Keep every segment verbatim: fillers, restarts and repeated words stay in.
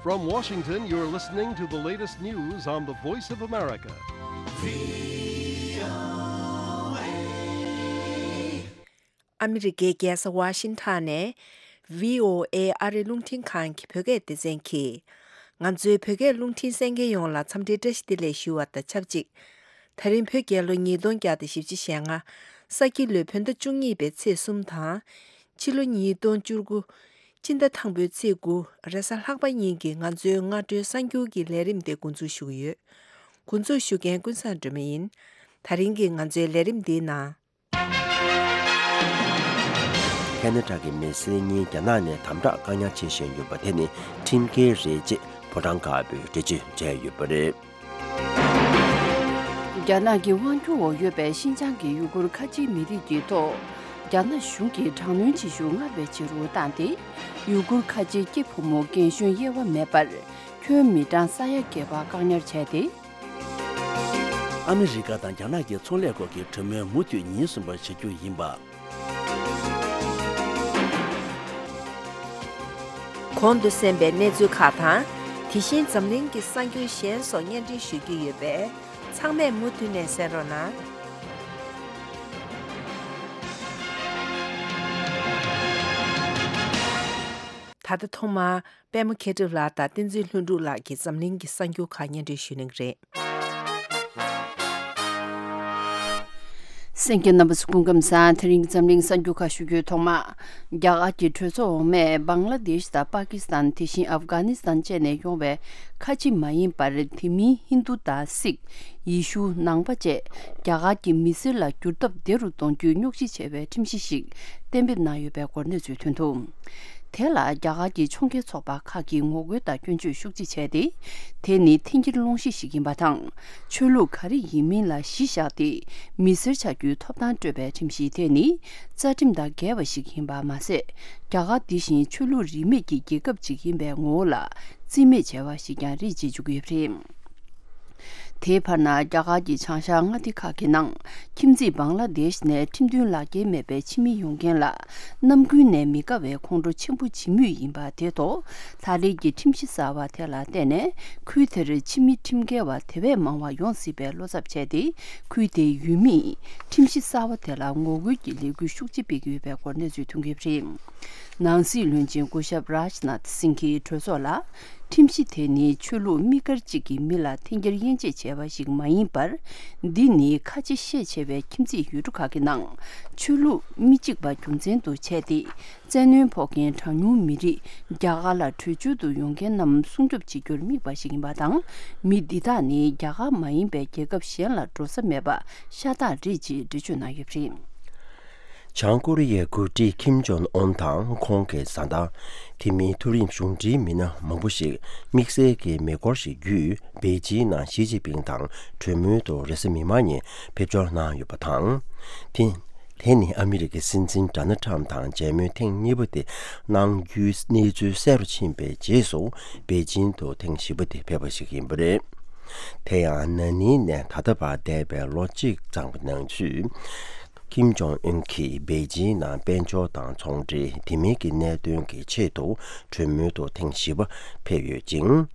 From Washington, you're listening to the latest news on the Voice of America. ཨ་མི་རི་ཀའི་རྒྱལ་ས་ཝ་ཤིང་ཊོན་ནས་བྷི་ཨོ་ཨེ་ཨ་རི་རླུང་འཕྲིན་ཁང་གི་བོད་སྐད་སྡེ་ཚན་གྱིས། ང་ཚོའི་བོད་སྐད་རླུང་འཕྲིན་གསན་མཁན་ཡོངས་ལ་འཚམས་འདྲིའི་བཀྲ་ཤིས་བདེ་ལེགས་ཞུ་བ་དང་ཆབས་ཅིག་ད་རིང་བོད་རྒྱལ་ལོ་ཉིས་སྟོང་བརྒྱ་དང་བཞི་བཅུ་ཞེ་ལྔ། ས་ཁྱི་ལོའི་བོད་ཟླ་བཅུ་གཉིས་པའི་ཚེས་གསུམ་དང་། ཕྱི་ལོ་ཉིས་སྟོང་བཅུ་དགུ། སྤྱི་ཟླ་དང་པོའི་ཚེས་དགུ། རེས་གཟའ་ལྷག་པ་ཉིན་གྱི་ང་ཚོའི་སྔ་དྲོའི་གསར་འགྱུར་གྱི་ལས་རིམ་དེ་འགོ་འཛུགས་ཞུ་གི་ཡོད། འགོ་འཛུགས་ཞུ་མཁན་ཀུན་བཟང་སྒྲོལ་མ་ཡིན། ད་རིང་གི་ང་ཚོའི་ལས་རིམ་འདིའི་ནང་། ཁེ་ན་ཌ་གི་མི་སེར་གཉིས་རྒྱ་ནག་ནས་དམ་དྲག་བཀག་ཉར་བྱེད་བཞིན་ཡོད་པ་དེ་ནི་ཁྲིམས་འགལ་རེད་ཅེས་ཕོ་བྲང་དཀར་པོས་འགྲེལ་བརྗོད་བྱས་ཡོད་པ་རེད། རྒྱ་ནག་གི་དབང་སྒྱུར་འོག་ཡོད་པའི་ཤིན་ཅང་གི་ཡུ་གུར་ཁ་ཆེའི་མི་རིགས་ཀྱི་ཐོག་རྒྱ་ནག་གཞུང་གིས་དྲག་གནོན་བྱེད་ཤུགས་སྔར་བས་ཆེ་རུ་བཏང་སྟེ། ཡུ་གུར་ཁ་ཆེའི་སྐྱེས་ཕོ་མོ་རྒན་གཞོན་དབྱེ་བ་མེད་པར་ཁྱོན་མི་གྲངས་ས་ཡ་བརྒལ་བ་བཀག་ཉར་བྱས་ཏེ། ཨ་མི་རི་ཀ་དང་རྒྱ་ནག་གི་ཚོང་ལས་སྐོར་གྱི་གྲོས་མོལ་མུ་མཐུད་ཉིན་གསུམ་པར་བྱ་རྒྱུ་ཡིན་པ། གོང་དུ་གསན་པའི་གནས་ཚུལ་ཁག་དང་། དེ་བཞིན་འཛམ་གླིང་གི་གསར་འགྱུར་གཞན་སོགས་སྙན་སྒྲོན་ཞུ་རྒྱུ་ཡོད་པས། ཚང་མས་མུ་མཐུད་ནས་གསན་རོགས་གནང་། ད་ལྟ་ཐོག་མར། པད་མ་མཁས་གྲུབ་ལགས་དང་བསྟན་འཛིན་ལྷུན་གྲུབ་ལགས་ཀྱིས་འཛམ་གླིང་གི་གསར་འགྱུར་ཁག་སྙན་སྒྲོན་ཞུ་གནང་གི་རེད། གསན་མཁན་རྣམ་པ་ཚོ་སྐུ་ཁམས་བཟང་། དེ་རིང་འཛམ་གླིང་གསར་འགྱུར་ཁག་ཞུ་རྒྱུའི་ཐོག་མ། རྒྱ་གར་གྱི་གྲོས་ཚོགས་འོག་མས་བང་ལ་དེཤ་དང་པ་ཀི་སི་ཐན། དེ་བཞིན་ཨབ་གྷ་ནི་སི་ཐན་བཅས་ནས་ཡོང་བའི་ཁ་ཆེ་མ་ཡིན་པར་དེ་མིན་ཧིན་རྡུ་དང་སིག་ཡེ་ཤུ། ནང་པ་བཅས་རྒྱ་གར་གྱི་མི་སེར་ལ་འགྱུར་ཐབས་བདེ་རུ་གཏོང་རྒྱུའི་སྙོག་ཞི་བྱ་བའི་ཁྲིམས་གཞི་ཞིག་གཏན་འབེབས་གནང་ཡོད་པའི་སྐོར་གནས་ཚུལ་ཐོན་འདུག་དེ་ལ་རྒྱ་གར་གྱི་ཕྱོགས་འགལ་ཚོགས་པ་ཁག་གིས་ངོ་རྒོལ་དང་སྐྱོན་བརྗོད་ཤུགས་ཆེ་བྱས་ཏེ། དེ་ནི་འཐེན་འཁྱེར་སློང་གཞི་ཞིག་ཡིན་པ་དང་། ཆོས་ལུགས་ག་རེ་ཡིན་མིན་ལ་གཞི་བཞག་སྟེ། མི་སེར་ཆགས་རྒྱུའི་ཐོབ་ཐང་སྤྲོད་པའི་ཁྲིམས་གཞི་དེ་ནི། རྩ་ཁྲིམས་དང་འགལ་བ་ཞིག་ཡིན་པ་མ་ཟད། རྒྱ་གར་འདི་བཞིན་ཆོས་ལུགས་རིས་མེད་ཀྱི་རྒྱལ་ཁབ་ཅིག་ཡིན་པའི་ངོ་བོ་ལ་རྩིས་མེད་བྱས་པ་ཞིག་ཀྱང་རེད་ཅེས་བརྗོད་ཀྱི་ཡོད་པ་རེད། དེའི་བར་ན་རྒྱ་གར་གྱི་བྱང་ཤར་མངའ་སྡེ་ཁག་གི་ནང་ཁྱིམ་མཚེས་བང་ལ་དེཤ་ནས་ཁྲིམས་མཐུན་ལག་འཁྱེར་མེད་པའི་ཕྱི་མི་ཡོང་མཁན་ལ་ནམ་རྒྱུན་ནས་མི་དགའ་བའི་ཁོང་ཁྲོ་ཆེན་པོ་བྱེད་མུས་ཡིན་པ་དེ་ཐོག་ད་རེས་ཀྱི་ཁྲིམས་གཞི་གསར་བ་དེ་ལ་བརྟེན་ནས་ཁུལ་དེར་ཕྱི་མི་ཁྲིམས་འགལ་བ་དེ་བས་མང་བ་ཡོང་སྲིད་པའི་བློ་འཚབ་བྱས་ཏེ། ཁུལ་དེའི་ཡུལ་མིས་ཁྲིམས་གཞི་གསར་བ་དེ་ལ་ངོ་རྒོལ་གྱི་ལས་འགུལ་ཤུགས་ཆེ་སྤེལ་གྱི་ཡོད་པའི་སྐོར་གནས་ཚུལ་ཐོན་གྱི་ཡོད་པ་རེད། ནང་སྲིད་བློན་ཆེན་སྐུ་ཞབས་རཱཇ་ནཱཐ་སིང་གིས་གྲོས་ཚོགས་ལ། ཁྲིམས་གཞི་དེ་ནི་ཆོས་ལུགས་དམིགས་བཀར་གཅིག་གི་མི་ལ་འཐེན་འཁྱེར་དབྱེ་འབྱེད་བྱས་པ་ཞིག་མ་ཡིན་པར། འདི་ནི་ཁ་ཆེ་ཤས་ཆེ་བའི་ཁྱིམ་མཚེས་ཡུལ་གྲུ་ཁག་གི་ནང་ཆོས་ལུགས་མི་གཅིག་པ་རྒྱུ་མཚན་དུ་བྱས་ཏེ། བཙན་གནོན་ཕོག་མཁན་གྲངས་ཉུང་མི་རིགས་རྒྱ་གར་ལ་བྲོས་བྱོལ་དུ་ཡོང་མཁན་རྣམས་སྲུང་སྐྱོབ་བྱེད་རྒྱུར་དམིགས་པ་ཞིག་ཡིན་པ་དང་། མི་འདི་དག་ནི་རྒྱ་གར་མ་ཡིན་པའི་རྒྱལ་ཁབ་གཞན་ལ་འགྲོ་ས་མེད་པ་ཤ་སྟག་རེད་ཅེས་འགྲེལ་བརྗོད་གནང་ཡོད་པ་རེད། བྱང་ཀོ་རི་ཡའི་འགོ་ཁྲིད་ཁིམ་ཇོང་ཨོན་དང་ཁོང་གི་བཟའ་ཟླ། དེ་མིན་མཐོ་རིམ་གཞུང་འབྲེལ་མི་སྣ་མང་པོ་ཞིག་དམིགས་བསལ་གྱི་མེ་འཁོར་ཞིག་བརྒྱུད་པེ་ཅིང་ནང་ཞི་ཅིན་ཕིང་དང་གྲོས་མོལ་དུ་རེས་གཟའ་མིག་དམར་ཉིན་ཕེབས་འབྱོར་གནང་ཡོད་པ་དང་། དེ། དེ་ནི་ཨ་མི་རི་ཀའི་སྲིད་འཛིན་ཌོ་ནལ་ཊམ་དང་མཇལ་མོལ་ཐེངས་གཉིས་པ་དེ་གནང་རྒྱུའི་གནས་ཚུལ་གསལ་རུ་ཕྱིན་པའི་རྗེས་སུ་པེ་ཅིང་དུ་ཐེངས་བཞི་པ་དེ་ཕེབས་པ་ཞིག་ཡིན་པ་རེད། དེ་ཡང་ན་ནིང་ནས་ད་ལྟ་བར་འདས་པའི་ལོ་གཅིག་ཙམ་གྱི་ནང་ཚུད། ཁིམ་ཇོང་ཨུན་གྱིས་པེ་ཅིང་ནང་དཔལ་འབྱོར་དང་ཚོང་འབྲེལ་དེ་མིན་གྱི་གནད་དོན་གྱི་ཆེད་དུ་གྲོས་མོལ་དུ་ཐེངས་བཞི་པ་ཕེབས་ཡོད་ཅིང་།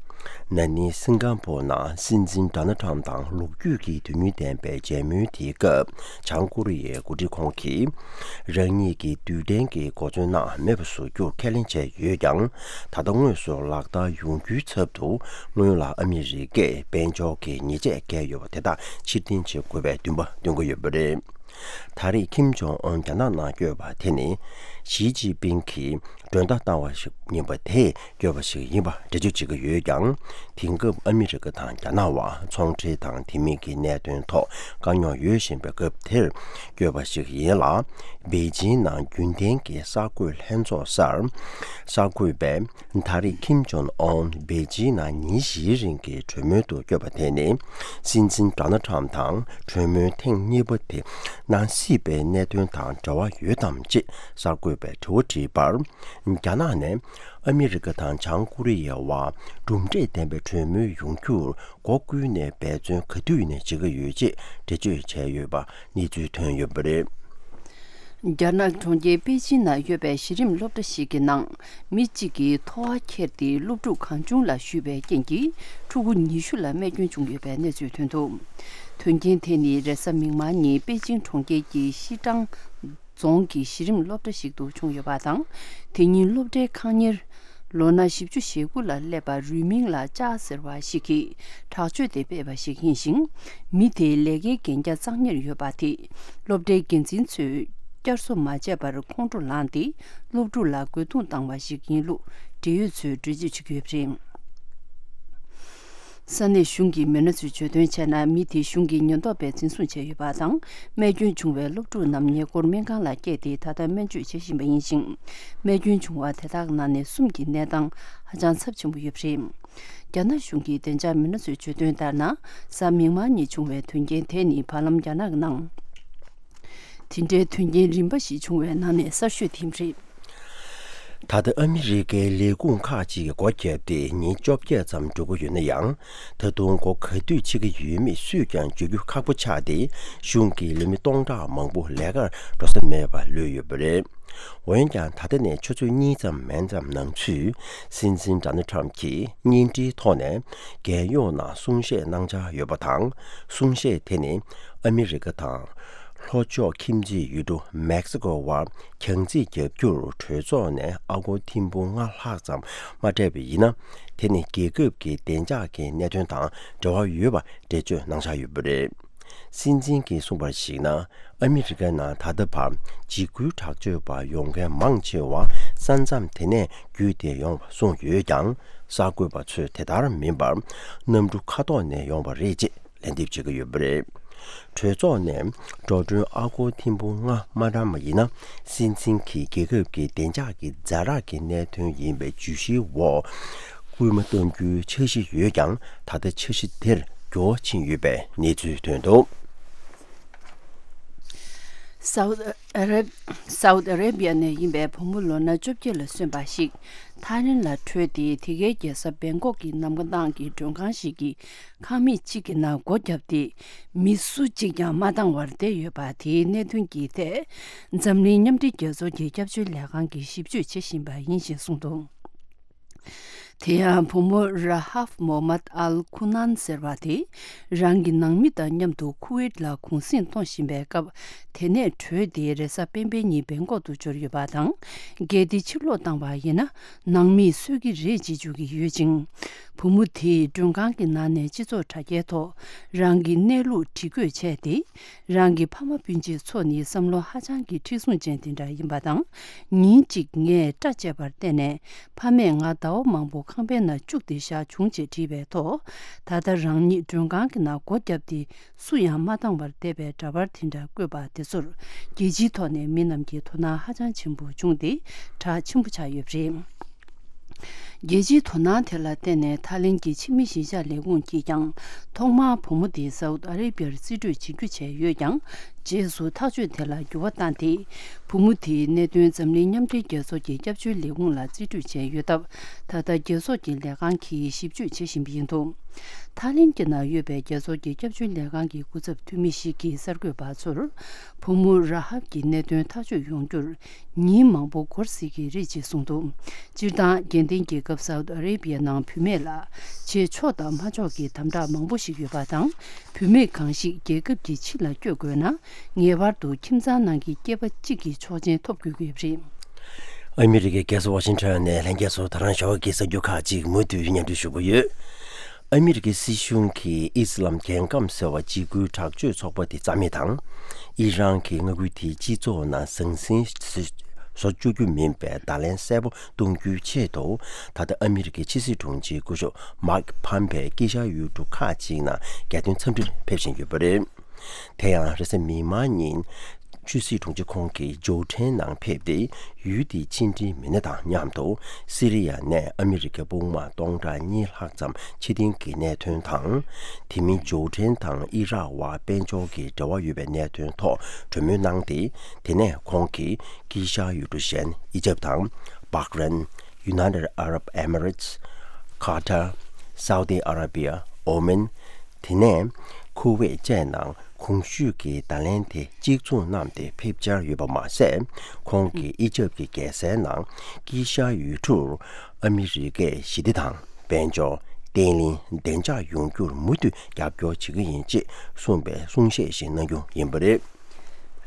ན་ནིང་སིང་ག་པོར་ནང་སྲིད་འཛིན་ཌོ་ནལ་ཊམ་དང་ལོ་རྒྱུས་ཀྱི་དོན་སྙིང་ལྡན་པའི་མཇལ་མོལ་དེའི་སྐབས་བྱང་ཀོ་རི་ཡའི་འགོ་ཁྲིད་ཁོང་གིས། རང་ཉིད་ཀྱིས་རྡུལ་ཕྲན་གྱི་གོ་མཚོན་ནང་མེད་པ་བཟོ་རྒྱུར་ཁས་ལེན་བྱས་ཡོད་ཀྱང་། ད་ལྟ་དངོས་སུ་ལག་བསྟར་ཡོང་རྒྱུའི་ཚབ་ཏུ་སྔོན་ལ་ཨ་མི་རི་ཀས་དཔལ་འབྱོར་གྱི་ཉེས་ཆད་བཀལ་ཡོད་པ་དེ་དག་ཕྱིར་འཐེན་བྱེད་དགོས་པའི་འདུན་པ་འདོན་གྱི་ཡོད་པ་རེད། ད་རེས་ཁིམ་ཇོང་ཨོན་རྒྱ་ནག་ནང་བསྐྱོད་པ་དེ་ནི་ཞི་ཅིན་ཕིང་གིས་མགྲོན་བརྡ་བཏང་བ་ཞིག་ཡིན་པ་དེས་བསྐྱོད་པ་ཞིག་ཡིན་པ་འགྲེལ་བརྗོད་བྱེད་ཀྱི་ཡོད་ཀྱང་། དེང་སྐབས་ཨ་མི་རི་ཀ་དང་རྒྱ་ནག་དབར་ཚོང་འབྲེལ་དང་དེ་མིན་གྱི་གནད་དོན་ཐོག་དཀའ་རྙོག་ཡོད་བཞིན་པའི་སྐབས་དེར་བསྐྱོད་པ་ཞིག་ཡིན་ལ། པེ་ཅིང་ནང་རྒྱུན་ལྡན་གྱི་གསར་འགོད་ལྷན་ཚོགས་སར་གསར་འགོད་པས། ད་རེས་ཁིམ་ཇོང་ཨོན་པེ་ཅིང་ནང་ཉིན་བཞིའི་རིང་གི་གྲོས་མོལ་དུ་བསྐྱོད་པ་དེ་ནི། སྲིད་འཛིན་ཌོ་ནལ་ཊམ་དང་གྲོས་མོལ་ཐེངས་གཉིས་པ་དེ་གནང་སྲིད་པའི་གནད་དོན་དང་འབྲེལ་བ་ཡོད་དམ་ཅེས་གསར་འགོད་པས་དྲི་བ་དྲིས་པར། རྒྱ་ནག་ནས་ཨ་མི་རི་ཀ་དང་བྱང་ཀོ་རི་ཡའི་དབར་གྲུབ་འབྲས་ལྡན་པའི་གྲོས་མོལ་ཡོང་རྒྱུར་སྒོ་ཀུན་ནས་འབད་བརྩོན་ག་དུས་ནས་བྱེད་ཀྱི་ཡོད་ཅེས་འགྲེལ་བརྗོད་བྱས་ཡོད་པ་གནས་ཚུལ་ཐོན་ཡོད་པ་རེད། རྒྱ་ནག་གྲོང་ཁྱེར་པེ་ཅིན་ན་ཡོད་པའི་གཞི་རིམ་སློབ་གྲྭ་ཞིག་གི་ནང་མི་གཅིག་གིས་ཐོ་བ་ཁྱེར་ཏེ་སློབ་ཕྲུག་གང་བྱུང་ལ་གཞུས་པའི་རྐྱེན་གྱིས་ཕྲུ་གུ་ཉི་ཤུ་ལ་རྨས་སྐྱོན་བྱུང་ཡོད་པའི་གནས་ཚུལ་ཐོན་འདུག་དོན་རྐྱེན་དེ་ནི་རེས་གཟའ་མིག་དམར་ཉིན་པེ་ཅིན་གྲོང་ཁྱེར་གྱི་ཤི་ཀྲང་རྫོང་གི་གཞི་རིམ་སློབ་གྲྭ་ཞིག་ཏུ་བྱུང་ཡོད་པ་དང་། དེ་ཉིན་སློབ་གྲྭའི་ཁང་གཉེར་ལོ་ན་བཞི་བཅུ་ཞེ་དགུ་ལ་སླེབས་པ་རུས་མིང་ལ་ཅཱ་ཟེར་བ་ཞིག་གིས་དྲག་སྤྱོད་དེ་སྤེལ་བ་ཞིག་ཡིན་ཞིང་། མི་དེའི་ལས་ཀའི་གན་རྒྱ་གཙང་ཉར་ཡོད་པ་དེས་སློབ་གྲྭའི་འགན་འཛིན་ཚོས་བསྐྱར་གསོ་མ་བྱས་པར་ཁོང་ཁྲོ་ལངས་ཏེ་སློབ་ཕྲུག་ལ་རྒོལ་རྡུང་བཏང་བ་ཞིག་ཡིན་ལུགས་འབྲེལ་ཡོད་ཚོས་འགྲེལ་བརྗོད་བྱེད་ཀྱི་ཡོད་པ་རེད། ས་གནས་གཞུང་གི་མི་སྣ་ཚོས་བརྗོད་དོན་བྱས་ན། མི་དེ་གཞུང་གི་ཉེན་རྟོག་པས་འཛིན་བཟུང་བྱས་ཡོད་པ་དང་། རྨས་སྐྱོན་བྱུང་བའི་སློབ་ཕྲུག་རྣམས་ཉེ་འཁོར་སྨན་ཁང་ལ་བསྐྱལ་ཏེ་ད་ལྟ་སྨན་བཅོས་བྱེད་བཞིན་པ་ཡིན་ཞིང་། རྨས་སྐྱོན་བྱུང་བ་དེ་དག་ནང་ནས་གསུམ་གྱི་གནས་སྟངས་ཧ་ཅང་ཚབས་ཆེན་པོ་ཡོད་པ་རེད། རྒྱ་ནག་གཞུང་གི་བདེ་འཇགས་མི་སྣ་ཚོས་བརྗོད་དོན་ལྟར་ན། གཟའ་མིག་དམར་ཉིན་བྱུང་བའི་དོན་རྐྱེན་དེ་ནི་བར་ལམ་རྒྱ་ནག་ནང་དེ་འདྲའི་དོན་རྐྱེན་རིམ་པ་ཞིག་བྱུང་བའི་ནང་ནས་གསར་ཤོས་དེ་རེད། ད་ལྟ་ཨ་མི་རི་ཀའི་ལས་ཁུངས་ཁག་ཅིག་གིས་སྒོ་བརྒྱབ་སྟེ་ཉིན་བཅོ་བརྒྱད་ཙམ་འགྲོ་གི་ཡོད་ན་ཡང་། ད་དུང་སྒོ་ག་དུས་ཕྱེ་གི་ཡོད་མེད་སུས་ཀྱང་བརྗོད་རྒྱུ་ཁག་པོ་ཆགས་ཏེ། གཞུང་གི་ལས་མི་སྟོང་ཕྲག་མང་པོ་ལས་ཀར་འགྲོ་ས་མེད་པར་ལུས་ཡོད་པ་རེད། འོན་ཀྱང་ད་ལྟ་ནས་ཆུ་ཚོད་གཉིས་ཙམ་མན་ཙམ་ནང་ཚུད། སྲིད་འཛིན་ཌོ་ནལ་ཊམ་གྱིས་བརྙན་འཕྲིན་ཐོག་ནས་རྒྱལ་ཡོངས་ནང་གསུང་བཤད་གནང་འཆར་ཡོད་པ་དང་། གསུང་བཤད་དེ་ནི་ཨ་མི་རི་ཀ་དང་། ལྷོ་ཕྱོགས་ཁྱིམ་མཚེས་ཡུལ་གྲུ་མེག་སི་ཀོ་བར་གྱང་རྩིས་བརྒྱབ་རྒྱུར་གྲོས་ཚོགས་ནས་ཨ་སྒོར་ཐེར་འབུམ་ལྔ་ལྷག་ཙམ་མ་སྤྲད་པ་ཡིན་ན། དེ་ནི་རྒྱལ་ཁབ་ཀྱི་བདེ་འཇགས་ཀྱི་གནད་དོན་དང་འབྲེལ་བ་ཡོད་པ་འགྲེལ་བརྗོད་གནང་འཆར་ཡོད་པ་རེད། སྲིད་འཛིན་གྱིས་གསུངས་པར་གཞིགས་ན། ཨ་མི་རི་ཀའི་ནང་ད་ལྟ་བར་འཇིགས་སྐུལ་དྲག་སྤྱོད་པ་ཡོང་མཁན་མང་ཆེ་བ་ས་མཚམས་དེ་ནས་བརྒྱུད་དེ་ཡོང་བ་གསུངས་ཡོད་ཀྱང་། གསར་འགོད་པ་ཚོས་དེ་ལྟར་མིན་པར་གནམ་གྲུ་མཁའ་ཐོག་ནས་ཡོང་བ་རེད་ཅེས་ལན་འདེབས་བྱེད་ཀྱི་ཡོད་པ་རེད། གྲོས་ཚོགས་ནས་འགྲོ་གྲོན་ཨ་སྒོར་ཐེར་འབུམ་ལྔ་མ་བཀྲམ་པ་ཡིན་ན། སྲིད་འཛིན་གྱིས་རྒྱལ་ཁབ་ཀྱི་བདེ་འཇགས་ཀྱི་ཛ་དྲག་གི་གནད་དོན་ཡིན་པའི་བརྗོད་གཞིའི་འོག་སྐུལ་མ་གཏོང་རྒྱུའི་འཆར་གཞི་ཡོད་ཀྱང་། ད་ལྟ་འཆར་གཞི་དེར་འགྱུར་བ་ཕྱིན་ཡོད་པའི་གནས་ཚུལ་ཐོན་འདུག། སའུ་ཨ་ར་སའུ་ཨ་ར་བི་ཡ་ནས་ཡིན་པའི་བུ་མོ་ལོ་ན་བཅོ་བརྒྱད་ལ་སོན་པ་ཞིག་ཐའི་ལེན་ལ་བྲོས་ཏེ། དེ་གའི་རྒྱལ་ས་བེང་ཀོག་གི་གནམ་ཐང་གི་མགྲོན་ཁང་ཞིག་གི་ཁང་མིག་ཅིག་གི་ནང་སྒོ་བརྒྱབ་སྟེ། མི་སུ་གཅིག་ཀྱང་མ་བཏང་བར་བསྡད་ཡོད་པ་དེའི་གནད་དོན་གྱི་ཐད། འཛམ་གླིང་མཉམ་འབྲེལ་རྒྱལ་ཚོགས་ཀྱི་སྐྱབས་བཅོལ་ལས་ཁང་གིས་ཞིབ་དཔྱོད་བྱེད་བཞིན་པ་ཡིན་ཞེས་གསུངས་འདུག། དེ་ཡང་བུ་མོ་ར་ཧབ་མོ་མད་ཨལ་ཁུ་ནན་ཟེར་བ་དེ། རང་གི་ནང་མི་དང་མཉམ་དུ་ཁུ་ཝེད་ལ་གུང་གསེང་གཏོང་བཞིན་པའི་སྐབས། དེ་ནས་བྲོས་ཏེ་རེས་གཟའ་སྤེན་པའི་ཉིན་བེང་ཀོག་ཏུ་འབྱོར་ཡོད་པ་དང་། གལ་ཏེ་ཕྱིར་ལོག་བཏང་བ་ཡིན་ན། ནང་མིས་གསོད་ཀྱི་རེད་ཅེས་བརྗོད་ཀྱི་ཡོད་ཅིང་། བུ་མོ་དེས་མགྲོན་ཁང་གི་ནང་ནས་སྤྱི་ཚོགས་དྲ་རྒྱའི་ཐོག་རང་གི་གནས་ལུགས་བྲིས་བཀོད་བྱས་ཏེ། རང་གི་ཕ་མ་སྤུན་མཆེད་ཚོ་ནི་བསམ་བློ་ཧ་ཅང་གི་མཁྲེགས་བཟུང་ཅན་དེ་འདྲ་ཡིན་པ་དང་། ཉིན་གཅིག་ངས་སྐྲ་བཅད་པར་བརྟེན་ནས་ཕ་མས་ང་ཟླ་བ་མང་པོ་ཁང་པའི་ནང་བཅུག་སྟེ་བཞག་བྱུང་ཅེས་བྲིས་པའི་ཐོག། ད་ལྟ་རང་ཉིད་མགྲོན་ཁང་གི་ནང་སྒོ་བརྒྱབ་སྟེ། སུ་ཡང་མ་བཏང་བར་བསྡད་པའི་འདྲ་པར་དེ་འདྲ་བཀོད་པ་དེ་ཚོར་རྒྱལ་སྤྱིའི་ཐོག་ནས་མི་རྣམས་ཀྱིས་དོ་སྣང་ཧ་ཅང་ཆེན་པོ་བྱུང་སྟེ་གྲགས་ཆེན་པོ་ཆགས་ཡོད་པ་རེད། རྒྱལ་སྤྱིའི་དོ་སྣང་དེ་ལ་བརྟེན་ནས་ཐའི་ལེན་གྱི་ཕྱི་མི་གཞིས་ཆགས་ལས་ཁུངས་ཀྱིས་ཀྱང་ཐོག་མར་བུ་མོ་དེ་སའུ་ཏི་ཨ་རེ་བྷི་ཡར་རྩིས་སྤྲོད་བྱེད་རྒྱུ་བྱས་ཡོད་ཀྱང་། རྗེས་སུ་ཐག་གཅོད་དེ་ལ་འགྱུར་བ་བཏང་སྟེ། བུ་མོ་དེའི་གནད་དོན་འཛམ་གླིང་མཉམ་འབྲེལ་རྒྱལ་ཚོགས་ཀྱི་སྐྱབས་བཅོལ་ལས་ཁུངས་ལ་རྩིས་སྤྲོད་བྱས་ཡོད་སྟབས། ད་ལྟ་རྒྱལ་ཚོགས་ཀྱི་ལས་ཁང་གིས་ཞིབ་དཔྱོད་བྱེད་བཞིན་པ་ཡིན་འདུག། ཐའི་ལེན་གྱི་ནང་ཡོད་པའི་རྒྱལ་ཚོགས་ཀྱི་སྐྱབས་བཅོལ་ལས་ཁང་གི་སྐུ་ཚབ་འཐུས་མི་ཞིག་གིས་གསར་འགོད་པ་ཚོར། བུ་མོ་ར་ཧབ་ཀྱི་གནད་དོན་ཐག་གཅོད་ཡོང་རྒྱུར་ཉིན་མང་པོ་འགོར་སྲིད་ཀྱི་རེད་ཅེས་གསུངས་འདུག། སྤྱིར་བཏང་། རྒྱལ་ལྡན་རྒྱལ་ཁབ་སའུ་ཏི་ཨ་རེ་བྷི་ཡ་ནང་བུད་མེད་ལ་བྱེད་ཆོག་དང་མ་ཆོག་གི་དམ་དྲག་མང་པོ་ཞིག་ཡོད་པ་དང་། བུད་མེད་གང་ཞིག་རྒྱལ་ཁབ་ཀྱི་ཕྱི་ལ་བསྐྱོད་དགོས་ན། ངེས་པར་དུ་ཁྱིམ་ཚང་ནང་གི་སྐྱེས་པ་གཅིག་གི་ཆོག་མཆན་ཐོབ་དགོས་ཀྱི་ཡོད་པ་རེད། ཨ་མི་རི་ཀའི་རྒྱལ་ས་ཝ་ཤིང་ཊོན་ནས་ལྷན་རྒྱས་ཚོ་ད་རང་ཞོགས་ཀྱི་གསར་འགྱུར་ཁག་ཅིག་མུ་མཐུད་སྙན་སྒྲོན་ཞུ་གི་ཡོད། ཨ་མི་རི་ཀའི་སྲིད་གཞུང་གིས་ཨི་སི་ལམ་རྒྱལ་ཁམས་ཟེར་བ་འཇིགས་སྐུལ་དྲག་སྤྱོད་ཚོགས་པ་དེ་རྩ་མེད་དང་། ཨི་རན་གྱི་མངའ་ཁུལ་དེའི་སྤྱི་ཚོགས་ནང་ཟང་ཟིང་བཟོ་བཅུག་རྒྱུ་མིན་པའི་བརྡ་ལན་གསལ་པོ་གཏོང་རྒྱུའི་ཆེད་དུ། ད་ལྟ་ཨ་མི་རི་ཀའི་ཕྱི་སྲིད་དྲུང་ཆེ་སྐུ་ཞབས་མཱིག་ཕམ་པེ་དཀྱིལ་ཤར་ཡུལ་གྲུ་ཁག་ཅིག་ནང་རྒྱལ་དོན་འཚམས་འདྲིར་ཕེབས་བཞིན་ཡོད་པ་རེད། དེ་ཡང་རེས་གཟའ་མིག་དམར་ཉིན་ཕྱི་སྲིད་དྲུང་ཆེ་ཁོང་གིས་ཇོ་ཁྲེན་ནང་ཕེབས་ཏེ། ཡུལ་དེའི་ཕྱི་འབྲེལ་མི་སྣ་དང་མཉམ་དུ་སི་རི་ཡ་ནས་ཨ་མི་རི་ཀའི་དཔུང་དམག་སྟོང་ཕྲག་གཉིས་ལྷག་ཙམ་ཕྱིར་འཐེན་གྱི་གནད་དོན་དང་། དེ་མིན་ཇོ་ཁྲེན་དང་ཨི་རག་དབར་དཔལ་འབྱོར་གྱི་འབྲེལ་བ་ཡོད་པའི་གནད་དོན་ཐོག་གྲོས་མོལ་གནང་སྟེ། དེ་ནས་ཁོང་གིས་དཀྱིལ་ཤར་ཡུལ་གྲུ་གཞན་ཨི་ཇབ་དང་། བྷག་རན། United Arab Emirates། Qatar། Saudi Arabia། Oman། དེ་ནས་ཁོ། ཁུ་ཝེད་བཅས་ནང་གོང་ཞུས་ཀྱི་བརྡ་ལན་དེ་གཅིག་མཚུངས་བསྣམས་ཏེ་ཕེབས་འཆར་ཡོད་པ་མ་ཟད། ཁོང་གིས་ཨི་ཇབ་ཀྱི་རྒྱལ་སའི་ནང་དཀྱིལ་ཤར་ཡུལ་གྲུར་ཨ་མི་རི་ཀས་ཞི་བདེ་དང་། དཔལ་འབྱོར། བརྟན་ལྷིང་བདེ་འཇགས་ཡོང་རྒྱུར་མུ་མཐུད་རྒྱབ་སྐྱོར་བྱེད་ཀྱི་ཡིན་ཅེས་གསུངས་པའི་གསུང་བཤད་ཞིག་གནང་རྒྱུ་ཡིན་པ་རེད།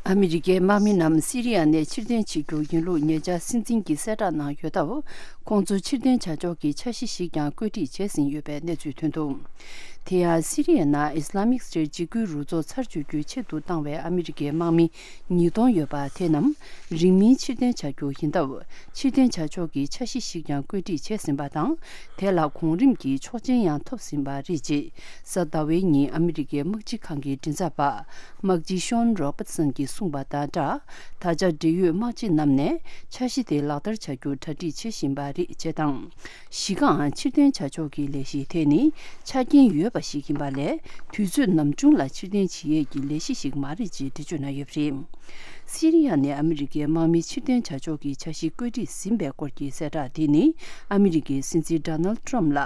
ཨ་མི་རི་ཀའི་དམག་མི་རྣམས་སི་རི་ཡ་ནས་ཕྱིར་འཐེན་བྱེད་རྒྱུ་ཡིན་ལུགས་ཉེ་ཆར་སྲིད་འཛིན་གྱིས་གསལ་བསྒྲགས་གནང་ཡོད་སྟབས། ཁོང་ཚོ་ཕྱིར་འཐེན་བྱ་ཕྱོགས་ཀྱི་འཆར་གཞི་ཞིག་ཀྱང་བཀོད་སྒྲིག་བྱས་ཟིན་ཡོད་པའི་གནས་ཚུལ་ཐོན་འདུག་དེ་ཡང་སི་རི་ཡའི་ནང་ཨི་སི་ལ་མིག་སི་ཊེཊ་འཇིགས་སྐུལ་རུ་ཚོགས་ཚར་གཅོད་རྒྱུའི་ཆེད་དུ་བཏང་བའི་ཨ་མི་རི་ཀའི་དམག་མི་ཉིས་སྟོང་ཡོད་པ་དེ་རྣམས་རིང་མིན་ཕྱིར་འཐེན་བྱ་རྒྱུ་ཡིན་སྟབས། ཕྱིར་འཐེན་བྱ་ཕྱོགས་ཀྱི་འཆར་གཞི་ཞིག་ཀྱང་བཀོད་སྒྲིག་བྱས་ཟིན་པ་དང་། དེ་ལ་གོང་རིམ་གྱི་ཆོག་མཆན་ཡང་ཐོབ་ཟིན་པ་རེད། ཅེས་གཟའ་ཟླ་བའི་ཉིན་ཨ་མི་རི་ཀའི་དམག་སྤྱི་ཁང་གི་མགྲིན་ཚབ་པ་དམག་སྤྱི་ཤོན་རོ་པར་སན་གྱིས་གསུངས་པ་དང་སྦྲགས། ད་ཆ་འབྲེལ་ཡོད་དམག་སྤྱི་རྣམས་ནས་འཆར་གཞི་དེ་ལག་བསྟར་བྱ་རྒྱུར་གྲ་སྒྲིག་བྱེད་བཞིན་པ་རེད། ཅེས་དང་། གཞི་རྐང་ཕྱིར་འཐེན་བྱ་ཕྱོགས་ཀྱི་ལས་གཞི་དེ་ནི་ཆ་རྐྱེན་ཡོད་པ་ཞིག་ཡིན་པ་ལས། དུས་ཚོད་ནམ་བྱུང་ལ་ཕྱིར་འཐེན་བྱེད་ཡས་ཀྱི་ལས་གཞི་ཞིག་མ་རེད་ཅེས་འགྲེལ་བརྗོད་གནང་ཡོད་པ་རེད། སི་རི་ཡ་ནས་ཨ་མི་རི་ཀའི་དམག་མི་ཕྱིར་འཐེན་བྱ་ཕྱོགས་ཀྱི་འཆར་གཞི་བཀོད་སྒྲིག་ཟིན་པའི་སྐོར་གྱི་གསལ་བསྒྲགས་དེ་ནི། ཨ་མི་རི་ཀའི་སྲིད་འཛིན་ཌོ་ནལ་ཌི་ཊརམ་ཕི་ལ་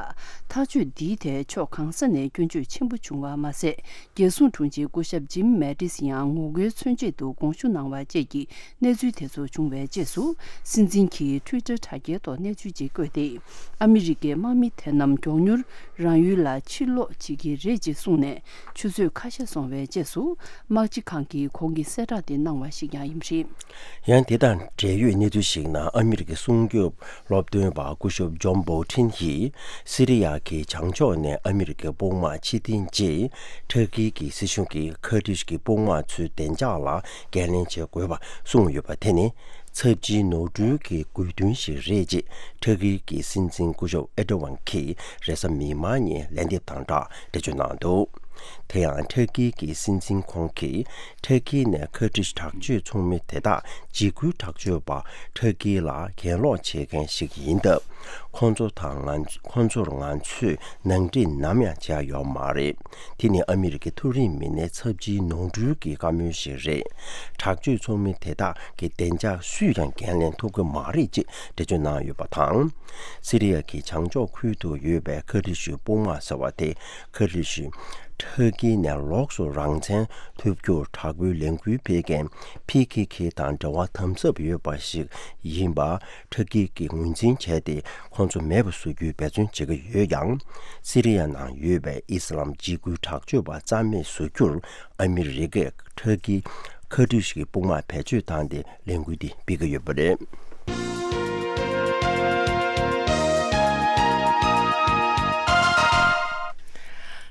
ཐག་གཅོད་འདིའི་ཐད་ཕྱོགས་གང་ས་ནས་སྐྱོན་བརྗོད་ཆེན་པོ་བྱུང་བ་མ་ཟད། རྒྱལ་སྲུང་དྲུང་ཆེ་སྐུ་ཞབས་ཇིམ་མེ་ཏིས་ཡང་ངོ་རྒོལ་མཚོན་ཆེད་དུ་དགོངས་ཞུ་གནང་བ་བཅས་ཀྱི་གནས་ཚུལ་དེ་ཚོ་བྱུང་བའི་རྗེས་སུ། སྲིད་འཛིན་གྱིས་ཊུའི་ཊར་དྲ་རྒྱའི་ཐོག་གནས་ཚུལ་ཅིག་བཀོད་དེ། ཨ་མི་རི་ཀའི་དམག་མི་དེ་རྣམས་མགྱོགས་མྱུར་རང་ཡུལ་ལ་ཕྱིར་ལོག་བྱེད་ཀྱི་རེད་ཅེས་གསུངས་ནས། ཆུ་ཚོད་ཁ་ཤས་སོང་བའི་རྗེས་སུ། དམག་སྤྱི་ཁང་གིས་ཁོང་གི་གསལ་བསྒྲགས་དེ་གནང་བ་ཞིག་ཀྱང་ཡིན་པ་རེད། ཡང་དེ་དང་འབྲེལ་ཡོད་གནས་ཚུལ་ཞིག་ནང་ཨ་མི་རི་ཀའི་སྲུང་སྐྱོབ་སློབ་སྟོན་པ་སྐུ་ཞབས་ཇོན་བོལ་ཊིན་ཡིས། སི་རི་ཡ་གི་བྱང་ཕྱོགས་ནས་ཨ་མི་རི་ཀའི་དཔུང་དམག་ཕྱིར་འཐེན་རྗེས། ཐར་ཀི་གི་སྲིད་གཞུང་གིས་ཁར་ཏིཤ་གི་དཔུང་དམག་ཚོའི་བདེ་འཇགས་ལ་འགན་ལེན་བྱེད་དགོས་པ་གསུངས་ཡོད་པ་དེ་ནི། ཚབས་ཆེའི་ནོར་འཁྲུལ་གྱི་དགོས་འདུན་ཞིག་རེད་ཅེས་ཐར་ཀི་གི་སྲིད་འཛིན་སྐུ་ཞབས་ཨེར་ཌོ་ཝན་གྱིས་རེས་གཟའ་མིག་དམར་ཉིན་ལན་འདེབས་དང་སྦྲགས་འགྲེལ་བརྗོད་གནང་འདུག་དེ་ཡང་ཐར་ཀི་གི་སྲིད་འཛིན་ཁོང་གིས། ཐར་ཀི་ནས་ཁར་ཏིཤ་དྲག་སྤྱོད་ཚོགས་མི་དེ་དག་འཇིགས་སྐུལ་དྲག་སྤྱོད་པ་ཐར་ཀི་ལ་གྱེན་ལོག་བྱེད་མཁན་ཞིག་ཡིན་སྟབས། ཁོང་ཚོ་དང་ང་ཁོང་ཚོར་ང་ཚོས་ནང་འགྲིག་ནམ་ཡང་བྱས་ཡོད་མ་རེད། དེ་ནི་ཨ་མི་རི་ཀའི་མཐོ་རིམ་མི་སྣའི་ཚབས་ཆེའི་ནོར་འཁྲུལ་གྱི་བཀའ་མོལ་ཞིག་རེད། དྲག་སྤྱོད་ཚོགས་མི་དེ་དག་གི་བདེ་འཇགས་སུས་ཀྱང་འགན་ལེན་ཐུབ་ཀྱི་མ་རེད་ཅེས་འགྲེལ་བརྗོད་གནང་ཡོད་པ་དང་། སི་རི་ཡ་གི་བྱང་ཕྱོགས་ཁུལ་དུ་ཡོད་པའི་ཁར་ཏིཤ་དཔུང་དམག་ཟེར་བ་དེ། ཁར་ཏིཤ་ཐར་ཀི་ནས་ལོགས་སུ་རང་བཙན་ཐོབ་རྒྱུར་དྲག་པོའི་ལས་འགུལ་སྤེལ་མཁན་ཕི་ཁེ་ཁེ་དང་འབྲེལ་བ་དམ་ཟབ་ཡོད་པ་ཞིག་ཡིན་པ་ཐར་ཀི་གིས་ངོས་འཛིན་བྱས་ཏེ། ཁོང་ཚོ་མེད་པ་བཟོ་རྒྱུའི་འབད་བརྩོན་བྱེད་ཀྱི་ཡོད་ཀྱང་། སི་རི་ཡ་ནང་ཡོད་པའི་ཨི་སི་ལམ་འཇིགས་སྐུལ་དྲག་སྤྱོད་པ་རྩ་མེད་བཟོ་རྒྱུར་ཨ་མི་རི་ཀས་ཐར་ཀི་ཁར་ཏིཤ་གི་དཔུང་དམག་བེད་སྤྱོད་བཏང་སྟེ་ལས་འགུལ་འདི་སྤེལ་གྱི་ཡོད་པ་རེད།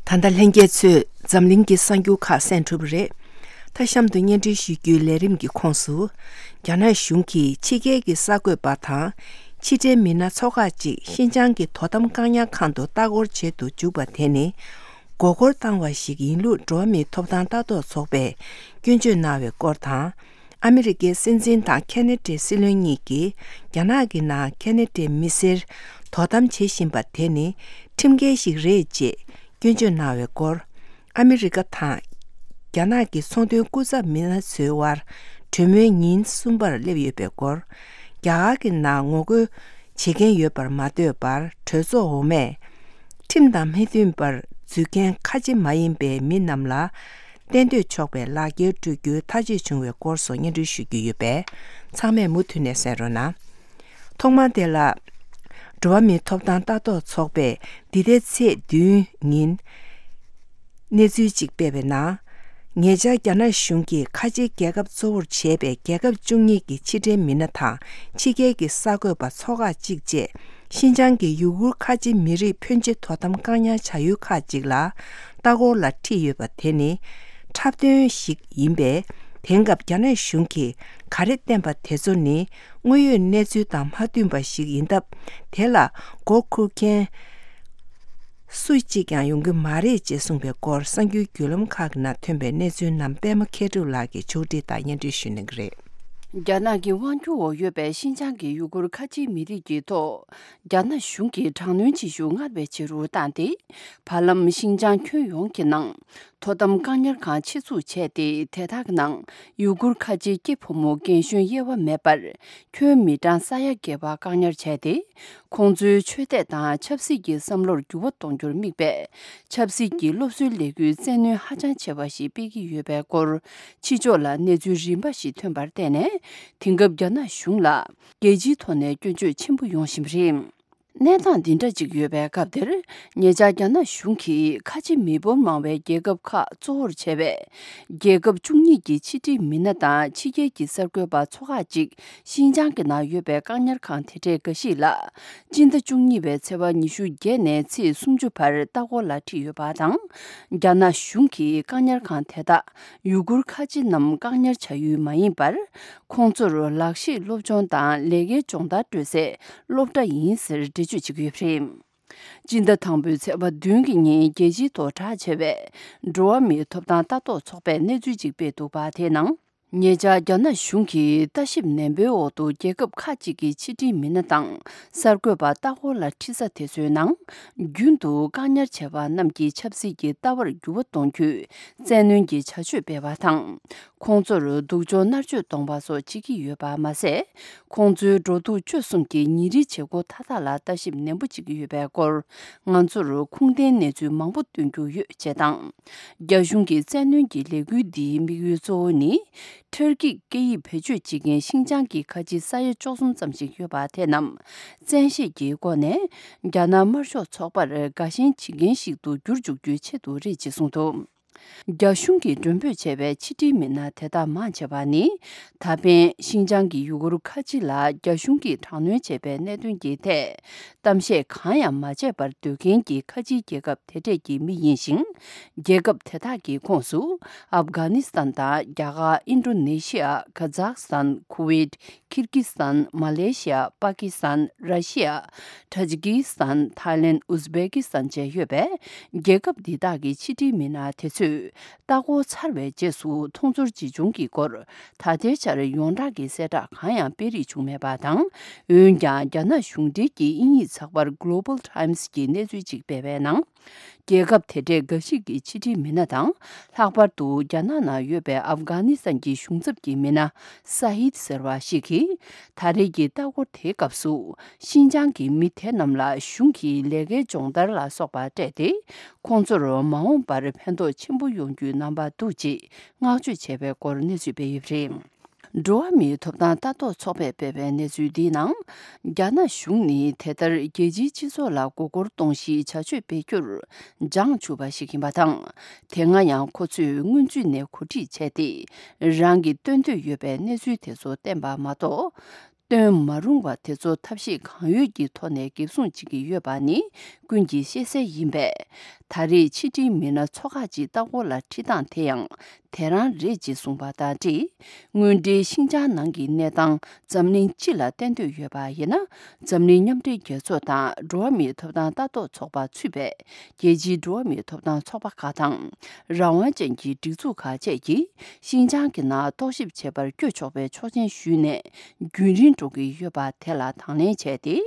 ད་ལྟ་ལྷན་རྒྱས་ཚོས་འཛམ་གླིང་གི་གསར་འགྱུར་ཁག་གསན་གྲུབ་པ་རེད། མཐའ་གཤམ་དུ་སྙན་སྒྲོན་ཞུ་རྒྱུའི་ལས་རིམ་གྱི་ཁོངས་སུ། རྒྱ་ནག་གཞུང་གིས་ཕྱི་རྒྱལ་གྱི་གསར་འགོད་པ་དང་ཕྱི་འབྲེལ་མི་སྣ་ཚོ་ཁག་ཅིག་ཤིན་ཅང་གི་དོ་དམ་བཀག་ཉར་ཁང་དུ་ལྟ་སྐོར་བྱེད་དུ་འཇུག་པ་དེ་ནི། མགོ་སྐོར་བཏང་བ་ཞིག་ཡིན་ལུགས་འགྲོ་བ་མིའི་ཐོབ་ཐང་ལྟ་རྟོག་ཚོགས་པས་སྐྱོན་བརྗོད་གནང་བའི་སྐོར་དང་། ཨ་མི་རི་ཀའི་སྲིད་འཛིན་དང་ཁེ་ན་ཌའི་སྲིད་བློན་གཉིས་ཀྱིས་རྒྱ་ནག་གི་ནང་ཁེ་ན་ཌའི་མི་སེར་དོ་དམ་བྱེད་བཞིན་པ་དེ་ནི་ཁྲིམས་འགལ་ཞིག་རེད་ཅེས་སྐྱོན་བརྗོད་གནང་བའི་སྐོར། ཨ་མི་རི་ཀ་དང་རྒྱ་ནག་གི་ཚོང་དོན་སྐུ་ཚབ་མི་སྣ་ཚོའི་དབར་གྲོས་མོལ་ཉིན་གསུམ་པར་སླེབས་ཡོད་པའི་སྐོར། རྒྱ་གར་གྱི་ནང་ངོ་རྒོལ་བྱེད་མཁན་ཡོད་པར་མ་ལྟོས་པར་གྲོས་ཚོགས་འོག་མས་ཁྲིམས་དང་མི་མཐུན་པར་འཛུལ་མཁན་ཁ་ཆེ་མ་ཡིན་པའི་མི་རྣམས་ལ་གཏན་སྡོད་ཆོག་པའི་ལག་འཁྱེར་སྤྲོད་རྒྱུའི་ཐག་གཅོད་བྱུང་བའི་སྐོར་སོགས་སྙན་སྒྲོན་ཞུ་རྒྱུ་ཡོད་པས་ཚང་མས་མུ་མཐུད་ནས་གསན་རོགས་གནང་། ཐོག་མར་དེ་ལ། འགྲོ་བ་མིའི་ཐོབ་ཐང་ལྟ་རྟོག་ཚོགས་པས་འདི་ཟླའི་ཚེས་བདུན་ཉིན། གནས་ཚུལ་གཅིག་སྤེལ་བའི་ནང་། ཉེ་ཆར་རྒྱ་ནག་གཞུང་གིས་ཁ་ཆེའི་རྒྱལ་ཁབ་གཙོ་བོར་བྱས་པའི་རྒྱལ་ཁབ་བཅུ་གཉིས་ཀྱི་ཕྱི་འབྲེལ་མི་སྣ་དང་ཕྱི་རྒྱལ་གྱི་གསར་འགོད་པ་ཚོ་ཁག་གཅིག་བཅས་ཤིན་ཅང་གི་ཡུ་གུར་ཁ་ཆེ་མི་རིགས་ཕོན་ཆེ་དོ་དམ་བཀག་ཉར་བྱ་ཡུལ་ཁག་ཅིག་ལ་ལྟ་སྐོར་ལ་ཁྲིད་ཡོད་པ་དེ་ནི་འཁྲབ་སྟོན་ཞིག་ཡིན་པས། དེང་སྐབས་རྒྱ་ནག་གཞུང་གིས་ག་རེ་བསྟན་པ་དེ་ཚོ་ནི་དངོས་ཡོད་གནས་ཚུལ་དང་མ་མཐུན་པ་ཞིག་ཡིན་སྟབས། དེ་ལ་མགོ་འཁོར་མཁན་སུ་གཅིག་ཀྱང་ཡོང་གི་མ་རེད་ཅེས་གསུངས་པའི་སྐོར་གསར་འགྱུར་བརྒྱུད་ལམ་ཁག་གི་ནང་ཐོན་པའི་གནས་ཚུལ་རྣམས་པད་མ་མཁས་གྲུབ་ལགས་ཀྱིས་ཕྱོགས་སྒྲིག་དང་སྙན་སྒྲོན་ཞུ་གནང་གི་རེད། རྒྱ་ནག་གི་དབང་སྒྱུར་འོག་ཡོད་པའི་ཤིན་ཅང་གི་ཡུ་གུར་ཁ་ཆེའི་མི་རིགས་ཀྱི་ཐོག་རྒྱ་ནག་གཞུང་གིས་དྲག་གནོན་བྱེད་ཤུགས་སྔར་བས་ཆེ་རུ་བཏང་སྟེ། བར་ལམ་ཤིན་ཅང་ཁྱོན་ཡོངས་ཀྱི་ནང་དོ་དམ་བཀག་ཉར་ཁང་ཆེད་འཛུགས་བྱས་ཏེ། དེ་དག་གི་ནང་ཡུ་གུར་ཁ་ཆེའི་སྐྱེས་ཕོ་མོ་རྒན་གཞོན་དབྱེ་བ་མེད་པར་ཁྱོན་མི་གྲངས་ས་ཡ་བརྒལ་བ་བཀག་ཉར་བྱས་ཏེ། ཁོང་ཚོའི་ཆོས་དད་དང་ཆབ་སྲིད་ཀྱི་བསམ་བློར་འགྱུར་བ་གཏོང་རྒྱུར་དམིགས་པའི་ཆབ་སྲིད་ཀྱི་སློབ་གསོའི་ལས་འགུལ་བཙན་གནོན་ཧ་ཅང་ཆེ་བ་ཞིག་སྤེལ་གྱི་ཡོད་པའི་སྐོར། ཕྱི་ཕྱོགས་ལ་གནས་ཚུལ་རིམ་པ་ཞིག་ཐོན་པར་བརྟེན་ནས། དེང་སྐབས་རྒྱ་ནག་གཞུང་ལ་རྒྱལ་སྤྱིའི་ཐོག་ནས་སྐྱོན་བརྗོད་ཆེན་པོ་ཡོང་བཞིན་པ་རེད། གནས་སྟངས་འདི་འདྲ་ཅིག་ཡོད་པའི་སྐབས་འདིར། ཉེ་ཆར་རྒྱ་ནག་གཞུང་གིས་ཁ་ཆེ་མི་འབོར་མང་བའི་རྒྱལ་ཁབ་ཁག་གཙོ་བོར་བྱས་པའི་རྒྱལ་ཁབ་བཅུ་གཉིས་ཀྱི་ཕྱི་འབྲེལ་མི་སྣ་དང་ཕྱི་རྒྱལ་གྱི་གསར་འགོད་པ་ཚོ་ཁག་ཅིག་ཤིན་ཅང་གི་ནང་ཡོད་པའི་བཀག་ཉར་ཁང་དེ་འདྲའི་འགའ་ཞིག་ལ། སྤྱི་ཟླ་བཅུ་གཉིས་པའི་ཚེས་པ་ཉི་ཤུ་བརྒྱད་ནས་ཚེས་སུམ་ཅུ་བར་ལྟ་སྐོར་ལ་ཁྲིད་ཡོད་པ་དང་། རྒྱ་ནག་གཞུང་གིས་བཀག་ཉར་ཁང་དེ་དག་ཡུ་གུར་ཁ་ཆེ་རྣམས་བཀག་ཉར་བྱ་ཡུལ་མ་ཡིན་པར། ཁོང་ཚོར་ལག་ཤེས་སློབ་སྦྱོང་དང་ལས་ཀའི་སྦྱོང་བརྡར་སྤྲོད་སའི་སློབ་གྲྭ་ཡིན་ཟེར་འགྲེལ་བརྗོད་བྱེད་ཀྱི་ཡོད་པ་རེད། སྤྱི་ཟླ་དང་པོའི་ཚེས་པ་བདུན་གྱི་ཉིན་རྒྱལ་སྤྱིའི་ཐོག་གྲགས་ཆེ་བའི་འགྲོ་བ་མིའི་ཐོབ་ཐང་ལྟ་རྟོག་ཚོགས་པས་གནས་ཚུལ་ཅིག་སྤེལ་འདུག་པ། དེའི་ནང་། ཉེ་ཆར་རྒྱ་ནག་གཞུང་གིས་ལྟ་ཞིབ་ནན་པོའི་འོག་ཏུ་རྒྱལ་ཁབ་ཁག་ཅིག་གི་ཕྱི་འབྲེལ་མི་སྣ་དང་གསར་འགོད་པ་ལྟ་སྐོར་ལ་ཁྲིད་ས་དེ་ཚོའི་ནང་། རྒྱུན་དུ་བཀག་ཉར་བྱས་པ་རྣམས་ཀྱི་ཆབ་སྲིད་ཀྱི་ལྟ་བར་འགྱུར་བ་གཏོང་རྒྱུའི་བཙན་གནོན་གྱི་བྱ་སྤྱོད་སྤེལ་བ་དང་། ཁོང་ཚོར་སྡུག་སྦྱོང་མནར་གཅོད་གཏོང་བ་སོགས་བྱེད་ཀྱི་ཡོད་པ་མ་ཟད། ཁོང་ཚོའི་འགྲོ་འདུག་སྤྱོད་གསུམ་གྱི་ཉིན་རེའི་བྱེད་སྒོ་མཐའ་དག་ལ་ལྟ་ཞིབ་ནན་པོ་བྱེད་ཀྱི་ཡོད་པའི་སྐོར། ང་ཚོར་ཁུངས་ལྡན་གནས་ཚུལ་མང་པོ་སྟོན་རྒྱུ་ཡོད་ཅེས་དང་། རྒྱ་གཞུང་གི་བཙན་གནོན་གྱི་ལས་འགུལ་འདིའི་དམིགས་ཡུལ་གཙོ་བོ་ནི། ཊར་ཀིས་སྐད་ཡིག་བེད་སྤྱོད་བྱེད་མཁན་ཤིན་ཅང་གི་ཁ་ཆེའི་ས་ཡ་བཅུ་གསུམ་ཙམ་ཞིག་ཡོད་པ་དེ་རྣམས་བཙན་ཤེད་ཀྱི་སྒོ་ནས་རྒྱ་ནག་དམར་ཤོག་ཚོགས་པར་དགའ་ཞེན་བྱེད་མཁན་ཞིག་ཏུ་བསྒྱུར་འཇུག་རྒྱུའི་ཆེད་དུ་རེད་ཅེས་གསུངས་འདུག་རྒྱ་གཞུང་གིས་མགྲོན་འབོད་བྱས་པའི་ཕྱི་འབྲེལ་མི་སྣ་དེ་དག་མང་ཆེ་བ་ནི། ད་ཕན་ཤིན་ཅང་གི་ཡུ་གུར་ཁ་ཆེ་ལ་རྒྱ་གཞུང་གིས་དྲག་གནོན་བྱས་པའི་གནད་དོན་གྱི་ཐད་གཏམ་བཤད་གང་ཡང་མ་བྱས་པར་སྡོད་མཁན་གྱི་ཁ་ཆེའི་རྒྱལ་ཁབ་དེ་གྲས་ཀྱི་མི་ཡིན་ཞིང་། རྒྱལ་ཁབ་དེ་དག་གི་ཁོངས་སུ་ཨབ་གྷ་ནི་སི་ཐན་དང་རྒྱ་གར། ཨིན་ཌོ་ནེ་ཤི་ཡ། ཁ་ཛག་སི་ཐན། ཁུ་ཝེད། ཁིར་ཀི་སི་ཐན། མ་ལེ་ཤི་ཡ། པ་ཀི་སི་ཐན། ར་ཤི་ཡ། ཊ་ཇི་ཀི་སི་ཐན། ཐའི་ལེན། ཨུ་ཛི་བེ་ཀི་སི་ཐན་བཅས་ཡོད་པའི་རྒྱལ་ཁབ་འདི་དག་གི་ཕྱི་འབྲེལ་མི་སྣ་དེ་ཚོས་ལྟ་སྐོར་ཚར་བའི་རྗེས་སུ་མཐོང་ཚོར་ཇི་བྱུང་གི་སྐོར་ད་ལྟའི་ཆར་ཡོངས་གྲགས་ཀྱི་གསལ་བསྒྲགས་གང་ཡང་སྤེལ་རེས་བྱུང་མེད་པ་དང་། འོན་ཀྱང་རྒྱ་ནག་གཞུང་འབྲེལ་གྱི་དབྱིན་ཡིག་ཚགས་པར་Global Times་གྱིས་གནས་ཚུལ་ཅིག་སྤེལ་བའི་ནང་། རྒྱལ་ཁབ་དེ་གྲས་འགའ་ཞིག་གི་ཕྱི་འབྲེལ་མི་སྣ་དང་། ལྷག་པར་དུ་རྒྱ་ནག་ནང་ཡོད་པའི་ཨབ་གྷ་ནི་སི་ཐན་གྱི་གཞུང་ཚབ་ཀྱི་མི་སྣ་ས་ཧིད་ཟེར་བ་ཞིག་གིས། ད་རེས་ཀྱི་ལྟ་སྐོར་དེའི་སྐབས་སུ། ཤིན་ཅང་གི་མི་དེ་རྣམས་ལ་གཞུང་གིས་ལས་ཀའི་སྦྱོང་བརྡར་ལ་སོགས་པ་སྤྲད་དེ། ཁོང་ཚོར་མ་འོངས་པར་ཕན་ཐོགས་ཆེན་པོ་ཡོང་རྒྱུའི་རྣམ་པ་འདུག་ཅེས་བསྔགས་བརྗོད་བྱས་པའི་སྐོར་གནས་ཚུལ་སྤེལ་ཡོད་པ་རེད། འགྲོ་བ་མིའི་ཐོབ་ཐང་ལྟ་རྟོག་ཚོགས་པས་སྤེལ་བའི་གནས་ཚུལ་འདིའི་ནང་། རྒྱ་ནག་གཞུང་ནི་དེ་ལྟར་རྒྱལ་སྤྱིའི་སྤྱི་ཚོགས་ལ་མགོ་སྐོར་གཏོང་གཞིའི་བྱ་སྤྱོད་སྤེལ་རྒྱུར་འཇང་ཆུག་པ་ཞིག་ཡིན་པ་དང་། དེ་སྔ་ཡང་ཁོ་ཚོས་སྔོན་ཚུད་ནས་གོ་སྒྲིག་བྱས་ཏེ། རང་གིས་སྟོན་འདོད་ཡོད་པའི་གནས་ཚུལ་དེ་ཚོ་བསྟན་པ་མ་གཏོགས། སྟོན་མ་རུང་བ་དེ་ཚོ་ཐབས་ཤེས་གང་ཡོད་ཀྱི་ཐོག་ནས་འགེབས་སྲུང་བྱེད་ཀྱི་ཡོད་པ་ནི་ཀུན་གྱིས་ཤེས་གསལ་ཡིན་པས། ད་རེས་ཕྱི་འབྲེལ་མི་སྣ་ཚོ་ཁག་ཅིག་ལྟ་སྐོར་ལ་ཁྲིད་སྟངས་དེ་ཡང་དེ་རང་རེད་ཅེས་གསུངས་པ་དང་འབྲེལ། དངོས་འབྲེལ་ཤིན་ཅང་ནང་གི་གནས་སྟངས་འཛམ་གླིང་སྤྱི་ལ་བསྟན་འདོད་ཡོད་པ་ཡིན་ན། འཛམ་གླིང་མཉམ་འབྲེལ་རྒྱལ་ཚོགས་དང་འགྲོ་བ་མིའི་ཐོབ་ཐང་ལྟ་རྟོག་ཚོགས་པ་ཚུད་པའི་རྒྱལ་སྤྱིའི་འགྲོ་བ་མིའི་ཐོབ་ཐང་ཚོགས་པ་ཁག་དང་། རང་དབང་ཅན་གྱི་སྒྲིག་འཛུགས་ཁག་བཅས་ཀྱིས་ཤིན་ཅང་གི་ནང་རྟོག་ཞིབ་བྱེད་པར་བསྐྱོད་ཆོག་པའི་ཆོག་མཆན་ཞུས་ནས། རྒྱུན་རིང་འགྲོ་གི་ཡོད་པ་དེ་ལ་དང་ལེན་བྱས་ཏེ། དེ་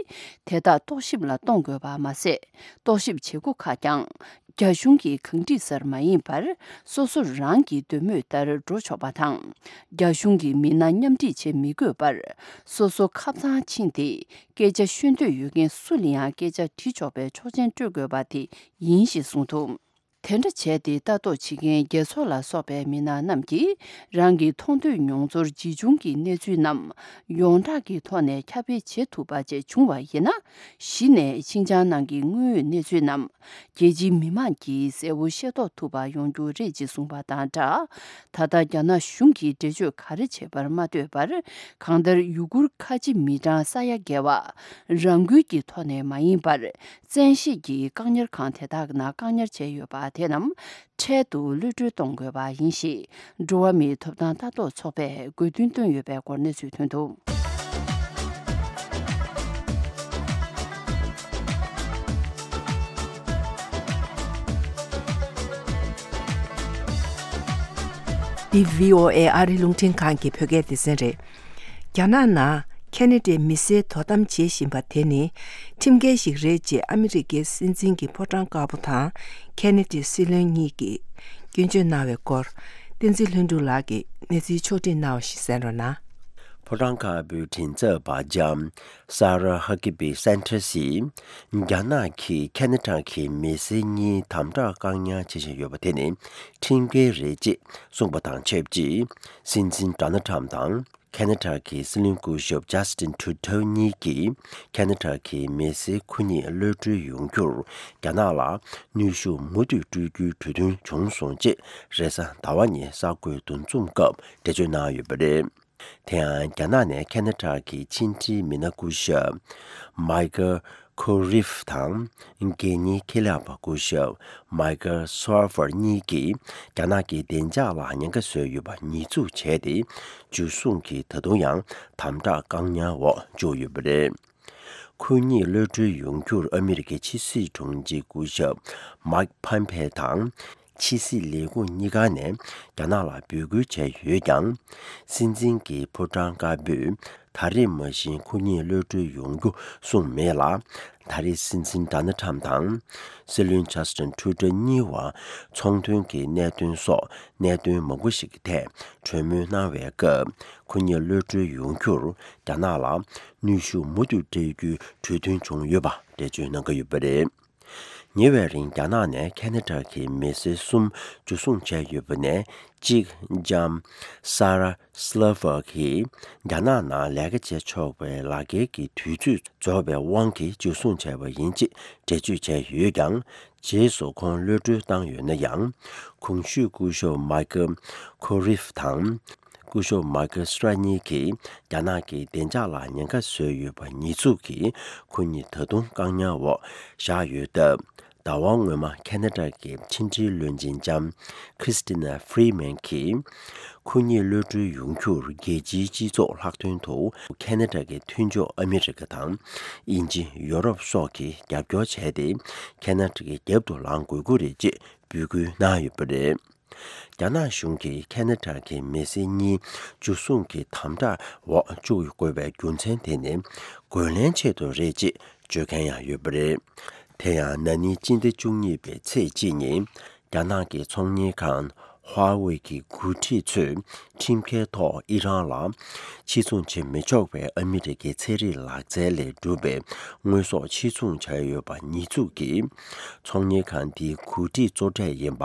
དག་རྟོག་ཞིབ་ལ་གཏོང་དགོས་པ་མ་ཟད། རྟོག་ཞིབ་བྱེད་སྒོ་ཁག་ཀྱང་རྒྱ་གཞུང་གི་གང་སྒྲིག་སར་མ་ཡིན་པར། སོ་སོ་རང་གི་འདོད་མོས་ལྟར་འགྲོ་ཆོག་པ་དང་། རྒྱ་གཞུང་གི་མི་སྣ་མཉམ་འཁྲིད་བྱེད་མི་དགོས་པར། སོ་སོ་ཁབ་ཚང་ཕྱིན་ཏེ། སྐད་ཆ་ཤོད་འདོད་ཡོད་མཁན་སུ་ལ་ཡང་སྐད་ཆ་དྲི་ཆོག་པའི་ཆོག་མཆན་སྤྲོད་དགོས་པ་དེ་ཡིན་ཞེས་གསུངས་འདུག་དེ་འདྲ་བྱས་ཏེ་ལྟ་རྟོག་བྱེད་མཁན་རྒྱལ་ཚོགས་ལ་སོགས་པའི་མི་སྣ་རྣམས་ཀྱིས་རང་གི་མཐོང་ཐོས་མྱོང་ཚོར་ཇི་བྱུང་གི་གནས་ཚུལ་རྣམས་ཡོངས་གྲགས་ཀྱི་ཐོག་ནས་ཁྱབ་སྤེལ་བྱེད་ཐུབ་པ་བཅས་བྱུང་བ་ཡིན་ན། གཞི་ནས་ཤིན་ཅང་ནང་གི་དངོས་ཡོད་གནས་ཚུལ་རྣམས་རྒྱལ་སྤྱིའི་མི་མང་གིས་གསལ་བོ་ཤེས་རྟོགས་ཐུབ་པ་ཡོང་རྒྱུ་རེད་ཅེས་གསུངས་པ་དང་སྦྲགས། ད་ལྟ་རྒྱ་ནག་གཞུང་གིས་འགྲེལ་བརྗོད་ག་རེ་བྱས་པར་མ་ལྟོས་པར། གང་ལྟར་ཡུ་གུར་ཁ་ཆེ་མི་གྲངས་ས་ཡ་བརྒལ་བ་རང་འགུལ་གྱི་ཐོག་ནས་མ་ཡིན་པར། བཙན་ཤེད་ཀྱིས་བཀག་ཉར་ཁང་དེ་དག་ནང་བཀག་ཉར་བྱས་ཡོད་པ་དེ་རྣམས་འཕྲལ་དུ་གློད་གྲོལ་གཏོང་དགོས་པ་ཡིན་ཞེས། འགྲོ་བ་མིའི་ཐོབ་ཐང་ལྟ་རྟོག་ཚོགས་པས་དགོས་འདུན་བཏོན་ཡོད་པའི་སྐོར་གནས་ཚུལ་ཐོན་འདུག་འདི་བྷི་ཨོ་ཨེ་ཨ་རི་རླུང་འཕྲིན་ཁང་གི་བོད་སྐད་སྡེ་ཚན་རེད། རྒྱ་ནག་ནང་ཁེ་ན་ཌའི་མི་སེར་དོ་དམ་བྱེད་བཞིན་པ་དེ་ནི་ཁྲིམས་འགལ་ཞིག་རེད་ཅེས་ཨ་མི་རི་ཀའི་སྲིད་འཛིན་གྱི་ཕོ་བྲང་དཀར་པོ་དང་ཁེ་ན་ཌའི་སྲིད་བློན་གཉིས་ཀྱིས་སྐྱོན་བརྗོད་གནང་བའི་སྐོར། བསྟན་འཛིན་ལྷུན་གྲུབ་ལགས་ཀྱིས་གནས་ཚུལ་ཕྱོགས་སྒྲིག་གནང་བ་ཞིག་གསན་རོགས་གནང་། ཕོ་བྲང་དཀར་པོའི་མགྲིན་ཚབ་པ་ལྕམ་Sarah Huckabee Sanders་ཡིས་རྒྱ་ནག་གིས་ཁེ་ན་ཌ་གི་མི་སེར་གཉིས་དམ་དྲག་བཀག་ཉར་བྱེད་བཞིན་ཡོད་པ་དེ་ནི་ཁྲིམས་འགལ་རེད་ཅེས་གསུངས་པ་དང་ཆབས་ཅིག་སྲིད་འཛིན་Donald Trump་དང་། ཁེ་ན་ཌ་གི་སྲིད་བློན་སྐུ་ཞབས་Justin Trudeau་གཉིས་ཀྱིས་ཁེ་ན་ཌ་གི་མི་སེར་ཁོ་གཉིས་གློད་གྲོལ་ཡོང་རྒྱུར་རྒྱ་ནག་ལ་གནོན་ཤུགས་མུ་མཐུད་སྤྲོད་རྒྱུའི་གྲོས་མཐུན་བྱུང་སོང་ཅེས་རེས་གཟའ་ཟླ་བ་ཉིན་གསར་འགོད་འདུ་འཛོམས་སྐབས་འགྲེལ་བརྗོད་གནང་ཡོད་པ་རེད། དེ་ཡང་རྒྱ་ནག་ནས་ཁེ་ན་ཌ་གི་ཕྱི་འབྲེལ་མི་སྣ་སྐུ་ཞབས་Michael Koreff་དང་། དགེ་བསྙེན་ཁེ་ལས་པ་སྐུ་ཞབས་Michael Swartz་གཉིས་ཀྱིས་རྒྱ་ནག་གི་བདེ་འཇགས་ལ་ཉེན་ཁ་བཟོས་ཡོད་པ་ཉེས་འཛུགས་བྱས་ཏེ། འཇུ་བཟུང་གིས་ད་དུང་ཡང་དམ་དྲག་བཀག་ཉར་འོག་བཅུག་ཡོད་པ་རེད། ཁོ་གཉིས་གློད་གྲོལ་ཡོང་རྒྱུར་ཨ་མི་རི་ཀའི་ཕྱི་སྲིད་དྲུང་ཆེ་སྐུ་ཞབས་Mike Pompeo་དང་། ཕྱི་སྲིད་ལས་ཁུངས་གཉིས་ཀ་ནས་རྒྱ་ནག་ལ་འབོད་སྐུལ་བྱས་ཡོད་ཀྱང་། སྲིད་འཛིན་གྱི་ཕོ་བྲང་དཀར་པོས་ད་རེས་མ་གཞི་ཁོ་གཉིས་གློད་གྲོལ་ཡོང་རྒྱུ་གསུངས་མེད་ལ། ད་རེས་སྲིད་འཛིན་Donald Trump་དང་སྲིད་བློན་Justin Trudeau་གཉིས་བར་ཚོང་དོན་གྱི་གནད་དོན་སོགས་གནད་དོན་མང་པོ་ཞིག་གི་ཐད་གྲོས་མོལ་གནང་བའི་སྐབས། ཁོ་གཉིས་གློད་གྲོལ་ཡོང་རྒྱུར་རྒྱ་ནག་ལ་གནོན་ཤུགས་མུ་མཐུད་སྤྲད་རྒྱུའི་གྲོས་མཐུན་བྱུང་ཡོད་པ་འགྲེལ་བརྗོད་གནང་གི་ཡོད་པ་རེད། ཉེ་བའི་རིང་རྒྱ་ནག་ནས་ཁེ་ན་ཌ་གི་མི་སེར་གསུམ་འཇུ་བཟུང་བྱས་ཡོད་པ་ནས་གཅིག་ལྕམ་Sarah Sliver་གིས་རྒྱ་ནག་ནང་ལས་ཀ་བྱེད་ཆོག་པའི་ལག་འཁྱེར་གྱི་དུས་ཚོད་རྫོགས་པའི་དབང་གིས་འཇུ་བཟུང་བྱས་པ་ཡིན་ཅེས་འགྲེལ་བརྗོད་བྱས་ཡོད་ཀྱང་། རྗེས་སུ་ཁོང་གློད་གྲོལ་བཏང་ཡོད་ན་ཡང་། གོང་ཞུས་སྐུ་ཞབས་Michael Koreff་དང་། སྐུ་ཞབས་Michael Swartz་གཉིས་ཀྱིས་རྒྱ་ནག་གི་བདེ་འཇགས་ལ་ཉེན་ཁ་བཟོས་ཡོད་པ་ཉེས་འཛུགས་ཀྱིས་ཁོ་གཉིས་ད་དུང་བཀག་ཉར་འོག་བཞག་ཡོད་སྟབས། ཟླ་བ་སྔོན་མ་ཁེ་ན་ཌ་གི་ཕྱི་འབྲེལ་བློན་ཆེན་ལྕམ་Chrystia Freeland་གྱིས་ཁོ་གཉིས་གློད་གྲོལ་ཡོང་རྒྱུར་རྒྱལ་སྤྱིའི་སྤྱི་ཚོགས་ལྷག་དོན་དུ་ཁེ་ན་ཌ་གི་མཐུན་ཕྱོགས་ཨ་མི་རི་ཀ་དང་དབྱིན་ཇི། ཡོ་རོབ་སོགས་ཀྱིས་རྒྱབ་སྐྱོར་བྱས་ཏེ་ཁེ་ན་ཌ་གི་རྒྱབ་ཏུ་ལངས་དགོས་ཀྱི་རེད་ཅེས་འབོད་སྐུལ་གནང་ཡོད་པ་རེད། རྒྱ་ནག་གཞུང་གིས་ཁེ་ན་ཌ་གི་མི་སེར་གཉིས་འཇུ་བཟུང་གི་དམ་དྲག་འོག་བཅུག་དགོས་པའི་རྒྱུ་མཚན་དེ་ནི་རྒོལ་ལན་ཆེད་དུ་རེད་ཅེས་བརྗོད་མཁན་ཡང་ཡོད་པ་རེད། དེ་ཡང་ན་ནིང་སྤྱི་ཟླ་བཅུ་གཉིས་པའི་ཚེས་གཅིག་ཉིན་རྒྱ་ནག་གི་ཚོང་གཉེར་ཁང་Huawei་གི་འགོ་ཁྲིད་ཚོས་ཁྲིམས་འགལ་ཐོག་ཨི་རན་ལ་ཕྱིར་ཚོང་བྱེད་མི་ཆོག་པའི་ཨ་མི་རི་ཀའི་ཚན་རིག་ལག་རྩལ་ལས་གྲུབ་པའི་དངོས་ཟོག་ཕྱིར་ཚོང་བྱས་ཡོད་པ་ཉེས་འཛུགས་ཀྱིས། ཚོང་གཉེར་ཁང་དེའི་འགོ་ཁྲིད་གཙོ་གྲས་ཡིན་པ་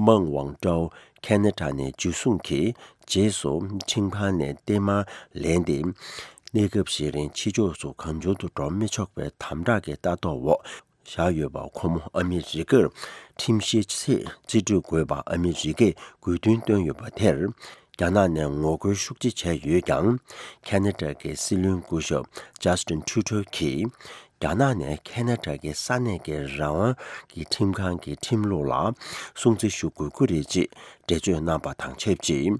མང་ཝང་ཀྲའོ་ཁེ་ན་ཌ་ནས་འཇུ་བཟུང་གིས་རྗེས་སུ་ཁྲིམས་ཁང་ནས་བརྟན་མར་ལེན་ཏེ། གནས་སྐབས་ཤིག་རིང་ཕྱི་ཕྱོགས་སུ་གང་བྱུང་དུ་འགྲོ་མི་ཆོག་པའི་དམ་དྲག་གི་ལྟ་རྟོག་འོག་བཞག་ཡོད་པ། ཁོ་མོ་ཨ་མི་རི་ཀར་ཁྲིམས་བཤེར་ཆེད་རྩིས་སྤྲོད་དགོས་པ་ཨ་མི་རི་ཀས་དགོས་འདུན་བཏོན་ཡོད་པ་དེར། རྒྱ་ནག་ནས་ངོ་རྒོལ་ཤུགས་ཆེ་བྱས་ཡོད་ཀྱང་། ཁེ་ན་ཌ་གི་སྲིད་བློན་སྐུ་ཞབས་Justin Trudeau་གིས། རྒྱ་ནག་ནས་ཁེ་ན་ཌ་གི་ས་གནས་ཀྱི་རང་དབང་གི་ཁྲིམས་ཁང་གི་ཁྲིམས་ལུགས་ལ་སྲུང་བརྩི་ཞུ་དགོས་ཀྱི་རེད་ཅེས་འགྲེལ་བརྗོད་གནང་པ་དང་ཆབས་ཅིག་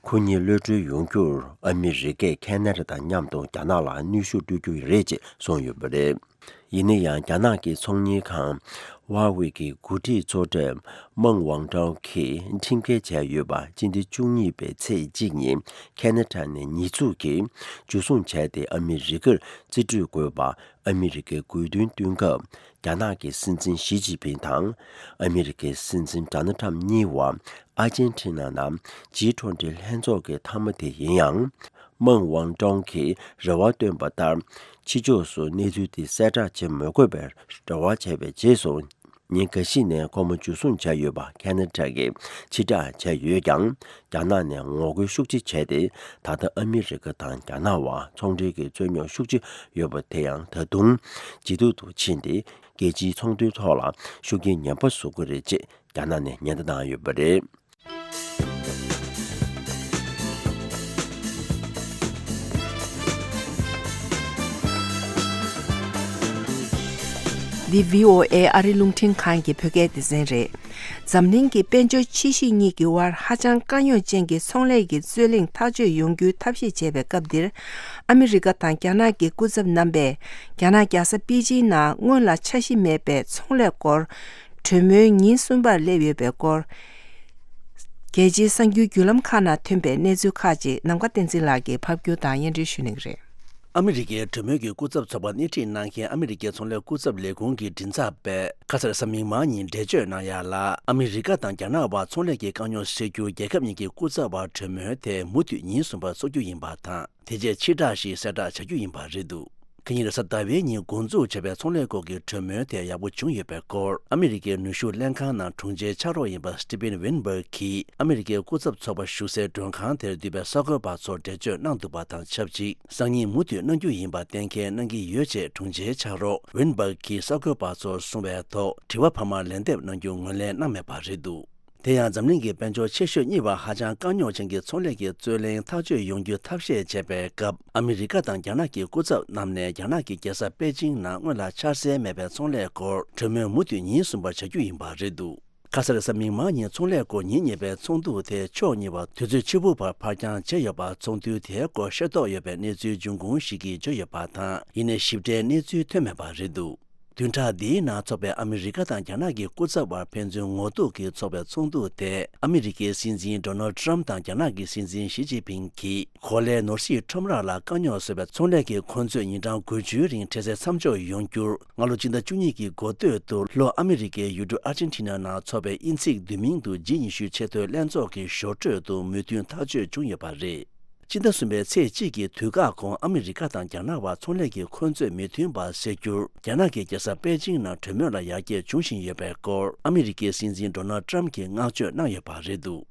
ཁོ་གཉིས་གློད་གྲོལ་ཡོང་རྒྱུར་ཨ་མི་རི་ཀས་ཁེ་ན་ཌ་དང་མཉམ་དུ་རྒྱ་ནག་ལ་གནོན་ཤུགས་སྤྲོད་རྒྱུ་རེད་ཅེས་གསུངས་ཡོད་པ་རེད། ཡིན་ན་ཡང་རྒྱ་ནག་གི་ཚོང་གཉེར་ཁང་Huawei་གི་འགོ་ཁྲིད་གཙོ་གྲས་མང་ཝང་ཀྲའོ་གིས་ཁྲིམས་འགལ་བྱས་ཡོད་པ་སྤྱི་ཟླ་བཅུ་གཉིས་པའི་ཚེས་གཅིག་ཉིན་ཁེ་ན་ཌ་ནས་ཉེས་འཛུགས་ཀྱིས་འཇུ་བཟུང་བྱས་ཏེ་ཨ་མི་རི་ཀར་རྩིས་སྤྲོད་དགོས་པ། ཨ་མི་རི་ཀས་དགོས་འདུན་བཏོན་སྐབས། རྒྱ་ནག་གི་སྲིད་འཛིན་ཞི་ཅིན་ཕིང་དང་ཨ་མི་རི་ཀའི་སྲིད་འཛིན་ཌོ་ནལ་ཊམ་གཉིས་བར་ཨར་ཇན་ཊི་ན་ནང་ཇི་ཊུ་ཝེན་ཊི་ལྷན་ཚོགས་ཀྱི་མཐའ་མ་དེ་ཡིན་ཡང་། མང་ཝང་ཀྲོང་གིས་རེ་བ་བཏོན་པ་ལྟར། ཕྱི་ཕྱོགས་སུ་གནས་ཚུལ་དེ་གསལ་བསྒྲགས་བྱེད་མི་དགོས་པའི་རེ་བ་བྱས་པའི་རྗེས་སུ། ཉིན་འགའ་ཤས་ནས་ཁོ་མོ་འཇུ་བཟུང་བྱས་ཡོད་པ་ཁེ་ན་ཌ་གིས་ཕྱིར་བསྒྲགས་བྱས་ཡོད་ཀྱང་། རྒྱ་ནག་ནས་ངོ་རྒོལ་ཤུགས་ཆེ་བྱས་ཏེ། ད་ལྟ་ཨ་མི་རི་ཀ་དང་རྒྱ་ནག་བར་ཚོང་འབྲེལ་གྱི་རྩོད་རྙོག་ཤུགས་ཆེ་ཡོད་པ་དེ་ཡང་ད་དུང་ཇེ་སྡུག་ཏུ་ཕྱིན་ཏེ། རྒྱལ་སྤྱིའི་ཚོང་དོན་ཐོག་ལ་ཤུགས་རྐྱེན་ངན་པ་བཟོ་གི་རེད་ཅེས་རྒྱ་ནག་ནས་ཉེན་བརྡ་བཏང་ཡོད་པ་རེད། འདི་བྷི་ཨོ་ཨེ་ཨ་རི་རླུང་འཕྲིན་ཁང་གི་བོད་སྐད་སྡེ་ཚན་རེད། འཛམ་གླིང་གི་དཔལ་འབྱོར་ཆེ་ཤོས་གཉིས་ཀྱི་དབར་ཧ་ཅང་དཀའ་རྙོག་ཅན་གྱི་ཚོང་ལས་ཀྱི་རྩོད་གླེང་ཐག་གཅོད་ཡོང་རྒྱུའི་ཐབས་ཤེས་བྱེད་པའི་སྐབས་འདིར། ཨ་མི་རི་ཀ་དང་རྒྱ་ནག་གི་སྐུ་ཚབ་རྣམ་པས་རྒྱ་ནག་རྒྱལ་ས་པེ་ཅིང་ནང་སྔོན་ལ་འཆར་གཞི་མེད་པའི་ཚོང་ལས་སྐོར་གྲོས་མོལ་ཉིན་གསུམ་པར་སླེབས་ཡོད་པའི་སྐོར། རྒྱལ་སྤྱིའི་གསར་འགྱུར་བརྒྱུད་ལམ་ཁག་ནང་ཐོན་པའི་གནས་ཚུལ་ཁག་ཅིག་ནམ་མཁའ་བསྟན་འཛིན་ལགས་ཀྱིས་ཕབ་སྒྱུར་དང་སྙན་སྒྲོན་ཞུ་གནང་གི་རེད། ཨ་མི་རི་ཀའི་གྲོས་མོལ་གྱི་སྐུ་ཚབ་ཚོགས་པ་སྣེ་ཁྲིད་གནང་མཁན་ཨ་མི་རི་ཀའི་ཚོང་ལས་སྐུ་ཚབ་ལས་ཁུངས་ཀྱི་མགྲིན་ཚབ་པས་ཁ་ས་རེས་གཟའ་མིག་དམར་ཉིན་འགྲེལ་བརྗོད་གནང་ཡག་ལ། ཨ་མི་རི་ཀ་དང་རྒྱ་ནག་བར་ཚོང་ལས་ཀྱི་དཀའ་རྙོག་སེལ་རྒྱུར་རྒྱལ་ཁབ་གཉིས་ཀྱི་སྐུ་ཚབ་བར་གྲོས་མོལ་དེ་མུ་མཐུད་ཉིན་གསུམ་པར་འཚོགས་རྒྱུ་ཡིན་པ་དང་། དེ་རྗེས་ཕྱིར་བསྒྲགས་ཤིག་གསལ་བསྒྲགས་བྱ་རྒྱུ་ཡིན་པ་རེད་འདུག་ཁ་ཉིན་རེས་གཟའ་ཟླ་བའི་ཉིན་འགོ་འཛུགས་བྱས་པའི་ཚོང་ལས་སྐོར་གྱི་གྲོས་མོལ་དེ་ཡག་པོ་བྱུང་ཡོད་པའི་སྐོར། ཨ་མི་རི་ཀའི་ནུས་ཤུགས་ལྷན་ཁང་ནང་དྲུང་ཆེའི་ཕྱག་རོགས་ཡིན་པ་Steven Weinberg་གིས་ཨ་མི་རི་ཀའི་སྐུ་ཚབ་ཚོགས་པ་བཞུགས་སའི་མགྲོན་ཁང་དེར་འདུས་པའི་གསར་འགོད་པ་ཚོར་འགྲེལ་བརྗོད་གནང་འདུག་པ་དང་ཆབས་ཅིག་སང་ཉིན་མུ་མཐུད་གནང་རྒྱུ་ཡིན་པ་གཏན་འཁེལ་གནང་གི་ཡོད་ཅེས་དྲུང་ཆེའི་ཕྱག་རོགས་Weinberg་གིས་གསར་འགོད་པ་ཚོར་གསུངས་པའི་ཐོག་དྲི་བ་འཕར་མ་ལན་འདེབས་གནང་རྒྱུ་ངོས་ལེན་གནང་མེད་པ་རེད་འདུག་དེ་ཡང་འཛམ་གླིང་གི་དཔལ་འབྱོར་ཆེ་ཤོས་གཉིས་བར་ཧ་ཅང་དཀའ་རྙོག་ཅན་གྱི་ཚོང་ལས་ཀྱི་རྩོད་གླེང་ཐག་གཅོད་ཡོང་རྒྱུ་ཐབས་ཤེས་བྱས་པའི་སྐབས། ཨ་མི་རི་ཀ་དང་རྒྱ་ནག་གི་སྐུ་ཚབ་རྣམས་ནས་རྒྱ་ནག་གི་རྒྱལ་ས་པེ་ཅིང་ནང་སྔོན་ལ་འཆར་གསལ་མེད་པའི་ཚོང་ལས་སྐོར་གྲོས་མོལ་མུ་མཐུད་ཉིན་གསུམ་པར་བྱ་རྒྱུ་ཡིན་པ་རེད་འདུག་ཁ་ས་རེས་གཟའ་མིག་དམར་ཉིན་ཚོང་ལས་སྐོར་ཉིན་གཉིས་པའི་ཚོགས་འདུ་དེ་ཕྱོགས་གཉིས་བར་དུས་ཚོད་ཕྱི་པོ་བར་ཕར་འགྱངས་བྱས་ཡོད་པ། ཚོགས་འདུ་དེའི་སྐོར་ཤེས་རྟོགས་ཡོད་པའི་གནས་ཚུལ་འབྱུང་ཁུངས་ཤིག་གིས་བརྗོད་ཡོད་པ་དང་། ཡིན་ནའི་ཞིབ་ཕྲའི་གནས་ཚུལ་ཐོན་མེད་པ་རེད་འདུག་བདུན་ཕྲག་འདིའི་ནང་འཚོགས་པའི་ཨ་མི་རི་ཀ་དང་རྒྱ་ནག་གི་སྐུ་ཚབ་བར་ཕན་ཚུན་ངོ་གཏུག་གིས་འཚོགས་པའི་ཚོགས་འདུ་དེ། ཨ་མི་རི་ཀའི་སྲིད་འཛིན་Donald Trump་དང་རྒྱ་ནག་གི་སྲིད་འཛིན་ཞི་ཅིན་ཕིང་གིས་གོ་ལའི་ནོར་སྲིད་ཁྲོམ་ར་ལ་དཀའ་རྙོག་བཟོས་པའི་ཚོང་ལས་ཀྱི་འཁོན་རྩོད་ཉིན་གྲངས་དགུ་བཅུའི་རིང་འཕྲལ་སེལ་མཚམས་འཇོག་ཡོང་རྒྱུར། སྔ་ལོ་སྤྱི་ཟླ་བཅུ་གཉིས་ཀྱི་འགོ་སྟོད་དུ་ལྷོ་ཨ་མི་རི་ཀའི་ཡུལ་གྲུ་ཨར་ཅན་ཊི་ན་ནང་འཚོགས་པའི་དབྱིན་ཚིག་བསྡུས་མིང་དུ་ཇི་ཉི་ཤུ་ཆེས་མཐོའི་ལྷན་ཚོགས་ཀྱི་ཞོར་འཕྲོས་སུ་མོས་མཐུན་ཐག་གཅོད་བྱུང་ཡོད་པ་རེད། སྤྱི་ཟླ་གསུམ་པའི་ཚེས་གཅིག་གི་དུས་བཀག་གོང་ཨ་མི་རི་ཀ་དང་རྒྱ་ནག་བར་ཚོང་ལས་ཀྱི་འཁོན་རྩོད་མི་མཐུན་པ་སེལ་རྒྱུར་རྒྱ་ནག་གི་རྒྱལ་ས་པེ་ཅིང་ནང་གྲོས་མོལ་ལ་ཡར་རྒྱས་འབྱུང་བཞིན་ཡོད་པའི་སྐོར་ཨ་མི་རི་ཀའི་སྲིད་འཛིན་Donald Trump་གྱིས་བསྔགས་བརྗོད་གནང་ཡོད་པ་རེད་འདུག་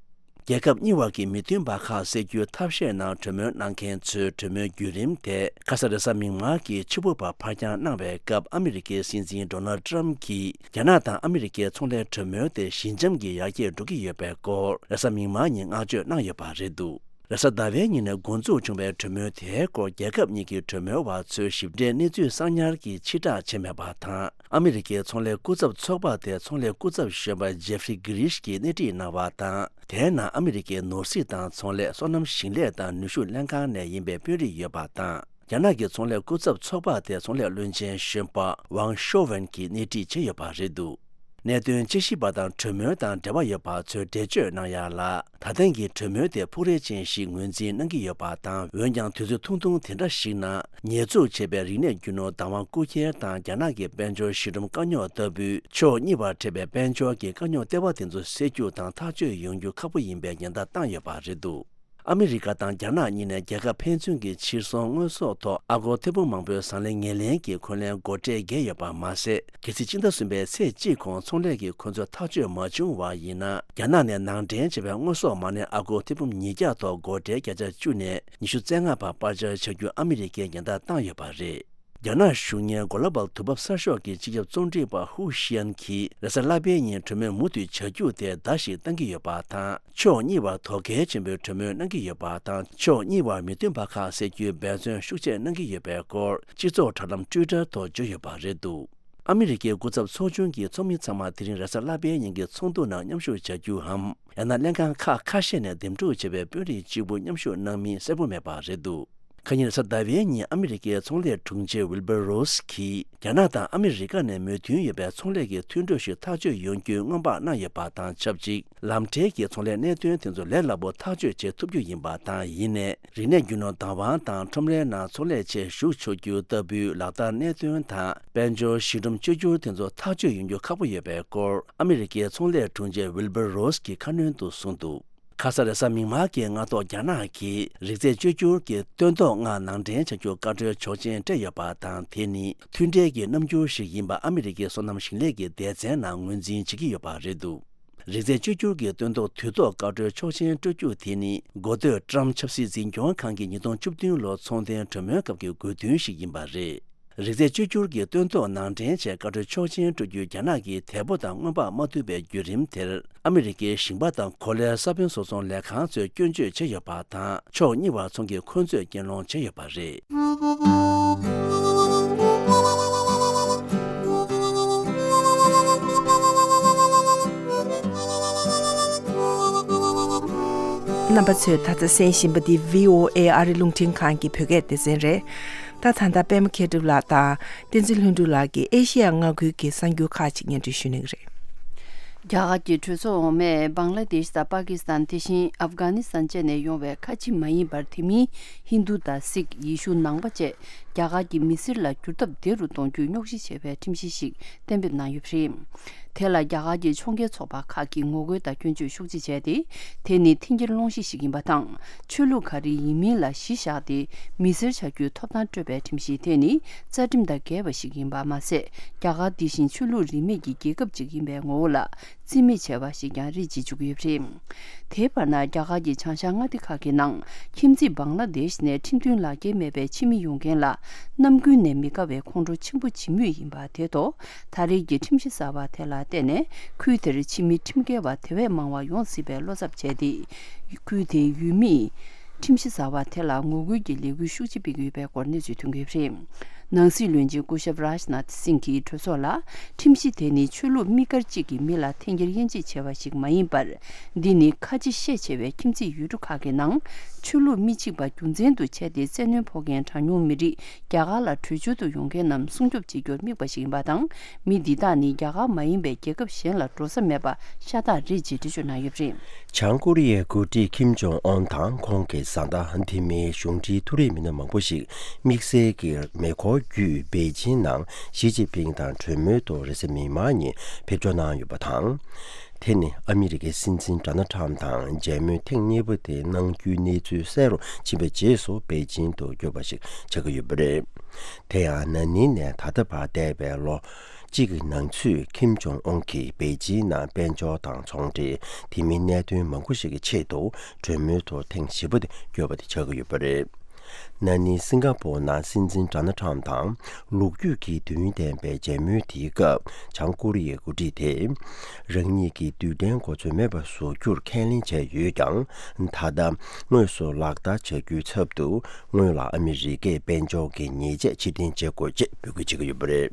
རྒྱལ་ཁབ་གཉིས་བར་གྱི་མི་མཐུན་པ་ཁག་སེལ་རྒྱུའི་ཐབས་ཤེས་ནང་གྲོས་མོལ་གནང་མཁན་ཚོའི་གྲོས་མོལ་བརྒྱུད་རིམ་དེ་ཁ་ས་རེས་གཟའ་མིག་དམར་གྱི་ཕྱི་པོ་བར་ཕར་འགྱངས་གནང་བའི་སྐབས། ཨ་མི་རི་ཀའི་སྲིད་འཛིན་Donald Trump་གྱིས་རྒྱ་ནག་དང་ཨ་མི་རི་ཀའི་ཚོང་ལས་གྲོས་མོལ་དེ་ཞི་འཇམ་གྱིས་ཡར་རྒྱས་འགྲོ་གི་ཡོད་པའི་སྐོར་རེས་གཟའ་མིག་དམར་ཉིན་བསྔགས་བརྗོད་གནང་ཡོད་པ་རེད་འདུག་རེས་གཟའ་ཟླ་བའི་ཉིན་ནས་འགོ་འཛུགས་བྱུང་བའི་གྲོས་མོལ་དེའི་སྐོར་རྒྱལ་ཁབ་གཉིས་ཀྱི་གྲོས་མོལ་བ་ཚོས་ཞིབ་ཕྲའི་གནས་ཚུལ་གསང་ཉར་གྱིས་ཕྱིར་བསྒྲགས་བྱས་མེད་པ་དང་། ཨ་མི་རི་ཀའི་ཚོང་ལས་སྐུ་ཚབ་ཚོགས་པ་དེ་ཚོང་ལས་སྐུ་ཚབ་གཞོན་པ་Jeffrey Girish་གིས་སྣེ་ཁྲིད་གནང་བ་དང་། དེའི་ནང་ཨ་མི་རི་ཀའི་ནོར་སྲིད་དང་ཚོང་ལས། སོ་ནམ་ཞིང་ལས་དང་ནུས་ཤུགས་ལྷན་ཁང་ནས་ཡིན་པའི་དཔོན་རིགས་ཡོད་པ་དང་། རྒྱ་ནག་གི་ཚོང་ལས་སྐུ་ཚབ་ཚོགས་པ་དེ་ཚོང་ལས་བློན་ཆེན་གཞོན་པ་Wang Shouwen་གྱིས་སྣེ་ཁྲིད་བྱས་ཡོད་པ་རེད་འདུག་གནད་དོན་དཔྱད་ཞིབ་པ་དང་གྲོས་མོལ་དང་འབྲེལ་བ་ཡོད་པ་ཚོས་འགྲེལ་བརྗོད་གནང་ཡག་ལ། ད་ཐེངས་ཀྱི་གྲོས་མོལ་དེ་ཕུགས་རེ་ཅན་ཞིག་ངོས་འཛིན་གནང་གི་ཡོད་པ་དང་། འོན་ཀྱང་དུས་ཚོད་ཐུང་ཐུང་དེ་འདྲ་ཞིག་ནང་ཉེས་འཛུགས་བྱས་པའི་རིག་གནས་རྒྱུ་ནོར་བདག་དབང་རྐུ་འཁྱེར་དང་རྒྱ་ནག་གི་དཔལ་འབྱོར་ཞི་འགྲོམ་དཀའ་རྙོག་ལྟ་བུའི་ཕྱོགས་གཉིས་བར་འཕྲད་པའི་དཔལ་འབྱོར་གྱི་དཀའ་རྙོག་ལྟེ་བ་དེ་ཚོ་སེལ་རྒྱུ་དང་ཐག་གཅོད་ཡོང་རྒྱུ་ཁག་པོ་ཡིན་པའི་ཉེན་བརྡ་བཏང་ཡོད་པ་རེད་འདུག་ཨ་མི་རི་ཀ་དང་རྒྱ་ནག་གཉིས་ནས་རྒྱལ་ཁབ་ཕན་ཚུན་གྱི་ཕྱིར་ཚོང་དངོས་ཟོག་ཐོག་ཨ་སྒོར་ཐེར་འབུམ་མང་པོའི་ཟང་ལེ་ངེས་ལེན་གྱི་འཁོན་ལན་སྒོ་ཁྲལ་འགེལ་ཡོད་པ་མ་ཟད། གལ་སྲིད་སྤྱི་ཟླ་གསུམ་པའི་ཚེས་གཅིག་གོང་ཚོང་ལས་ཀྱི་འཁོན་རྩོད་ཐག་གཅོད་མ་བྱུང་བ་ཡིན་ན། རྒྱ་ནག་ནས་ནང་འདྲེན་བྱས་པའི་དངོས་ཟོག་མ་གནས་ཨ་སྒོར་ཐེར་འབུམ་ཉིས་བརྒྱ་ཐོག་སྒོ་ཁྲལ་བརྒྱ་ཆ་བཅུ་ནས་ཉི་ཤུ་རྩ་ལྔ་བར་སྤར་འཆར་བྱ་རྒྱུ་ཨ་མི་རི་ཀས་ཉེན་བརྡ་བཏང་ཡོད་པ་རེད། རྒྱ་ནག་གཞུང་གཉེར་Global་དུས་བབ་གསར་ཤོག་གི་སྤྱི་ཁྱབ་རྩོམ་སྒྲིག་པ་ཧུའུ་ཤི་ཡན་གྱིས་རེས་གཟའ་ལྷག་པའི་ཉིན་གྲོས་མོལ་མུ་མཐུད་བྱ་རྒྱུ་དེ་བརྡ་ཞིག་བཏང་གི་ཡོད་པ་དང་། ཕྱོགས་གཉིས་བར་དོ་གལ་ཆེན་པོའི་གྲོས་མོལ་གནང་གི་ཡོད་པ་དང་། ཕྱོགས་གཉིས་བར་མི་མཐུན་པ་ཁག་སེལ་རྒྱུའི་འབད་བརྩོན་ཤུགས་ཆེ་གནང་གི་ཡོད་པའི་སྐོར་སྤྱི་ཚོགས་དྲ་ལམ་Twitter་ཐོག་བརྗོད་ཡོད་པ་རེད་འདུག་ཨ་མི་རི་ཀའི་སྐུ་ཚབ་ཚོགས་ཆུང་གི་ཚོགས་མི་ཚང་མ་དེ་རིང་རེས་གཟའ་ལྷག་པའི་ཉིན་གྱི་ཚོགས་འདུ་ནང་མཉམ་ཞུགས་བྱ་རྒྱུའམ། ཡང་ན་ལྷན་ཁང་ཁག་ཁ་ཤས་ནས་འདེམས་སྒྲུག་བྱས་པའི་དཔོན་རིགས་གཅིག་པུ་མཉམ་ཞུགས་གནང་མིན་གསལ་པོ་མེད་པ་རེད་འདུག་ཁ་ཉིན་རེས་གཟའ་ཟླ་བའི་ཉིན་ཨ་མི་རི་ཀའི་ཚོང་ལས་དྲུང་ཆེ་Wilbur Ross་གིས་རྒྱ་ནག་དང་ཨ་མི་རི་ཀ་ནས་མོས་མཐུན་ཡོད་པའི་ཚོང་ལས་ཀྱི་མཐུན་གྲོས་ཤིག་ཐག་གཅོད་ཡོང་རྒྱུའི་སྔོན་དཔག་གནང་ཡོད་པ་དང་ཆབས་ཅིག་ལམ་འབྲེལ་གྱི་ཚོང་ལས་གནད་དོན་དེ་ཚོ་ལས་སླ་པོ་ཐག་གཅོད་བྱེད་ཐུབ་རྒྱུ་ཡིན་པ་དང་། ཡིན་ནའི། རིག་གནས་རྒྱུ་ནོར་བདག་དབང་དང་ཁྲོམ་རའི་ནང་ཚོང་ལས་ཆེད་ཞུགས་ཆོག་རྒྱུ་ལྟ་བུའི་ལག་བསྟར་གནད་དོན་དང་། དཔལ་འབྱོར་ཞི་འགྲོམ་བཅོས་བསྒྱུར་དེ་ཚོ་ཐག་གཅོད་ཡོང་རྒྱུ་ཁག་པོ་ཡོད་པའི་སྐོར་ཨ་མི་རི་ཀའི་ཚོང་ལས་དྲུང་ཆེ་Wilbur Ross་གིས་ཁ་སྣོན་དུ་གསུངས་འདུག་ཁ་ས་རེས་གཟའ་མིག་དམར་གྱི་སྔ་ཐོག་རྒྱ་ནག་གིས་རིག་རྩལ་བཅོས་བསྒྱུར་གྱི་སྟོན་ཐོག་ལྔ་ནང་འདྲེན་བྱ་རྒྱུར་བཀའ་འཁྲོལ་ཆོག་མཆན་སྤྲད་ཡོད་པ་དང་། དེ་ནི་མཐུན་འབྲེལ་གྱི་རྣམ་འགྱུར་ཞིག་ཡིན་པ་ཨ་མི་རི་ཀའི་སོ་ནམ་ཞིང་ལས་ཀྱི་སྡེ་ཚན་ནང་ངོས་འཛིན་བྱེད་ཀྱི་ཡོད་པ་རེད་འདུག་རིག་རྩལ་བཅོས་བསྒྱུར་གྱི་སྟོན་ཐོག་དུས་ཐོག་བཀའ་འཁྲོལ་ཆོག་མཆན་སྤྲོད་རྒྱུ་དེ་ནི་འགོ་སྟོད་ཊམ་ཆབ་སྲིད་འཛིན་སྐྱོང་ཁང་གི་ཉིས་སྟོང་བཅུ་བདུན་ལོ་ཚོང་དོན་གྲོས་མོལ་སྐབས་ཀྱི་དགོས་འདུན་ཞིག་ཡིན་པ་རེད། རིག་རྩལ་བཅོས་བསྒྱུར་གྱི་སྟོན་ཐོག་ནང་འདྲེན་ཆེད་བཀའ་འཁྲོལ་ཆོག་མཆན་སྤྲོད་རྒྱུའི་རྒྱ་ནག་གི་དེ་སྤོ་དང་སྔོན་དཔག་མ་ཐུབ་པའི་བརྒྱུད་རིམ་དེར། ཨ་མི་རི་ཀའི་ཞིང་པ་དང་གོ་ལའི་ས་བོན་བཟོ་ཚོང་ལས་ཁང་ཚོས་སྐྱོན་བརྗོད་བྱས་ཡོད་པ་དང་། ཕྱོགས་གཉིས་བར་ཚོང་གི་འཁོན་རྩོད་རྐྱེན་སློང་བྱས་ཡོད་པ་རེད། རྣམ་པ་ཚོས་ད་ལྟ་གསན་བཞིན་པ་འདི་བྷི་ཨོ་ཨེ་ཨ་རི་རླུང་འཕྲིན་ཁང་གི་བོད་སྐད་སྡེ་ཚན་རེད། ད་ད་ལྟ་པད་མ་མཁས་གྲུབ་ལགས་དང་བསྟན་འཛིན་ལྷུན་གྲུབ་ལགས་ཀྱིས་ཨེ་ཤེ་ཡ་མངའ་ཁུལ་གྱི་གསར་འགྱུར་ཁག་ཅིག་སྙན་སྒྲོན་ཞུ་གནང་གི་རེད། རྒྱ་གར་གྱི་གྲོས་ཚོགས་འོག་མས་བང་ལ་དེཤ་དང་པ་ཀི་སི་ཐན། དེ་བཞིན་ཨབ་གྷ་ནི་སི་ཐན་བཅས་ནས་ཡོང་བའི་ཁ་ཆེ་མ་ཡིན་པར་དེ་མིན་ཧིན་རྡུ་དང་སིག། ཡེ་ཤུ་ནང་པ་བཅས་རྒྱ་གར་གྱི་མི་སེར་ལ་འགྱུར་ཐབས་བདེ་རུ་གཏོང་རྒྱུའི་རྙོག་གཞི་ཆེ་བའི་ཁྲིམས་གཞི་ཞིག་གཏན་འབེབས་གནང་ཡོད་པ་རེད། དེ་ལ་རྒྱ་གར་གྱི་ཕྱོགས་འགལ་ཚོགས་པ་ཁག་གིས་ངོ་རྒོལ་དང་སྐྱོན་བརྗོད་ཤུགས་ཆེ་བྱས་ཏེ། དེ་ནི་འཐེན་འཁྱེར་སློང་གཞི་ཞིག་ཡིན་པ་དང་། ཆོས་ལུགས་ག་རེ་ཡིན་མིན་ལ་གཞི་བཞག་སྟེ་མི་སེར་ཆགས་རྒྱུའི་ཐོབ་ཐང་སྤྲོད་པའི་ཁྲིམས་གཞི་དེ་ནི་རྩ་ཁྲིམས་དང་འགལ་བ་ཞིག་ཡིན་པ་མ་ཟད། རྒྱ་གར་འདི་བཞིན་ཆོས་ལུགས་རིས་མེད་ཀྱི་རྒྱལ་ཁབ་ཅིག་ཡིན་པའི་ངོ་བོ་ལ་རྩིས་མེད་བྱས་པ་ཞིག་ཀྱང་རེད་ཅེས་བརྗོད་ཀྱི་ཡོད་པ་རེད། དེའི་བར་ན། རྒྱ་གར་གྱི་བྱང་ཤར་མངའ་སྡེ་ཁག་གི་ནང་ཁྱིམ་མཚེས་བང་ལ་དེཤ་ནས་ཁྲིམས་མཐུན་ལག་འཁྱེར་མེད་པའི་ཕྱི་མི་ཡོང་མཁན་ལ་ནམ་རྒྱུན་ནས་མི་དགའ་བའི་ཁོང་ཁྲོ་ཆེན་པོ་བྱེད་མུས་ཡིན་པ་དེ་ཐོག་ད་རེས་ཀྱི་ཁྲིམས་གཞི་གསར་པ་དེ་ལ་བརྟེན་ནས། ཁུལ་དེར་ཕྱི་མི་ཁྲིམས་འགལ་བ་དེ་བས་མང་བ་ཡོང་སྲིད་པའི་བློ་འཚབ་བྱས་ཏེ། ཁུལ་དེའི་ཡུལ་མིས་ཁྲིམས་གཞི་གསར་པ་དེ་ལ་ངོ་རྒོལ་གྱི་ལས་འགུལ་ཤུགས་ཆེ་སྤེལ་གྱི་ཡོད་པའི་སྐོར་གནས་ཚུལ་ཐོན་གྱི་ཡོད་པ་རེད། ནང་སྲིད་བློན་ཆེན་སྐུ་ཞབས་རཱཇ་ནཱཐ་སིང་གིས་གྲོས་ཚོགས་ལ། ཁྲིམས་གཞི་དེ་ནི་ཆོས་ལུགས་དམིགས་བཀར་གཅིག་གི་མི་ལ་འཐེན་འཁྱེར་དབྱེ་འབྱེད་བྱས་པ་ཞིག་མ་ཡིན་པར། འདི་ནི་ཁ་ཆེ་ཤས་ཆེ་བའི་ཁྱིམ་མཚེས་ཡུལ་གྲུ་ཁག་གི་ནང་ཆོས་ལུགས་མི་གཅིག་པ་རྒྱུ་མཚན་དུ་བྱས་ཏེ། བཙན་གནོན་ཕོག་མཁན་གྲངས་ཉུང་མི་རིགས་རྒྱ་གར་ལ་བྲོས་བྱོལ་དུ་ཡོང་མཁན་རྣམས་སྲུང་སྐྱོབ་བྱེད་རྒྱུར་དམིགས་པ་ཞིག་ཡིན་པ་དང་། མི་འདི་དག་ནི་རྒྱ་གར་མ་ཡིན་པའི་རྒྱལ་ཁབ་གཞན་ལ་འགྲོ་ས་མེད་པ་ཤ་སྟག་རེད་ཅེས་འགྲེལ་བརྗོད་གནང་ཡོད་པ་རེད། བྱང་ཀོ་རི་ཡའི་འགོ་ཁྲིད་ཁིམ་ཇོང་ཨོན་དང་ཁོང་གི་བཟའ་ཟླ། དེ་མིན་གཞུང་འབྲེལ་མཐོ་རིམ་མི་སྣ་མང་པོ་ཞིག་དམིགས་བསལ་གྱི་མེ་འཁོར་བརྒྱུད་པེ་ཅིན་ནང་ཞི་ཅིན་ཕིང་དང་གྲོས་མོལ་དུ་རེས་གཟའ་མིག་དམར་ཉིན་ཕེབས་འབྱོར་གནང་ཡོད་པ་དང་། དེ་ནི་ཨ་མི་རི་ཀའི་སྲིད་འཛིན་ཌོ་ནལ་ཊམ་དང་མཇལ་མོལ་ཐེངས་གཉིས་པ་དེ་གནང་རྒྱུའི་གནས་ཚུལ་གསལ་རུ་ཕྱིན་པའི་རྗེས་སུ་པེ་ཅིན་དུ་བསྐྱོད་པ་ཞིག་ཆགས་ཀྱི་ཡོད་པ་རེད། དེ་ཡང་ན་ནིང་ནས་ད་ལྟ་བར་འདས་པའི་ལོ་གཅིག་གི་ནང་ཚུད་ཁིམ་ཇོང་ཨོན་གྱིས་པེ་ཅིན་ནང་དཔལ་འབྱོར་དང་ཚོང་འབྲེལ། དེ་མིན་གནད་དོན་མང་པོ་ཞིག་གི་ཆེད་དུ་གྲོས་མོལ་ཐོག་ཐེངས་བཞི་པ་དེ་བསྐྱོད་པ་དེ་ཆགས་ཀྱི་ཡོད་པ་རེད། ན་ནིང་སིང་ག་པོར་ནང་སྲིད་འཛིན་ཌོ་ནལ་ཊམ་དང་ལོ་རྒྱུས་ཀྱི་དུས་ཡུན་ལྡན་པའི་མཇལ་མོལ་དེའི་སྐབས། བྱང་ཀོ་རི་ཡའི་འགོ་ཁྲིད་དེས་རང་ཉིད་ཀྱིས་རྡུལ་ཕྲན་གོ་མཚོན་མེད་པ་བཟོ་རྒྱུར་ཁས་ལེན་བྱས་ཡོད་ཀྱང་། ད་ལྟ་དངོས་སུ་ལག་བསྟར་བྱ་རྒྱུའི་ཚབ་ཏུ་སྔོན་ལ་ཨ་མི་རི་ཀས་དཔལ་འབྱོར་གྱི་ཉེས་ཆད་ཕྱིར་འཐེན་བྱེད་དགོས་ཅེས་འབོད་སྐུལ་བྱེད་ཀྱི་ཡོད་པ་རེད།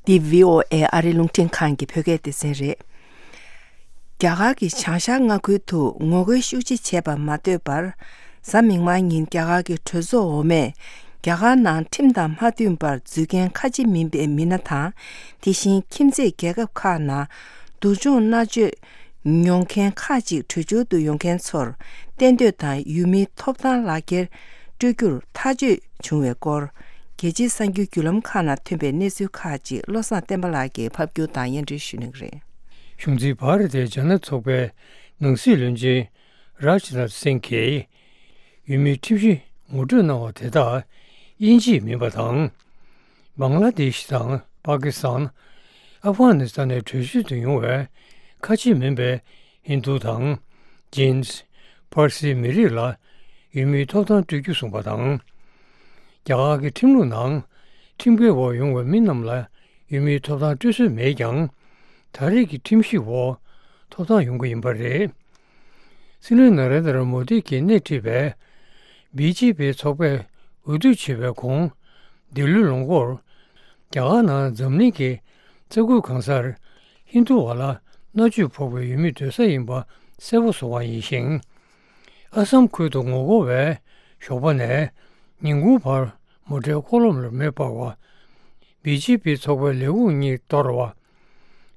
འདི་བྷི་ཨོ་ཨེ་ཨ་རིའི་རླུང་འཕྲིན་ཁང་གི་བོད་སྐད་སྡེ་ཚན་རེད། རྒྱ་གར་གྱི་བྱང་ཤར་མངའ་ཁུལ་དུ་ངོ་རྒོལ་ཤུགས་ཆེ་བྱས་པ་མ་ཐོས་པར། གཟའ་མིག་དམར་ཉིན་རྒྱ་གར་གྱི་གྲོས་ཚོགས་འོག་མས་རྒྱ་གར་ནང་ཁྲིམས་དང་མ་མཐུན་པར་འཛུལ་མཁན་ཁ་ཆེ་མིན་པའི་མི་སྣ་དང་། དེ་བཞིན་ཁྱིམ་མཚེས་རྒྱལ་ཁབ་ཁག་ནང་སྡུག་སྦྱོང་མནར་གཅོད་མྱོང་མཁན་ཁག་ཅིག་བྲོས་བྱོལ་དུ་ཡོང་མཁན་ཚོར་གཏན་སྡོད་དང་ཡུལ་མིའི་ཐོབ་ཐང་ལག་འཁྱེར་སྤྲོད་རྒྱུར་ཐག་གཅོད་བྱུང་བའི་སྐོར། རྒྱལ་སྤྱིའི་གསར་འགྱུར་བརྒྱུད་ལམ་ཁག་ནང་ཐོན་པའི་གནས་ཚུལ་ཁག་ཅིག་བློ་བཟང་བསྟན་པ་ལགས་ཀྱིས་ཕབ་སྒྱུར་དང་སྙན་སྒྲོན་ཞུ་གནང་གི་རེད། གཞུང་འཛིན་བྷ་ར་ཏའི་ཇ་ན་ཚོགས་པའི་ནང་སྲིད་བློན་ཆེན་རཱཇ་ནཱཐ་སིང་གིས། ཡུལ་མིའི་ཁྲིམས་གཞི་ངོ་སྤྲོད་གནང་བ་དེ་དག་དབྱིན་ཇིའི་མིན་པ་དང་། བང་ལ་དེཤ་དང་པ་ཀི་སི་ཐན། ཨབ་གྷ་ནི་སི་ཐན་ནས་བྲོས་བྱོལ་དུ་ཡོང་བའི་ཁ་ཆེ་མིན་པའི་ཧིན་རྡུ་དང་། ཇིན། ཕར་སིའི་མི་རིགས་ལ་ཡུལ་མིའི་ཐོབ་ཐང་སྤྲོད་རྒྱུ་གསུངས་པ་དང་། རྒྱ་གར་གྱི་ཁྲིམས་ལུགས་ནང་ཁྲིམས་འགལ་འོག་ཡོང་བའི་མི་རྣམས་ལ་ཡུལ་མིའི་ཐོབ་ཐང་སྤྲོད་སྲོལ་མེད་ཀྱང་། ད་རེས་ཀྱི་ཁྲིམས་གཞི་འོག་ཐོབ་ཐང་ཡོང་གི་ཡིན་པ་རེད། སྲིད་བློན་ན་རེན་དྲ་མོ་དི་གིས་སྣེ་ཁྲིད་པའི་བི་ཇེ་པི་ཚོགས་པས་འོས་བསྡུ་བྱས་པའི་གོང་། འདི་ལོའི་ལོ་འགོར། རྒྱ་གར་ནང་འཛམ་གླིང་གི་རྩ་ཁུལ་གང་སར་ཧིན་རྡུ་བ་ལ་མནར་གཅོད་ཕོག་པའི་ཡུལ་མིའི་སྡོད་ས་ཡིན་པ་གསལ་པོ་བཟོ་བ་ཡིན་ཞིང་། ཨ་སམ་ཁུལ་དུ་ངོ་རྒོལ་བས་ཞོགས་པ་ནས་ཉིན་གུང་བར་མོ་ཊའི་འཁོར་ལམ་ལ་མེ་སྤར་བ། བི་ཇེ་པི་ཚོགས་པའི་ལས་ཁུངས་གཉིས་གཏོར་བ།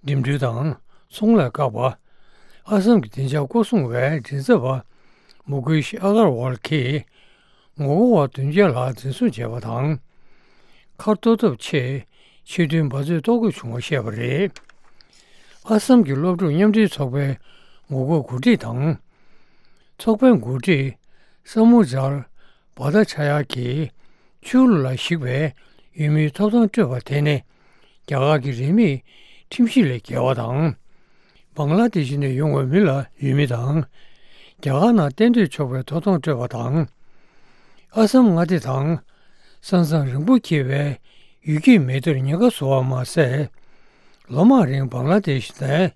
འགྲིམ་འགྲུལ་དང་ཚོང་ལས་བཀག་པ། ཨ་སམ་གྱི་བདེ་འཇགས་སྐོར་སྲུང་བའི་མགྲིན་ཚབ་པ་མུ་ཀེཤ་ཨ་གར་ཝལ་གྱིས་ངོ་རྒོལ་བ་བདུན་བརྒྱ་ལྷག་འཛིན་བཟུང་བྱས་པ་དང་། མཁར་གཏོར་ཐབས་ཆེད་ཆེད་དོན་འབད་རྩོལ་གཏོང་དགོས་བྱུང་བ་བཤད་པ་རེད། ཨ་སམ་གྱི་སློབ་ཕྲུག་མཉམ་འབྲེལ་ཚོགས་པའི་ངོ་རྒོལ་འགོ་ཁྲིད་དང་། ཚོགས་པའི་འགོ་ཁྲིད་ས་མུ་ཛར་བྷ་ཏ་ཆ་ཡ་གིས་ཆོས་ལུགས་ལ་གཞིགས་པའི་ཡུལ་མིའི་ཐོབ་ཐང་སྤྲོད་པ་དེ་ནི་རྒྱ་གར་གྱི་རིས་མེད་ཁྲིམས་གཞི་ལས་འགལ་བ་དང་། བང་ལ་དེ་ཤི་ནས་ཡོང་བའི་མི་ལ་ཡུལ་མི་དང་རྒྱ་གར་ནང་གཏན་སྡོད་ཆོག་པའི་ཐོབ་ཐང་སྤྲོད་པ་དང་། ཨ་སམ་མངའ་སྡེ་དང་ས་མཚམས་རིང་པོ་འཁེལ་བའི་ཡུལ་སྐྱེས་མི་སྡེར་ཉེན་ཁ་བཟོ་བ་མ་ཟད། ལོ་མང་རིང་བང་ལ་དེ་ཤི་ནས་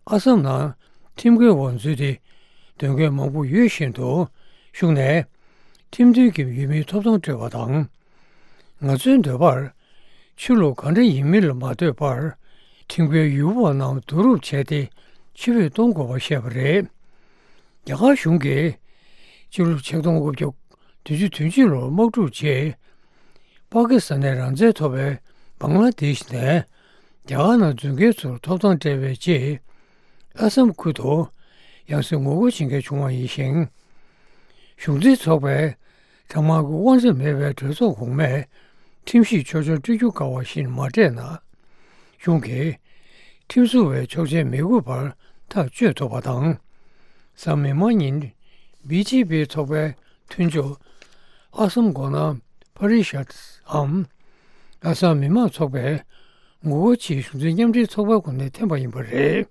ཨ་སམ་ནང་ཁྲིམས་འགལ་འོག་འཛུལ་ཏེ། སྡོད་མཁན་མང་པོ་ཡོད་བཞིན་དུ་ཤུགས་ནས་ཁྲིམས་མཐུན་གྱི་ཡུལ་མིའི་ཐོབ་ཐང་སྤྲོད་པ་དང་། ང་ཚོའི་འདོད་པར་ཆོས་ལུགས་ག་འདྲ་ཡིན་མིན་ལ་མ་ལྟོས་པར་ཁྲིམས་འགལ་ཡུལ་པ་རྣམས་བསྡུ་རུབ་བྱས་ཏེ་ཕྱིར་འབུད་གཏོང་དགོས་པ་བཤད་པ་རེད། རྒྱ་གར་གཞུང་གིས་སྤྱི་ལོ་ཆིག་སྟོང་དགུ་བརྒྱ་བདུན་ཅུ་དོན་གཅིག་ལོར་དམག་འཁྲུག་རྗེས། པ་ཀི་སི་ཐན་ནས་རང་བཙན་ཐོབ་པའི་བང་ལ་དེ་ཤི་ནས་རྒྱ་གར་ནང་འཛུལ་མཁན་ཚོར་ཐོབ་ཐང་སྤྲད་པའི་རྗེས། ཨ་སམ་ཁུལ་དུ་ཡང་སེ་ངོ་རྒོལ་བྱེད་མཁན་བྱུང་བ་ཡིན་ཞིང་། གཞུང་འཛིན་ཚོགས་པའི་གྲངས་མང་གི་དབང་ཆ་མེད་པའི་གྲོས་ཚོགས་གོང་མས་ཁྲིམས་ཞིབ་ཆོག་མཆན་སྤྲོད་རྒྱུ་དཀའ་བ་བཞིན་མ་སྤྲད་ན། གཞུང་གིས་ཁྲིམས་བཟོ་བའི་ཆོག་མཆན་མི་དགོས་པར་ཐག་གཅོད་ཐུབ་པ་དང་། གཟའ་མིག་དམར་ཉིན་བི་ཇེ་པི་ཚོགས་པའི་མཐུན་ཕྱོགས་ཨ་སམ་མགོ་ནག་པ་རི་ཤད་འམ། ཨ་སམ་མི་དམངས་ཚོགས་པའི་ངོ་རྒོལ་ཆེད་གཞུང་འཛིན་མཉམ་འབྲེལ་ཚོགས་པའི་ངོས་ནས་འཐེན་པ་ཡིན་པ་རེད།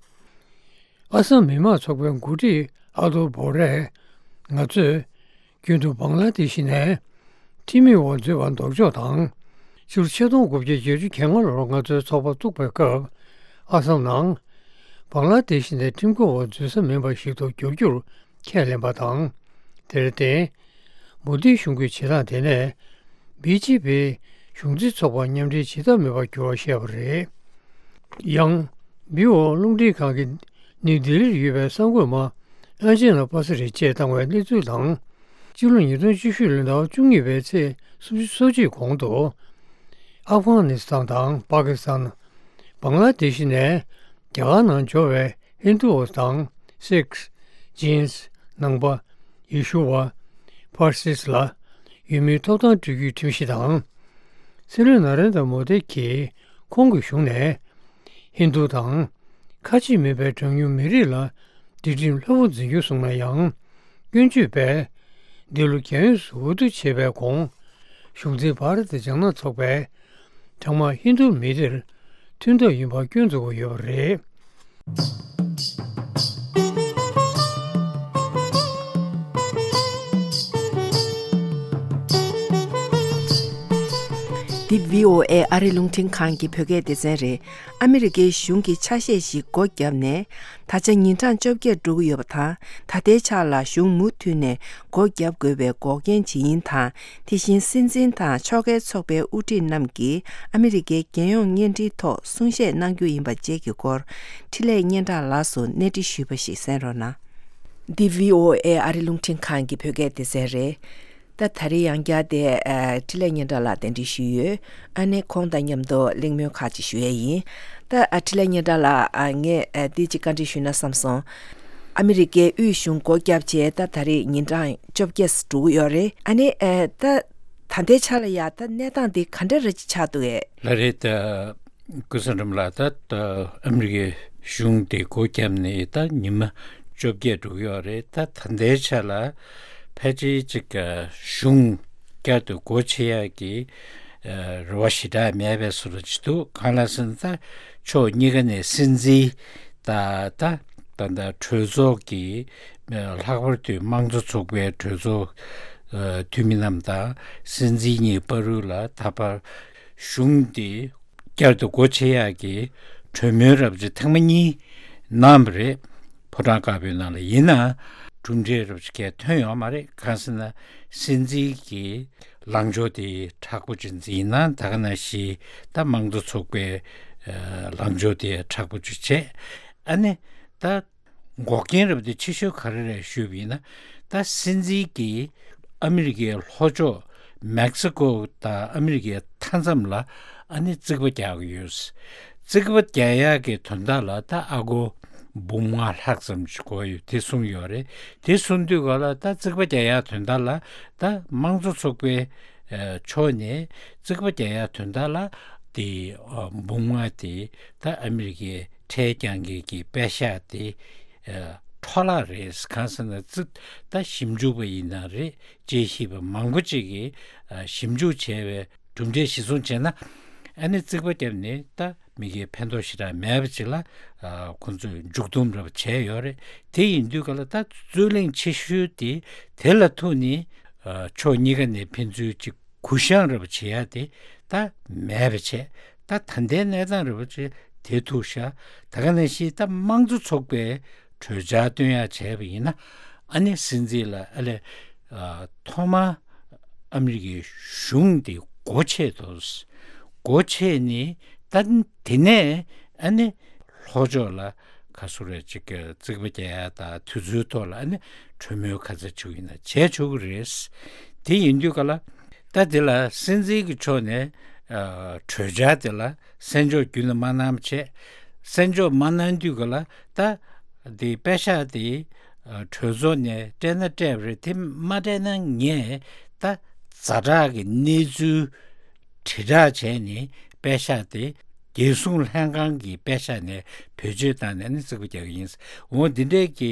ཨ་སམ་མི་དམངས་ཚོགས་པའི་འགོ་ཁྲིད་ཨ་དོ་བོ་རས། ང་ཚོས་རྒྱུན་དུ་བང་ལ་དེ་ཤི་ནས་ཁྲིམས་མེད་འོག་འཛུལ་བ་ལྡོག་ཕྱོགས་དང་། སྤྱི་ལོ་ཆིག་སྟོང་དགུ་བརྒྱ་བརྒྱད་ཅུ་གྱ་ལྔ་ལོར་ང་ཚོའི་ཚོགས་པ་བཙུགས་པའི་སྐབས། ཨ་སམ་ནང་བང་ལ་དེ་ཤི་ནས་ཁྲིམས་འགལ་འོག་འཛུལ་ས་མིན་པ་ཞིག་ཏུ་འགྱུར་རྒྱུར་ཁས་ལེན་པ་དང་། དེར་བརྟེན། མོ་དིའི་གཞུང་གི་བྱེད་སྟངས་དེ་ནས་བི་ཇེ་པི་གཞུང་འཛིན་ཚོགས་པ་མཉམ་འབྲེལ་བྱེད་ཐབས་མེད་པར་གྱུར་བ་བཤད་པ་རེད། ཡང་། བྷི་ཨོ་རླུང་འཕྲིན་ཁང་གིས་ནིའུ་ལྡི་ལིར་ཡོད་པའི་གསར་འགོད་པ་ཨན་ཇེ་ལ་པ་ས་རི་བཅས་བཏང་བའི་གནས་ཚུལ་དང་། སྤྱི་ལོ་ཉིས་སྟོང་བཅུ་བཞི་ལོའི་ཟླ་བ་བཅུ་གཉིས་པའི་ཚེས་སོ་གཅིག་གོང་དུ། ཨབ་གྷ་ནི་སི་ཐན་དང་པ་ཀི་སི་ཐན། བང་ལ་དེ་ཤི་ནས་རྒྱ་གར་ནང་འབྱོར་བའི་ཧིན་དུ་ཨོ་དང་སིག། ཇིན། ནང་པ། ཡེ་ཤུ་བ། ཕར་སིས་ལ་ཡུལ་མིའི་ཐོབ་ཐང་སྤྲོད་རྒྱུའི་ཁྲིམས་གཞི་དང་། སྲིད་བློན་ན་རེན་དྲ་མོ་དི་གིས་ཁོང་གི་གཞུང་ནས་ཧིན་དུ་དང་། ཁ་ཆེ་མིན་པའི་གྲངས་ཉུང་མི་རིགས་ལ་སྒྲིག་ཁྲིམས་ལྷོད་པོ་འཛིན་རྒྱུ་གསུངས་ན་ཡང་། སྐྱོན་བརྗོད་པས་འདི་ལོ་རྒྱལ་ཡོངས་སུ་འོས་བསྡུ་བྱེད་པའི་གོང་། གཞུང་འཛིན་བྷ་ར་ཏི་ལྗང་ནག་ཚོགས་པས་གྲངས་མང་ཧིན་དུ་མི་སྡེར་མཐུན་ཐབས་ཡིན་པར་སྐྱོན་འཛུགས་ཀྱི་ཡོད་པ་རེད། འདི་བྷི་ཨོ་ཨེ་ཨ་རི་རླུང་འཕྲིན་ཁང་གི་བོད་སྐད་སྡེ་ཚན་རེད། ཨ་མི་རི་ཀའི་གཞུང་གི་ཆ་ཤས་ཤིག་སྒོ་བརྒྱབ་ནས། ད་ཆ་ཉིན་གྲངས་བཅོ་བརྒྱད་འགྲོ་གི་ཡོད་པ་དང་། ད་ལྟའི་ཆར་ལ་གཞུང་མུ་མཐུད་ནས་སྒོ་བརྒྱབ་དགོས་པའི་འགོག་རྐྱེན་ཇི་ཡིན་དང་། དེ་བཞིན་སྲིད་འཛིན་དང་ཕྱོགས་འགལ་ཚོགས་པའི་དབུ་ཁྲིད་རྣམས་ཀྱིས་ཨ་མི་རི་ཀའི་རྒྱལ་ཡོངས་བརྙན་འཕྲིན་ཐོག་གསུང་བཤད་གནང་རྒྱུ་ཡིན་པ་བཅས་ཀྱི་སྐོར། འཕྲིན་ལས་སྙན་གྲགས་ལགས་སུ་གནས་འདྲི་ཞུས་པ་ཞིག་གསན་རོགས་གནང་། འདི་བྷི་ཨོ་ཨེ་ཨ་རི་རླུང་འཕྲིན་ཁང་གི་བོད་སྐད་སྡེ་ཚན་རེད། ད་ད་རེས་ཡང་བསྐྱར་དེ་ཨ་འཕྲིན་ལས་སྙན་གྲགས་ལགས་གདན་འདྲེན་ཞུས་ཡོད། ཨ་ནེ་ཁོང་དང་མཉམ་དུ་གླེང་མོལ་ཁག་ཅིག་ཞུ་ཡས་ཡིན། ད་ཨ་འཕྲིན་ལས་སྙན་གྲགས་ལགས། ཨ་ངས་ཨ་འདི་ཅིག་བཀའ་འདྲི་ཞུས་ན་བསམ་སོང་། ཨ་མི་རི་ཀའི་དབུས་གཞུང་སྒོ་བརྒྱབ་བྱས་ད་ད་རེས་ཉིན་གྲངས་བཅོ་བརྒྱད་འགྲོ་གི་ཡོད་རེད། ཨ་ནེ་ཨ་ད་ད་ལྟའི་ཆ་ལ་ཡ་ད་གནས་སྟངས་འདི་ག་འདྲ་ར་ཅིག་ཆགས་འདུག་གས། ལགས་རེད། ད་ཀུན་བཟང་སྒྲོལ་མ་ལགས། ད་ཨ་མི་རི་ཀའི་གཞུང་དེ་སྒོ་བརྒྱབ་ནས་ད་ཉི་མ་བཅོ་བརྒྱད་འགྲོ་གི་ཡོད་རེད། ད་ད་ལྟའི་ཆ་ལ་ཕལ་ཆེར་ཅིག་གཞུང་བསྐྱར་དུ་སྒོ་ཕྱེ་ཡག་གི་རེ་བ་ཞེ་དྲག་མེད་པའི་བཟོ་འདྲ་ཅིག་འདུག་གང་ལ་ཟེར་ན། ད་ཕྱོགས་གཉིས་ཀ་ནས་སྲིད་འཛིན་ད་ད་ད་ད་གྲོས་ཚོགས་ཀྱི་ལྷག་པར་དུ་དམངས་གཙོ་ཚོགས་པའི་གྲོས་ཚོགས་འཐུས་མི་རྣམས་དང་སྲིད་འཛིན་གཉིས་བར་ལ་ད་བར་གཞུང་དེ་བསྐྱར་དུ་སྒོ་ཕྱེ་ཡག་གི་གྲོས་མོལ་རབ་ཅིག་ཐེངས་མ་གཉིས་གནང་བ་རེད། ཕོ་བྲང་དཀར་པོའི་ནང་ལ། ཡིན་ནའང་གྲུབ་འབྲས་རབ་ཅིག་གས་ཐོན་ཡོད་མ་རེད། གང་ཟེར་ན་སྲིད་འཛིན་གྱི་ལངས་ཕྱོགས་དེ་མཁྲེགས་པོ་ཅིག་འཛིན་ན། ད་ག་ནང་བཞིན་ད་དམངས་གཙོ་ཚོགས་པའི་ལངས་ཕྱོགས་དེ་མཁྲེགས་པོ་ཅིག་བྱས། ཨ་ནི་ད་འགོག་རྐྱེན་རབ་དེ་ཆེ་ཤོས་ག་རེ་རེད་ཞུས་པ་ཡིན་ན། ད་སྲིད་འཛིན་གྱིས་ཨ་མི་རི་ཀའི་ལྷོ་ཕྱོགས་མེག་སི་ཀོ་དང་ཨ་མི་རི་ཀའི་མཐའ་མཚམས་ལ་ཨ་ནི་རྩིག་པ་རྒྱག་གི་ཡོད། རྩིག་པ་རྒྱག་ཡག་གི་དོན་དག་ལ་ད་ཨ་སྒོར་འབུམ་ལྔ་ལྷག་ཙམ་ཞིག་དགོས་ཡོད་དེ་གསུངས་ཡོད་རེད། དེ་གསུངས་དུས་ག་ལ་ད་རྩིག་པ་རྒྱག་ཡག་དོན་དག་ལ་ད་དམངས་གཙོ་ཚོགས་པའི་ཕྱོགས་ནས་རྩིག་པ་རྒྱག་ཡག་དོན་དག་ལ་དེ་འབུམ་ལྔ་དེ་ད་ཨ་མི་རི་ཀའི་ཁྲལ་རྒྱག་མཁན་གྱི་པེ་ཤག་དེ་འཕྲོ་བརླག་རེད། གང་ཟེར་ན་རྩིག་ད་ཞིབ་འཇུག་པ་ཡིན་ན་རེད། དཔྱད་ཞིབ་པ་མང་པོ་ཅིག་གིས་ཞིབ་འཇུག་བྱས་པའི་གྲུབ་འབྲས་གཞིར་བཟུང་བྱས་ན། ཨ་ནི་རྩིག་པ་བརྒྱབ་ནས་ད་མི་སྒེར་ཕན་ཐོགས་ཞེ་དྲག་མེད་པ་ཅིག་ལ་ཁོང་ཚོས་མཇུག་སྡོམ་རབ་བྱས་ཡོད་རེད། དེ་ཡིན་དུས་ག་ལ་ད་རྩོད་གླེང་ཆེ་ཤོས་དེ་དེ་ལ་ཐུག་ནས་ཕྱོགས་གཉིས་ཀ་ནས་ཕན་ཚུན་ཅིག་གུ་བཤངས་རབ་བྱེད་ཡ་དེ་ད་མེད་པ་བྱས། ད་ད་ལྟའི་གནས་སྟངས་རབ་བྱས་དེ་ཐུག་ཤག་ད་ག་ནང་བཞིན་ད་དམངས་གཙོ་ཚོགས་པའི་གྲོས་འཆར་བཏོན་ཡག་བྱས་པ་ཡིན་ན། ཨ་ནི་སྲིད་འཛིན་ལ་ཨ་ལས་ཐོག་མར་ཨ་མི་རི་ཀའི་གཞུང་དེ་སྒོ་ཕྱེ་དོ། སྒོ་ཕྱེ་ནས་ད་དེ་ནས་ཨ་ནི་ལྷོ་ཕྱོགས་ལ་ག་སུ་རེ་ཅིག་གི་རྩིག་པ་རྒྱག་ཡ་དང་དུས་ཚོད་ཐོག་ལ་ཨ་ནི་གྲོས་མོལ་ག་ཚད་བྱུང་ཡིན་ན་བྱས་ཆོག་གི་རེད། དེ་ཡིན་དུས་ག་ལ་ ད་དེ་ལ་སྲིད་འཛིན་གྱི་ཕྱོགས་ནས་ཨ་གྲོས་འཆར་དེ་ལ་གསན་འཇོག་རྒྱུན་ལ་མ་གནང་བ་བྱས། གསན་འཇོག་མ་གནང་དུས་ག་ལ་ད་དེ་པད་ཤག་དེ་ཨ་གྲོས་ཚོགས་ནས་སྤྲད་ན་སྤྲད་པ་རེད། དེ་མ་སྤྲད་ན་ངས་ད་ཛ་དྲག་གི་གནས་ཚུལ་དྲིལ་བསྒྲགས་བྱས་ནས་པད་ཤག་དེ་རྒྱལ་སྲུང་ལྷན་ཁང་གི་པད་ཤག་ནས་བེད་སྤྱོད་བཏང་ནས་ནི་རྩིག་པ་རྒྱག་གི་ཡིན། འོ་འདི་འདྲས་ཀྱི་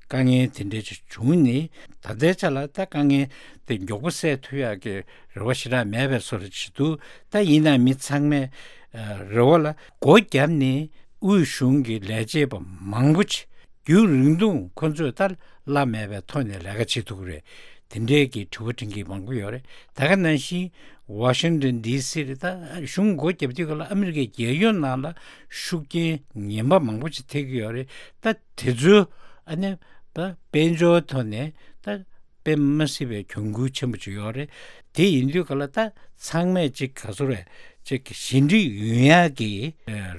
དཀའ་ངལ་དེ་འདྲས་ཅིག་བྱུང་ནས། ད་ལྟའི་ཆ་ལ་ད་དཀའ་ངལ་དེ་མགྱོགས་པོ་སེལ་ཐུབ་ཡག་གི་རེ་བ་ཞེ་དྲག་མེད་པའི་བཟོ་འདྲ་ཅིག་འདུག་ད་ཡིན་ན་མི་ཚང་མས་ཨ་རེ་བ་ལ་སྒོ་བརྒྱབ་ནས་དབུས་གཞུང་གི་ལས་བྱེད་པ་མང་པོ་ཅིག་རྒྱུན་རིང་ཐུང་ཁོ་ཚོས་ད་གླ་མེད་པའི་ཐོག་ནས་ལས་ཀ་བྱེད་ཐུབ་ཀྱི་རེད། དེ་འདྲས་ཀྱི་དྲི་བ་འདྲི་མཁན་མང་པོ་ཡོད་རེད། ད་ག་ནང་བཞིན་ཝ་ཤིང་ཏོན་ཌི་སི་རེད། ད་གཞུང་སྒོ་བརྒྱབ་དུས་ག་ལ་ཨ་མི་རི་ཀའི་རྒྱལ་ཡོངས་ནང་ལ་ཤུགས་རྐྱེན་ངན་པ་མང་པོ་ཅིག་ཐེབས་ཀྱི་ཡོད་རེད། ད་དེ་ཚོའི་ཨ་ནི་ད་དཔལ་འབྱོར་ཐོག་ནས་ད་དཔེ་མ་སྲིད་པའི་གྱོང་གུད་ཆེན་པོ་ཅིག་ཡོད་རེད། དེ་ཡིན་དུས་ག་ལ་ད་ཚང་མས་ཅིག་ག་ཚོད་རེད་ཅིག་ཞི་འགྲིག་ཡོང་ཡག་གི་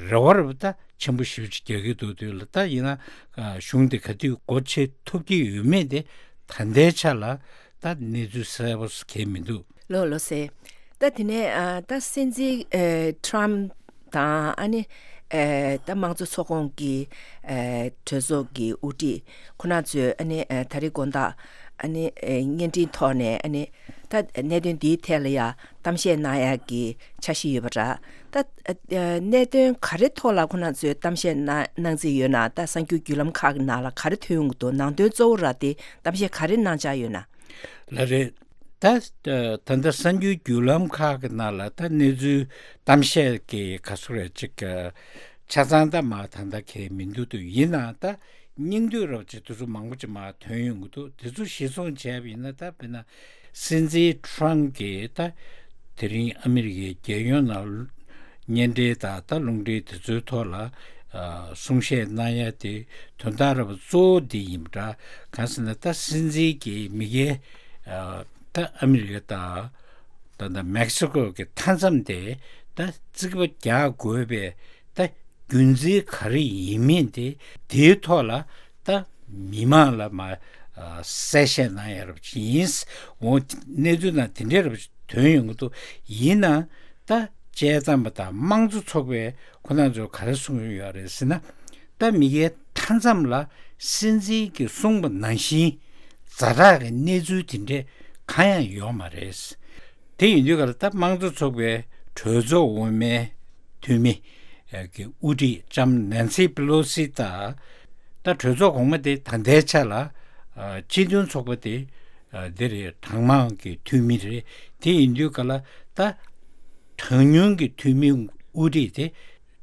རེ་བ་རེ་བ་ད་ཆེན་པོ་ཞེ་པོ་ཅིག་རྒྱག་གི་འདུག་དུས་ལ། ད་ཡིན་ན་གཞུང་དེ་ག་དུས་སྒོ་ཕྱེ་ཐུབ་ཀྱི་ཡོད་མེད་དེ་ད་ལྟའི་ཆ་ལ་ད་གནས་ཚུལ་གསལ་པོ་གང་ཡང་མི་འདུག་ལགས་ལགས་སེ། ད་དེ་ནས་ཨ་ད་སྲིད་འཛིན་ཨ་ཊམ་དང་ཨ་ནི་ཨ་ད་དམངས་གཙོ་ཚོགས་ཁོངས་ཀྱི་ཨ་གྲོས་ཚོགས་ཀྱི་དབུ་ཁྲིད་ཁོ་ན་ཚོས་ཨ་ནི་ཨ་ད་རེས་དགོང་དག་ཨ་ནི་ཨ་བརྙན་འཕྲིན་ཐོག་ནས་ཨ་ནི་ད་གནད་དོན་འདིའི་ཐད་ལ་ཡ་གཏམ་བཤད་གནང་ཡག་གི་འཆར་གཞི་ཡོད་པ་འདྲ། ད་ཨ་གནད་དོན་ག་རེ་ཐོག་ལ་ཁོ་ན་ཚོས་གཏམ་བཤད་གནང་གནང་རྩིས་ཡོད་ན། ད་གསར་འགྱུར་བརྒྱུད་ལམ་ཁག་གི་ནང་ལ་ག་རེ་ཐོན་ཡོང་གི་འདུག་ནང་དོན་གཙོ་བོ་ར་དེ་གཏམ་བཤད་ག་རེ་གནང་འཆར་ཡོད་ན། ལགས་རེད། ད་ད་ལྟ་གསར་འགྱུར་བརྒྱུད་ལམ་ཁག་གི་ནང་ལ་ད་གནས་ཚུལ་གཏམ་བཤད་ཀྱི་ག་ཚོད་རེད་ཅིག་ཆ་ཚང་ད་མ་ད་ལྟ་གང་ཡང་མི་འདུག་དུས་ཡིན་ནའང་ད་སྙིང་བསྡུས་རོབ་ཅིག་དེ་ཚོ་མང་པོ་ཅིག་མ་ཐོན་ཡོང་གི་འདུག་དེ་ཚོ་གཞིར་བཟུང་བྱས་པ་ཡིན་ན། ད་དཔེར་ན་སྲིད་འཛིན་ཊམ་གྱིས་ད་དེ་རིང་ཨ་མི་རི་ཀའི་རྒྱལ་ཡོངས་ནང་བརྙན་འཕྲིན་དང་ད་རླུང་འཕྲིན་དེ་ཚོའི་ཐོག་ལ་ཨ་གསུང་བཤད་གནང་ཡ་དེ་དོན་དག་ར་བ་གཙོ་བོ་འདི་ཡིན་པ་འདྲ། གང་ཟེར་ན་ད་སྲིད་འཛིན་གྱིས་མི་སྒེར་ཨ་ད་ཨ་མི་རི་ཀ་དང་ད་ད་མེག་སི་ཀོ་གི་མཐའ་མཚམས་དེ་ད་རྩིག་པ་རྒྱག་དགོས་པའི་ད་རྒྱུ་མཚན་ག་རེ་ཡིན་མིན་དེ་དེའི་ཐོག་ལ་ད་མི་མང་ལ་མ་ཨ་གསལ་བཤད་གནང་ཡ་རབས་ཅིག་ཡིན། འོ་གནས་ཚུལ་ནང་དེ་འདྲའི་རབས་ཅིག་ཐོན་ཡོང་གི་འདུག་ཡིན་ནའང་ད་དཔྱད་མཚམས་པ་དང་དམངས་གཙོ་ཚོགས་པའི་ཁོ་ན་ཚོས་ག་རེ་གསུངས་ཡོད་རེད་ཟེར་ན། ད་མི་སྒེར་མཐའ་མཚམས་ལ་སྲིད་འཛིན་གྱིས་གསུངས་པ་ནང་བཞིན་ཛ་དྲག་གི་གནས་ཚུལ་དེ་འདྲས་གང་ཡང་ཡོད་མ་རེད། དེ་ཡིན་དུས་ག་ལ་ད་དམངས་གཙོ་ཚོགས་པའི་གྲོས་ཚོགས་འོག་མའི་འཐུས་མི་གི་དབུ་ཁྲིད་ལྕམ་ནན་སི་པེ་ལོ་སི་དང་། ད་གྲོས་ཚོགས་གོང་མ་དེ་ད་ལྟའི་ཆ་ལ་སྤྱི་མཐུན་ཚོགས་པ་དེ་འདི་རེད། གྲངས་མང་གི་འཐུས་མི་རེད། དེ་ཡིན་དུས་ག་ལ་ད་གྲངས་ཉུང་གི་འཐུས་མི་དབུ་ཁྲིད་དེ་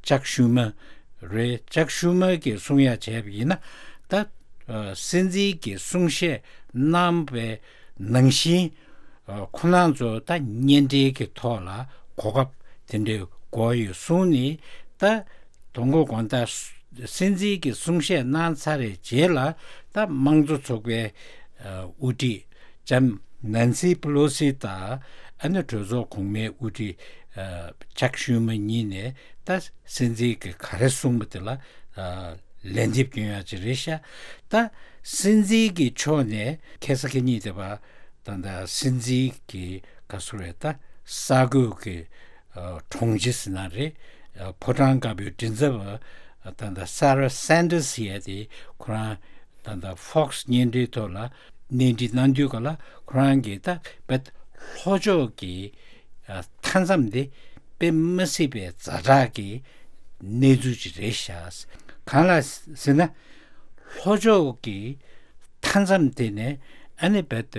ཅག་ཤུ་མ་རེད། ཅག་ཤུ་མ་གིས་གསུང་ཡ་བྱས་པ་ཡིན་ན། ད་ཨ་སྲིད་འཛིན་གྱིས་གསུང་བཤད་གནང་བའི་ནང་བཞིན་ཨ་ཁོ་རང་ཚོ་ད་བརྙན་འཕྲིན་གྱི་ཐོག་ལ་གོ་སྐབས་དེ་འདྲའི་དགོས་ཡོད་གསུངས་ནས། ད་དང་པོ་དགོང་དག་སྲིད་འཛིན་གྱིས་གསུང་བཤད་གནང་ཚར་བའི་རྗེས་ལ་ད་དམངས་གཙོ་ཚོགས་པའི་ཨ་དབུ་ཁྲིད་ལྕམ་ནན་སི་པེ་ལོ་སི་དང་ཨ་ནི་གྲོས་ཚོགས་གོང་མའི་དབུ་ཁྲིད་ཨ་ཅག་ཤུ་མ་གཉིས་ནས་ད་སྲིད་འཛིན་གྱིས་ག་རེ་གསུངས་པ་དེ་ལ་ཨ་ལན་འདེབས་སྐྱོན་ཡག་ཅིག་རེད་ཤག་ད་སྲིད་འཛིན་གྱི་ཕྱོགས་ནས་ཁ་སང་ཁ་ཉིན་དེ་བ་ད་ད་སྲིད་འཛིན་གྱི་ག་ཚོད་རེད། ད་ས་གོས་ཀྱི་ཨ་དྲུང་ཆེ་ཟེར་ན་རེད། ཨ་ཕོ་བྲང་དཀར་པོའི་མགྲིན་ཚབ་པ་ད་ད་སཱ་ར་སན་ཏར་སི་ཟེར་ཡ་དེ་ཁོ་རང་ད་ད་ཧྥོག་སི་བརྙན་འཕྲིན་ཐོག་ལ་གནས་འདྲི་གནང་དུས་ག་ལ་ཁོ་རང་གིས་ད་བེད་ལྷོ་ཕྱོགས་ཀྱི་ཨ་མཐའ་མཚམས་དེ་དཔེ་མ་སྲིད་པའི་ཛ་དྲག་གི་གནས་ཚུལ་ཅིག་རེད་ཤག་གང་ལ་ཟེར་ན་ལྷོ་ཕྱོགས་ཀྱི་མཐའ་མཚམས་དེ་ནས་ཨ་ནི་བེད་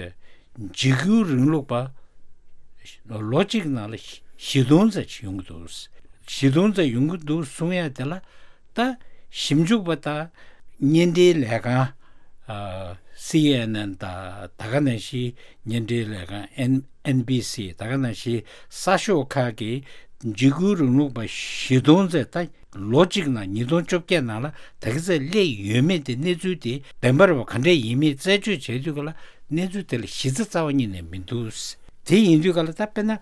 འཇིགས་སྐུལ་རིང་ལུགས་པ་ལོ་གཅིག་ནང་ལ་བཞི་སྟོང་ཙམ་ཅིག་ཡོང་གི་འདུག་བཞི་སྟོང་ཙམ་ཡོང་གི་འདུག་གསུང་ཡ་དེ་ལ་ད་ཞིབ་འཇུག་པ་དང་བརྙན་འཕྲིན་ལས་ཁང་ཨ་སི་ཨེན་ཨེན་དང་ད་ག་ནང་བཞིན་བརྙན་འཕྲིན་ལས་ཁང་ཨེན་ཨེན་བི་སི་ད་ག་ནང་བཞིན་གསར་ཤོག་ཁག་གིས་འཇིགས་སྐུལ་རིང་ལུགས་པ་བཞི་སྟོང་ཙམ་ད་ལོ་གཅིག་ནང་ཉིས་སྟོང་བཅོ་བརྒྱད་ནང་ལ་ད་ག་ཚད་སླེབས་ཡོད་མེད་དེ་གནས་ཚུལ་དེ་བདེན་པ་རེད་པ་ག་འདྲས་ཡིན་མིན་རྩད་གཅོད་བྱས་དུས་ག་ལ་གནས་ཚུལ་དེ་ལ་གཞི་རྩ་རྩ་བ་ཉིད་ནས་མི་འདུག་དེ་ཡིན་དུས་ག་ལ་ད་དཔེར་ན་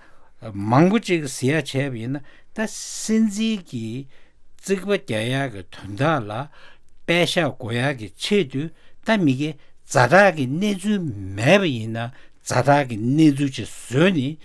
མང་པོ་ཅིག་ཟེར་ཡ་བྱས་པ་ཡིན་ན་ད་སྲིད་འཛིན་གྱིས་རྩིག་པ་རྒྱག་ཡག་གི་དོན་དག་ལ་པད་ཤག་དགོས་ཡག་གི་ཆེད་དུ་ད་མི་སྒེར་ཛ་དྲག་གི་གནས་ཚུལ་མེད་པ་ཡིན་ན་ཛ་དྲག་གི་གནས་ཚུལ་ཅིག་བཟོས་ནས་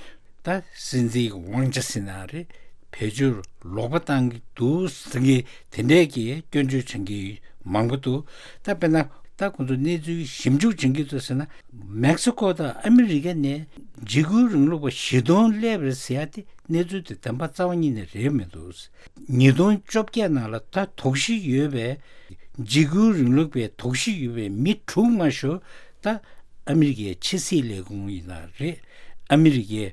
ད་སྲིད་འཛིན་གྱི་དབང་ཆ་ཟེར་ན་རེད། བེད་སྤྱོད་ལོག་པ་བཏང་གི་འདུག་ཟེར་མཁན་དེ་འདྲས་ཀྱི་སྐྱོན་བརྗོད་བྱེད་མཁན་མང་པོ་འདུག་ད་དཔེར་ན་ད་ཁོང་ཚོ་གནས་ཚུལ་ཞིབ་འཇུག་བྱེད་མཁན་ཚོ་ཟེར་ན། མེག་སི་ཀོ་དང་ཨ་མི་རི་ཀ་ནས་འཇིགས་སྐུལ་རིང་ལུགས་པ་བཞི་སྟོང་སླེབས་རེད་ཟེར་ཡ་དེ་གནས་ཚུལ་དེ་བདེན་པ་རྩ་བ་ཉིད་ནས་རེད་མི་འདུག་ཉིས་སྟོང་བཅོ་བརྒྱད་ནང་ལ་ད་དོགས་གཞི་ཡོད་པའི་འཇིགས་སྐུལ་རིང་ལུགས་པའི་དོགས་གཞི་ཡོད་པའི་མི་དྲུག་མ་ཞུ། ད་ཨ་མི་རི་ཀའི་ཕྱི་སྲིད་ལས་ཁུངས་ཡིན་ན་རེད། ཨ་མི་རི་ཀའི་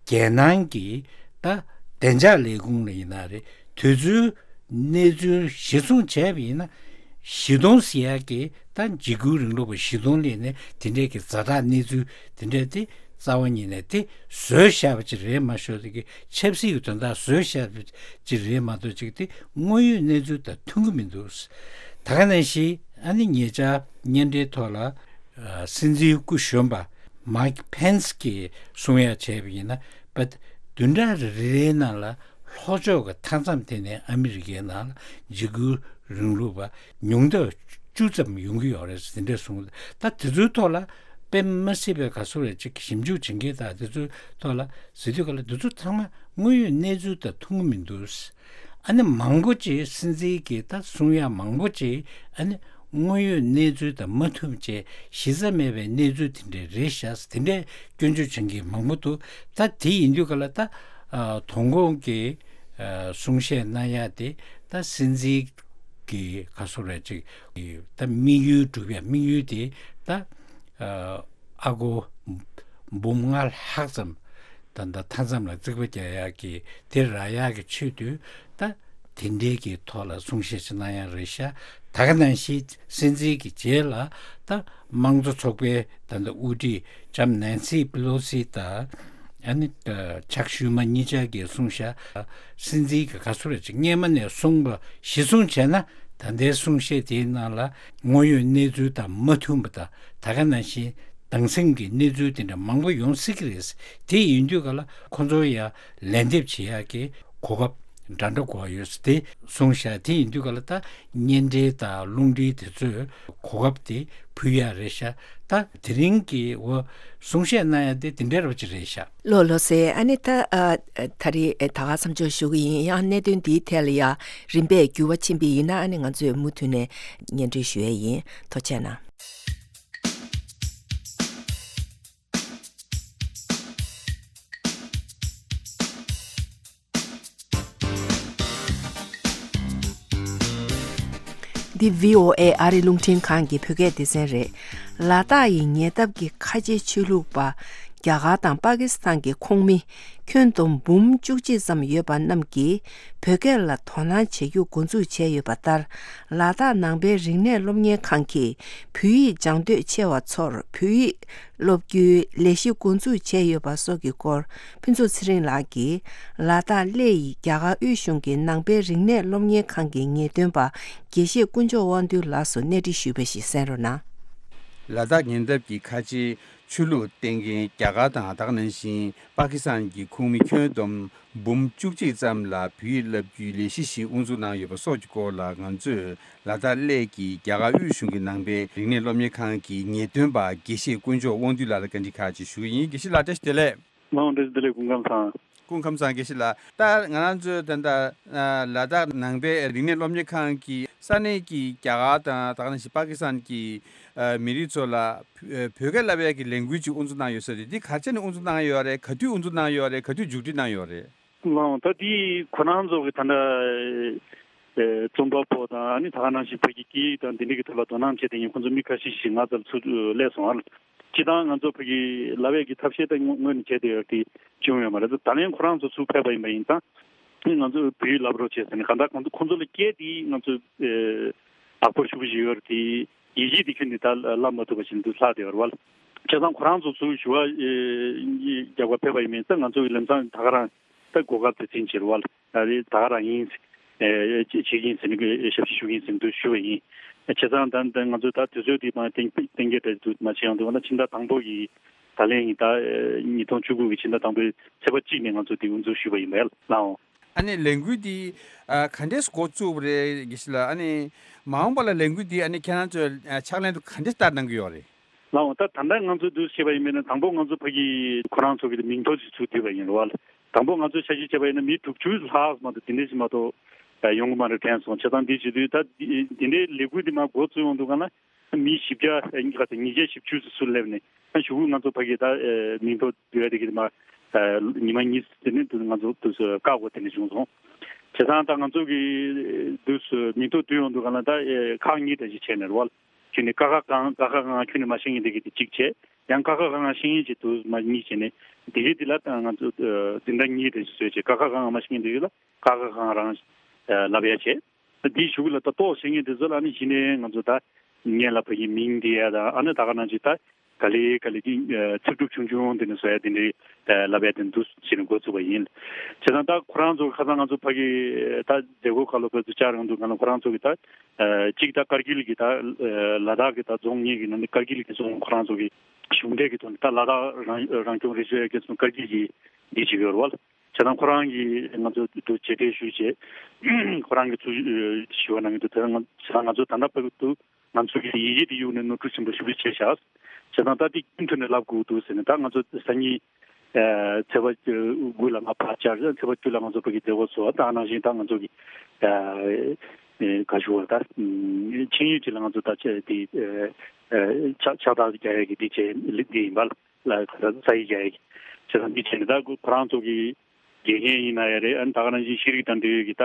རྒྱལ་ནང་གི་ད་བདེ་འཇགས་ལས་ཁུངས་ལ་ཡིན་ན་རེད། དུས་ཚོད་གནས་ཚུལ་གཞིར་བཟུང་བྱས་པ་ཡིན་ན། བཞི་སྟོང་ཟེར་ཡག་གི་ད་འཇིགས་སྐུལ་རིང་ལུགས་པ་བཞི་སྟོང་སླེབས་ནས་དེ་འདྲས་ཀྱི་ཛ་དྲག་གནས་ཚུལ་དེ་འདྲས་དེ་རྩ་བ་ཉིད་ནས་དེ་བཟོས་བཞག་པ་ཅིག་རེད་མ་ཤོད་དེ་གི་ཆབ་སྲིད་ཀྱི་དོན་དག་བཟོས་བཞག་པ་ཅིག་རེད་མ་གཏོགས་ཅིག་དེ་དངོས་ཡོད་གནས་ཚུལ་དང་མཐུན་གྱི་མི་འདུག་ད་ག་ནང་བཞིན་ཨ་ནི་ཉེ་ཆར་མཉམ་འབྲེལ་ཐོག་ལ་སྲིད་འཛིན་སྐུ་གཞོན་པ་མའིག་ཕེན་སི་གིས་གསུང་ཡ་བྱས་པ་ཡིན་ན། བདུན་ཕྲག་རེ་རེའི་ནང་ལ་ལྷོ་ཕྱོགས་ཀྱི་མཐའ་མཚམས་དེ་ནས་ཨ་མི་རི་ཀའི་ནང་ལ་འཇིགས་སྐུལ་རིང་ལུགས་པ་ཉུང་མཐའ་བཅུ་ཙམ་ཡོང་གི་ཡོད་རེད་ཟེར་དེ་འདྲ་གསུངས། ད་དེ་ཚོའི་ཐོག་ལ་དཔེ་མ་སྲིད་པའི་ག་ཚོད་རེད་ཅིག་ཞིབ་འཇུག་བྱེད་མཁན་དང་དེ་ཚོའི་ཐོག་ལ་ཟེར་དུས་ག་ལ་དེ་ཚོ་ཚང་མ་དངོས་ཡོད་གནས་ཚུལ་དང་མཐུན་གྱི་མི་འདུག་ཨ་ནི་མང་པོ་ཅིག་སྲིད་འཛིན་གྱིས་ད་གསུང་ཡ་མང་པོ་ཅིག་ཨ་ནི་དངོས་ཡོད་གནས་ཚུལ་དང་མ་མཐུན་ཅེས་གཞི་རྩ་མེད་པའི་གནས་ཚུལ་དེ་འདྲ་རེད་ཤག་དེ་འདྲའི་སྐྱོན་བརྗོད་བྱེད་མཁན་མང་པོ་འདུག་ད་དེ་ཡིན་དུས་ག་ལ་ད་ཨ་དོ་དགོང་གི་ཨ་གསུང་བཤད་གནང་ཡ་དེ་ད་སྲིད་འཛིན་གྱི་ག་ཚོད་རེད་ཅིག་ད་དམིགས་ཡུལ་སྒྲུབ་ཡ་དམིགས་ཡུལ་དེ་ད་ཨ་ཨ་སྒོར་འབུམ་ལྔ་ལྷག་ཙམ་ད་ད་མཐའ་མཚམས་ལ་རྩིག་པ་རྒྱག་ཡག་གི་དེ་རག་ཡག་གི་ཆེད་དུ་ད་དེ་འདྲའི་གི་ཐོག་ལ་གསུང་བཤད་ཅིག་གནང་ཡག་རེད་ཤག་ད་ག་ནང་བཞིན་སྲིད་འཛིན་གྱི་རྗེས་ལ་ད་དམངས་གཙོ་ཚོགས་པའི་ད་ད་དབུ་ཁྲིད་ལྕམ་ནན་སི་པི་ལོ་སི་དང་ཨ་ནི་ད་ཆག་ཤུལ་མ་གཉིས་ཆ་གིས་གསུངས་ཤག་སྲིད་འཛིན་གྱི་ག་ཚོད་རེད་ཅིག་སྔས་མ་ནས་གསུངས་པ་གཞི་བཟུང་བྱས་ན་ད་ལྟའི་གསུང་བཤད་དེའི་ནང་ལ་དངོས་ཡོད་གནས་ཚུལ་དང་མ་མཐུན་པ་དང་ད་ག་ནང་བཞིན་སྡང་སེམས་ཀྱི་གནས་ཚུལ་དེ་འདྲ་མང་པོ་ཡོང་སྲིད་ཀྱི་རེད། དེ་ཡིན་དུས་ག་ལ་ཁོ་ཚོ་ཡ་ལན་འདེབས་བྱེད་ཡག་གི་གོ་སྐབས་འདྲ་འདྲ་དགོས་ཡོད་དེ་གསུངས་ཤག་དེ་ཡིན་དུས་ག་ལ་ད་གཉེན་འབྲེལ་དང་རླུང་འཕྲིན་དེ་ཚོས་གོ་སྐབས་དེ་ཕུལ་ཡག་རེད་ཤག་ད་དེ་རིང་གི་འོ་གསུང་བཤད་གནང་ཡག་དེ་དེ་འདྲ་རོ་ཅིག་རེད་ཤག་ལོ་ལོ་སེ་ཨ་ནི་ད་ཨ་ད་རེས་ད་ག་མཚམས་འཇོག་ཞུ་གི་ཡིན། ཡང་གནད་དོན་འདིའི་ཐད་ལ་ཡ་རིམ་པས་འགྱུར་བ་ཕྱིན་པ་ཡིན་ན་ཨ་ནི་ང་ཚོས་མུ་མཐུད་ནས་སྙན་སྒྲོན་ཞུ་ཡས་ཡིན། ཐུགས་རྗེ་གནང་། འདི་བྷི་ཨོ་ཨེ་ཨ་རི་རླུང་འཕྲིན་ཁང་གི་བོད་སྐད་སྡེ་ཚན་རེད། ལ་དྭགས་ཡི་ཉེ་འདབས་ཀྱི་ཁ་ཆེ་ཆོས་ལུགས་པ་རྒྱ་གར་དང་པ་ཀི་སི་ཐན་གྱི་ཁོངས་མི་ཁྱོན་བསྡོམས་འབུམ་བཅུ་གཅིག་ཙམ་ཡོད་པ་རྣམས་ཀྱིས་བོད་སྐད་ལ་དོ་སྣང་བྱེད་རྒྱུ་འགོ་འཛུགས་བྱས་ཡོད་པ་ལྟར། ལ་དྭགས་ནང་པའི་རིག་གནས་སློབ་གཉེར་ཁང་གིས་བོད་ཡིག་སྦྱང་འདོད་ཆེ་བ་ཚོར་བོད་ཡིག་སློབ་རྒྱུའི་ལས་གཞི་འགོ་འཛུགས་བྱས་ཡོད་པ་སོགས་ཀྱི་སྐོར། ཕུན་ཚོགས་ཚེ་རིང་ལགས་ཀྱིས་ལ་དྭགས་གླེ་ཡི་རྒྱ་གར་དབུས་གཞུང་གི་ནང་པའི་རིག་གནས་སློབ་གཉེར་ཁང་གི་ངེས་སྟོན་པ་དགེ་བཤེས་དཀོན་མཆོག་དབང་འདུས་ལགས་སུ་གནས་འདྲི་ཞུས་པ་ཞིག་གསན་རོགས་གནང་། ལ་དྭགས་ཉེ་འདབས་ཀྱི་ཁ་ཆེའི་ཆོས་ལུགས་བསྟེན་མཁན་རྒྱ་གར་དང་ད་ག་ནང་བཞིན་པ་ཀི་སི་ཐན་གྱི་ཁོངས་མི་ཁྱོན་བསྡོམས་འབུམ་བཅུ་གཅིག་ཙམ་ལ་བོད་ཡིག་བསླབ་རྒྱུའི་ལས་གཞི་ཞིག་དབུ་འཛུགས་གནང་ཡོད་པ་སོགས་ཀྱི་སྐོར་ལ་ང་ཚོས་ལ་དྭགས་གླེ་གི་རྒྱ་གར་དབུས་གཞུང་གི་ནང་པའི་རིག་གནས་སློབ་གཉེར་ཁང་གི་ངེས་སྟོན་པ་དགེ་བཤེས་དཀོན་མཆོག་དབང་འདུས་ལགས་ལ་བཀའ་འདྲི་ཁག་ཅིག་ཞུ་གི་ཡིན། དགེ་བཤེས་ལགས་བཀྲ་ཤིས་བདེ་ལེགས། མ་འོངས་བཀྲ་ཤིས་བདེ་ལེགས། སྐུ་ཁམས་བཟང་། སྐུ་ཁམས་བཟང་། དགེ་བཤེས་ལགས། ད་ང་རང་ཚོའི་ད་ལྟ་ལ་དྭགས་ནང་པའི་རིག་གནས་སློབ་གཉེར་ཁང་གིས་ས་གནས་ཀྱི་རྒྱ་གར་དང་ད་ག་ནང་བཞིན་པ་ཀི་སི་ཐན་གྱི་མི་རིགས་ཚོ་ལ་བོད་སྐད་བསླབ་ཡག་གི་ལས་འགུལ་ཅིག་དབུ་འཛུགས་གནང་ཡོད་ཟེར་ཏེ། འདི་ག་ཚོད་ནས་དབུ་འཛུགས་གནང་ཡོད་རེད། ག་དུས་དབུ་འཛུགས་གནང་ཡོད་རེད། ག་དུས་མཇུག་སྒྲིལ་གནང་ཡོད་རེད། ལགས། ད་འདི་ཁོ་རང་ཚོ་གི་ད་ལྟ་རྩོམ་པ་པོ་དང་ཨ་ནི་ད་ག་ནང་བཞིན་བོད་ཀྱི་སྐད་ཡིག་དང་འདི་འདྲ་གི་ཐོག་ལ་དོ་སྣང་བྱེད་མཁན་ཁོང་ཚོ་མི་ཁ་ཤས་ཤིག་ང་ཚོར་ཚུར་སླེབས་སོང་ཨ། སྤྱིར་བཏང་ང་ཚོ་བོད་ཀྱི་བསླབ་ཡག་གི་ཐབས་ཤེས་ད་ངོས་ནས་བྱས་བསྡད་ཡོད་དེ་བྱུང་ཡོད་མ་རེད། ད་ལན་ཁོ་རང་ཚོ་ཚུར་ཕེབས་པ་ཡིན་པ་ཡིན་ཙང་ཨ་ནི་ང་ཚོས་བོད་ཡིག་བསླབ་རོགས་བྱས་ཟེར་ནས། གང་ལྟར་ཁོང་ཚོ་ཁོང་ཚོ་ལ་སྐད་དེ་ང་ཚོས་ཨེ་དག་པོ་ཞེ་པོ་ཞིག་ཡོད་རེད་དེ། ཡིག་ཆ་དེ་ཁྱོན་ནས་ད་བསླབ་མ་ཐུབ་པ་ཞིག་འདུག་ལྷག་བསྡད་ཡོད་རེད་བ། བྱས་ཙང་ཁོ་རང་ཚོ་ཚུར་ཞུ་བ་ཨེ་རྒྱག་པར་ཕེབས་པ་ཡིན་པ་ཡིན་ཙང་ང་ཚོ་གི་ལམ་སང་ད་ག་རང་ད་གོ་སྐབས་དེ་འཛིན་བྱེད་རེད་བ། ད་རེས་ད་ག་རང་ཡིན། ཨེ་བྱེད་ཀྱི་ཡིན་ཟེར་ནས་ཞབས་ཕྱི་ཞུ་གི་ཡིན་ཟེར་ནས་འདུག་ཞུ་བ་ཡིན། བྱས་ཙང་ད་ད་ང་ཚོ་ད་དུས་ཚོད་དེ་མ་གཏན་གཏན་འཁེལ་འདྲ་འདུག་མ་བྱས་ཡང་འདུག་ང་ད་ཕྱི་ཟླ་དང་པོ་གི་ད་ལན་ཡིན། ད་ཉིས་སྟོང་བཅུ་དགུ་གི་ཕྱི་ཟླ་དང་པོའི་ཚེས་པ་གཅིག་ནས་ང་ཚོ་དེ་དབུ་འཛུགས་ཞུས་པ་ཡིན་པས་ལགས་འོང་། ཨ་ནི་ལས་འགུལ་འདི་ཨ་ག་འདྲས་འགོ་བཙུགས་པ་རེད་དགེ་བཤེས་ལགས། ཨ་ནི་མ་འོངས་པ་ལ་ལས་འགུལ་འདི་ཨ་ནི་ཁྱེད་རང་ཚོས་ཨ་ཕྱག་ལེན་དུ་ག་འདྲས་བསྟར་གནང་གི་ཡོད་རེད། ལགས་འོང་། ད་ད་ལྟ་ང་ཚོ་འདུག་བྱས་པ་ཡིན་པས་ན། དང་པོ་ང་ཚོ་ཕ་གི་ཁོ་རང་ཚོ་གི་མིང་ཐོ་ཞིག་ཚུར་བསྡུས་པ་ཡིན་རེད་བ། དང་པོ་ང་ཚོ་འཆར་གཞི་བྱས་པ་ཡིན་ན་མི་དྲུག་ཅུ་ལྷག་མ་གཏོགས་དེ་འདྲ་ཞིག་མ་གཏོགས་ཡོང་གི་མ་རེད་དྲན་སོང་། བྱས་ཙང་འདི་བྱེད་དུས་ད་འདི་འདྲའི་ལས་འགུལ་འདི་མར་འགོ་བཙུགས་ཡོང་དུས་ག་ན་མི་བཞི་བརྒྱ་ཉི་ཤུ་བཅུ་ཙམ་སླེབས་ནས། ད་གཞུག་གུ་ང་ཚོ་ཕ་གི་ད་མིང་ཐོ་བསྡུ་ཡ་དེ་གི་མར་ཉི་མ་གཉིས་དེ་ནས་དུ་ང་ཚོ་དུ་བཀག་དགོས་དེ་འདྲ་བྱུང་སོང་། བྱས་ཙང་ད་ང་ཚོ་གི་དུ་མིང་ཐོ་བསྡུ་ཡོང་དུས་ག་ན་ད་ཁག་གཉིས་འདྲ་ཞིག་བྱས་ནས་རེད་བ། ཁྱོན་ནས་ཀ་ཁ་གང་། ཀ་ཁ་གང་ཁྱོན་ནས་མ་ཤེས་མཁན་དེ་གི་དེ་གཅིག་བྱས། ཡང་ཀ་ཁ་གང་ཤེས་མཁན་ཅིག་དུ་མ་གཉིས་བྱས་ནས། དེ་གི་དེ་ལ་ད་ང་ཚོ་འཛིན་གྲྭ་གཉིས་དེ་བཟོས་བྱས། ཀ་ཁ་གང་མ་ཤེས་མཁན་དེ་གི་ལ་ཀ་ཁ་གང་རང་ལབ་ཡ་བྱས། དེའི་གཞུག་ལ་ད་ཏོག་ཤེས་མཁན་དེ་ཚོ་ལ་ནི་གཞི་ནས་ང་ཚོ་ད་སྔོན་ལ་ཕ་གི་མིང་འདི་ཡ་དང་། ཨ་ནི་ད་ག་ནང་བཞིན་ད་ག་ལེ་ག་ལེ་གི་ཚིག་གྲུབ་ཆུང་ཆུང་དེ་ནས་བཟོ་ཡ་དེ་འདྲའི་ལབ་ཡ་དེ་འདུག་བྱས་ནས་འགོ་བཙུགས་པ་ཡིན། བྱས་ཙང་ད་ཁོ་རང་ཚོ་ཁ་སང་ང་ཚོ་ཕ་གི་ད་མཛད་སྒོ་ཁག་ལ་བོད་དུ་བཅར་ཡོང་དུས་ག་ན་ཁོ་རང་ཚོ་གི་ད་གཅིག་ད་ཀར་གིལ་གི་ད་ལ་དྭགས་ཀྱི་ད་རྫོང་གཉིས་ཀྱི་ནང་ནས་ཀར་གིལ་གྱི་རྫོང་ཁོ་རང་ཚོ་གི་གཞུང་འབྲེལ་གྱི་ཐོག་ནས་ད་ལ་དྭགས་རང་རང་སྐྱོང་རེ་ཞུ་ཡ་གི་ཚོ་ཀར་གིལ་གྱི་འདི་བྱེད་ཀྱི་ཡོད་རེད་བ། བྱས་ཙང་ཁོ་རང་གིས་ང་ཚོ་དུ་མཇལ་འཕྲད་ཞུས་བྱས། ཁོ་རང་གིས་ཚུར་ཞུ་བ་གནང་གི་འདུག་དེ་ང་བྱས་ཙང་ང་ཚོ་ད་ལྟ་བར་དུ་ང་ཚོ་གི་ཡི་གེ་འདི་གཡུགས་ནས་ནོར་འཁྲུལ་ཆེན་པོ་ཞེ་པོ་ཅིག་བྱས་ཤག་བྱས་ཙང་ད་འདི་རྒྱུན་མཐུད་ནས་ལབ་དགོས་འདུག་ཟེར་ནས། ད་ང་ཚོ་སང་ཉིན་ཚེས་པ་དགུ་ལ་ང་ཕར་བཅར། ཚེས་པ་བཅུ་ལ་ང་ཚོ་ཕ་གི་མཛད་སྒོ་ཚོགས། ད་ནང་བཞིན་ད་ང་ཚོ་གི་ག་ཞུ་བ་ད་ཆིངས་ཡིག་ཅིག་ལ་ང་ཚོ་ད་ཆ་དེ་ཕྱག་ཕྱག་རྟགས་རྒྱག་ཡ་གི་འདི་བྱས་འདི་ཡིན་པ་ལ། ས་ཡིག་རྒྱག་ཡ་གི་བྱས་ཙང་འདི་བྱས་ནས་ད་ཁོ་རང་ཚོ་གི་དགེ་རྒན་ཡིན་ན་ཡང་རེད། ཨ་ནི་ད་ག་ནང་བཞིན་ཤེས་རིག་དང་འབྲེལ་ཡོད་ཀྱི་ད་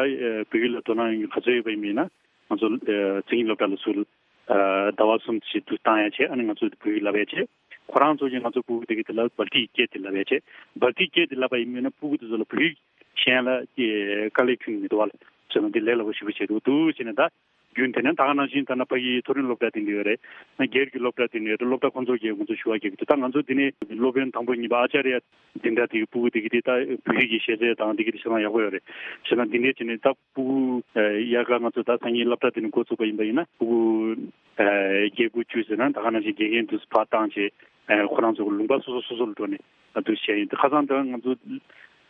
བོད་ཡིག་ལ་དོ་སྣང་ཡོད་མཁན་ག་ཚོད་ཡོད་པ་ཡིན་ན། ང་ཚོ་མཚན་ཉིད་སློབ་གྲྭ་ལ་ཚུར་ཟླ་བ་གསུམ་ཞིག་ཏུ་བཏང་ཡ་བྱས། ཨ་ནི་ང་ཚོ་བོད་ཡིག་བསླབ་ཡ་བྱས། ཁོ་རང་ཚོ་གིས་ང་ཚོ་ཕྲུ་གུ་དེ་གི་དེ་ལ་སྦལ་ཏིའི་སྐད་དེ་བསླབ་ཡ་བྱས། སྦལ་ཏིའི་སྐད་དེ་བསླབ་པ་ཡིན་ན་ཕྲུ་གུ་དེ་ཚོ་ལ་བོད་ཡིག་ཤེས་ཡ་ལ་དཀའ་ལས་ཁྱོན་ནས་མི་འདུག་བ། བྱས་ན་འདི་ལས་སླ་པོ་ཞེ་པོ་བྱས་འདུག་འདུག་བྱས་ནས་ད། རྒྱུན་དེ་ནས་ད་ག་ནང་བཞིན་ད་ནི་ཕ་གིའི་མཐོ་རིམ་སློབ་གྲྭ་དེ་འདྲ་ཡོད་རེད། སྒེར་གྱི་སློབ་གྲྭ་དེ་འདྲ་ཡོད་རེད། སློབ་གྲྭ་ཁོང་ཚོ་གིས་ང་ཚོ་ཞུ་བ་རྒྱག་གི་འདུག་ད་ང་ཚོ་འདི་ནས་སློབ་དཔོན་དང་པོ་གཉིས་པ་ཨ་ཅཱརྱ་འཛིན་གྲྭ་དེ་གི་ཕྲུ་གུ་དེ་གི་དེ་ད་བོད་ཡིག་གི་ཤེས་ཚད་དང་དེ་གི་དེ་ཆ་ཚང་ཡག་པོ་ཡོད་རེད། བྱས་ན་འདི་འདྲ་བྱས་ནས་ད་ཕྲུ་གུ་ཡར་ག་ང་ཚོ་ད་སང་ཉིན་སློབ་གྲྭ་དེ་ནས་འགོ་བཙུགས་པ་ཡིན་པ་ཡིན་ན། ཕྲུ་གུ་བརྒྱད་དགུ་བཅུ་ཟེར་ན་ད་ག་ནང་བཞིན་དགེ་རྒན་དུ་ཕར་བཏང་བྱས། ཁོ་རང་ཚོ་གི་ལུང་པ་སོ་སོ་སོ་སོ་ལ་འགྲོ་ནས་ད་དུ་བཤད་ཡིན། ད་ཁ་སང་ད་ང་ཚོ་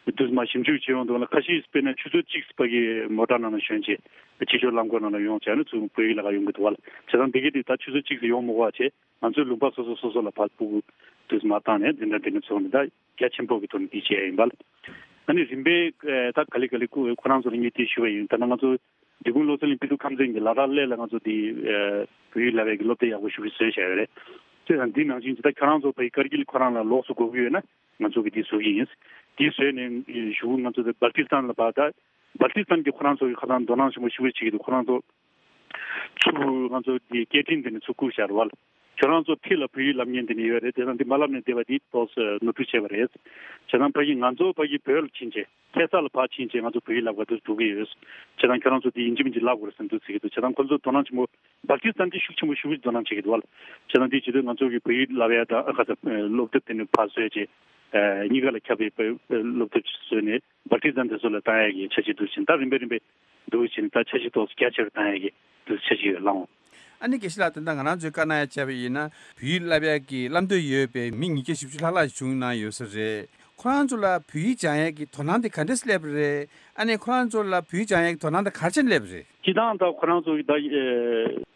དུས་མ་ཞིབ་འཇུག་བྱེད་ཡོང་དུས་ལ་ཁ་ཤས་དཔེར་ན་ཆུ་ཚོད་གཅིག་པ་གི་མོ་ཊ་ནང་ལ་ཞོན་བྱས་ཕྱི་ཕྱོགས་རླངས་འཁོར་ནང་ལ་ཡོང་བྱས་ནས་ཚུར་བོད་ཡིག་ལ་ག་ཡོང་གི་འདུག་བ། བྱས་ཙང་འདི་གི་དེ་ད་ཆུ་ཚོད་གཅིག་ཙམ་ཡོང་མི་དགོས་བྱས། ང་ཚོའི་ལུང་པ་སོ་སོ་སོ་སོ་ལ་ཕར་ཕྲུ་གུ་དུས་མ་བཏང་ནས་འཛིན་གྲྭ་འདི་ནས་ཚོགས་ནས་ད་རྒྱ་ཆེན་པོ་གི་ཐོག་ནས་འདི་བྱས་ཡིན་པ་ལ། ཨ་ནི་རིམ་པས་ད་ག་ལེ་ག་ལེ་ཁོ་ཁོ་རང་ཚོ་ལ་ངས་དེ་ཞུ་བ་ཡིན། ད་ནང་ང་ཚོ་འབྲི་གུང་བློ་གསལ་གླིང་དཔེ་སྟོན་ཁང་ཚན་གྱི་ལ་དྭགས་གླེ་ལ་ང་ཚོ་དེ་བོད་ཡིག་བསླབ་པའི་གི་སློབ་དེབ་ཡག་པོ་ཞེ་པོ་བཟོས་བཞག་ཡོད་རེད། དེ་དང་འདི་ནང་བཞིན་ད་ཁྱོད་རང་ཚོ་ཕ་གི་ཀར་གིལ་ཁོ་རང་ལ་ལོགས་སུ་དགོས་ཀྱི་ཡོད་ན་ང་ཚོ་གི་འདི་བཟོ་གི་ཡིན། འདི་བཟོས་ནས་གཞུག་གུ་ང་ཚོ་དེ་སྦལ་ཏི་སི་ཐན་ལ་ཕར། ད་སྦལ་ཏི་སི་ཐན་གྱི་ཁོ་རང་ཚོ་གི་ཁ་སང་དོ་སྣང་ཆེན་པོ་ཞེ་པོ་བྱེད་ཀྱི་འདུག་ཁོ་རང་ཚོ་ཚུར་ང་ཚོ་དེ་སྐད་འཕྲིན་དེ་ནས་ཚུར་བསྐུར་བཞག་རེད་བ། ཁྱོད་རང་ཚོ་ཕི་ལ་བོད་ཡིག་བསླབ་མཁན་དེ་ནས་ཡོད་རེད། དེ་དང་འདི་མ་བསླབ་ནས་བསྡད་པ་འདི་ཏོག་ཙམ་ནོར་འཁྲུལ་བྱས་པ་རེད། བྱས་ཙང་ཕ་གི་ང་ཚོ་ཕ་གི་བོད་ལ་ཕྱིན་བྱས། ཁ་སང་ལ་ཕར་ཕྱིན་བྱས་ང་ཚོ་བོད་ཡིག་བསླབ་ག་འདུག་འགྲོ་གི་ཡོད། བྱས་ཙང་ཁྱོད་རང་ཚོ་འདི་ཡིན་གཅིག་མིན་གཅིག་བསླབ་དགོས་རེད་བསམ་འདུག་ཟེར་གྱི་འདུག་བྱས་ཙང་ཁོ་ཚོ་དོ་སྣང་ཆེན་པོ། སྦལ་ཏི་སི་ཐན་འདི་ཤུགས་ཆེན་པོ་ཤུགས་ཆེ་དོ་སྣང་བྱེད་ཀྱི་འདུག་བ། བྱས་ཙང་འདི་བྱེད་དུས་ང་ཚོ་གི་བོད་ཡིག་བསླབ་ཡ་དང་ཁ་ཚ་སློབ་དེབ་དེ་ནི་ཕར་བཟོས་བྱས། གཉིས་ཀ་ལ་ཁྱབ་པའི་སློབ་དེབ་བཟོས་ནས་སྦལ་ཏི་སི་ཐན་དེ་ཚོ་ལ་བཏང་ཡ་གི་འཆར་གཞི་འདུག་བྱས་ཙང་ད་རིམ་པས་རིམ་པས་འདུག་བྱས་ཙང་ད་འཆར་གཞི་ཏོག་ཙམ་རྒྱ་ཆེ་རུ་བཏང་ཡ་གི་འདུག་འཆར་གཞི་ཡོད་ལགས་འོང་། ཨ་ནི་དགེ་བཤེས་ལགས། ད་ལྟ་ང་རང་ཚོས་བཀའ་གནང་ཡ་བྱས་པ་ཡིན་ན་བོད་ཡིག་བསླབ་ཡ་གི་བསླབ་འདོད་ཡོད་པའི་མི་ཉིས་བརྒྱ་བཞི་བཅུ་ལྷག་ལྷག་བྱུང་གནང་ཡོད་ས་རེད། ཁོ་རང་ཚོ་ལ་བོད་ཡིག་སྦྱང་ཡ་གི་དོ་སྣང་དེ་ག་འདྲས་སླེབས་པ་རེད། ཨ་ནི་ཁོ་རང་ཚོ་ལ་བོད་ཡིག་སྦྱང་ཡ་གི་དོ་སྣང་དེ་ག་རེ་བྱས་ནས་སླེབས་པ་རེད། སྤྱིར་བཏང་ད་ཁོ་རང་ཚོ་གི་ད་ཨེ་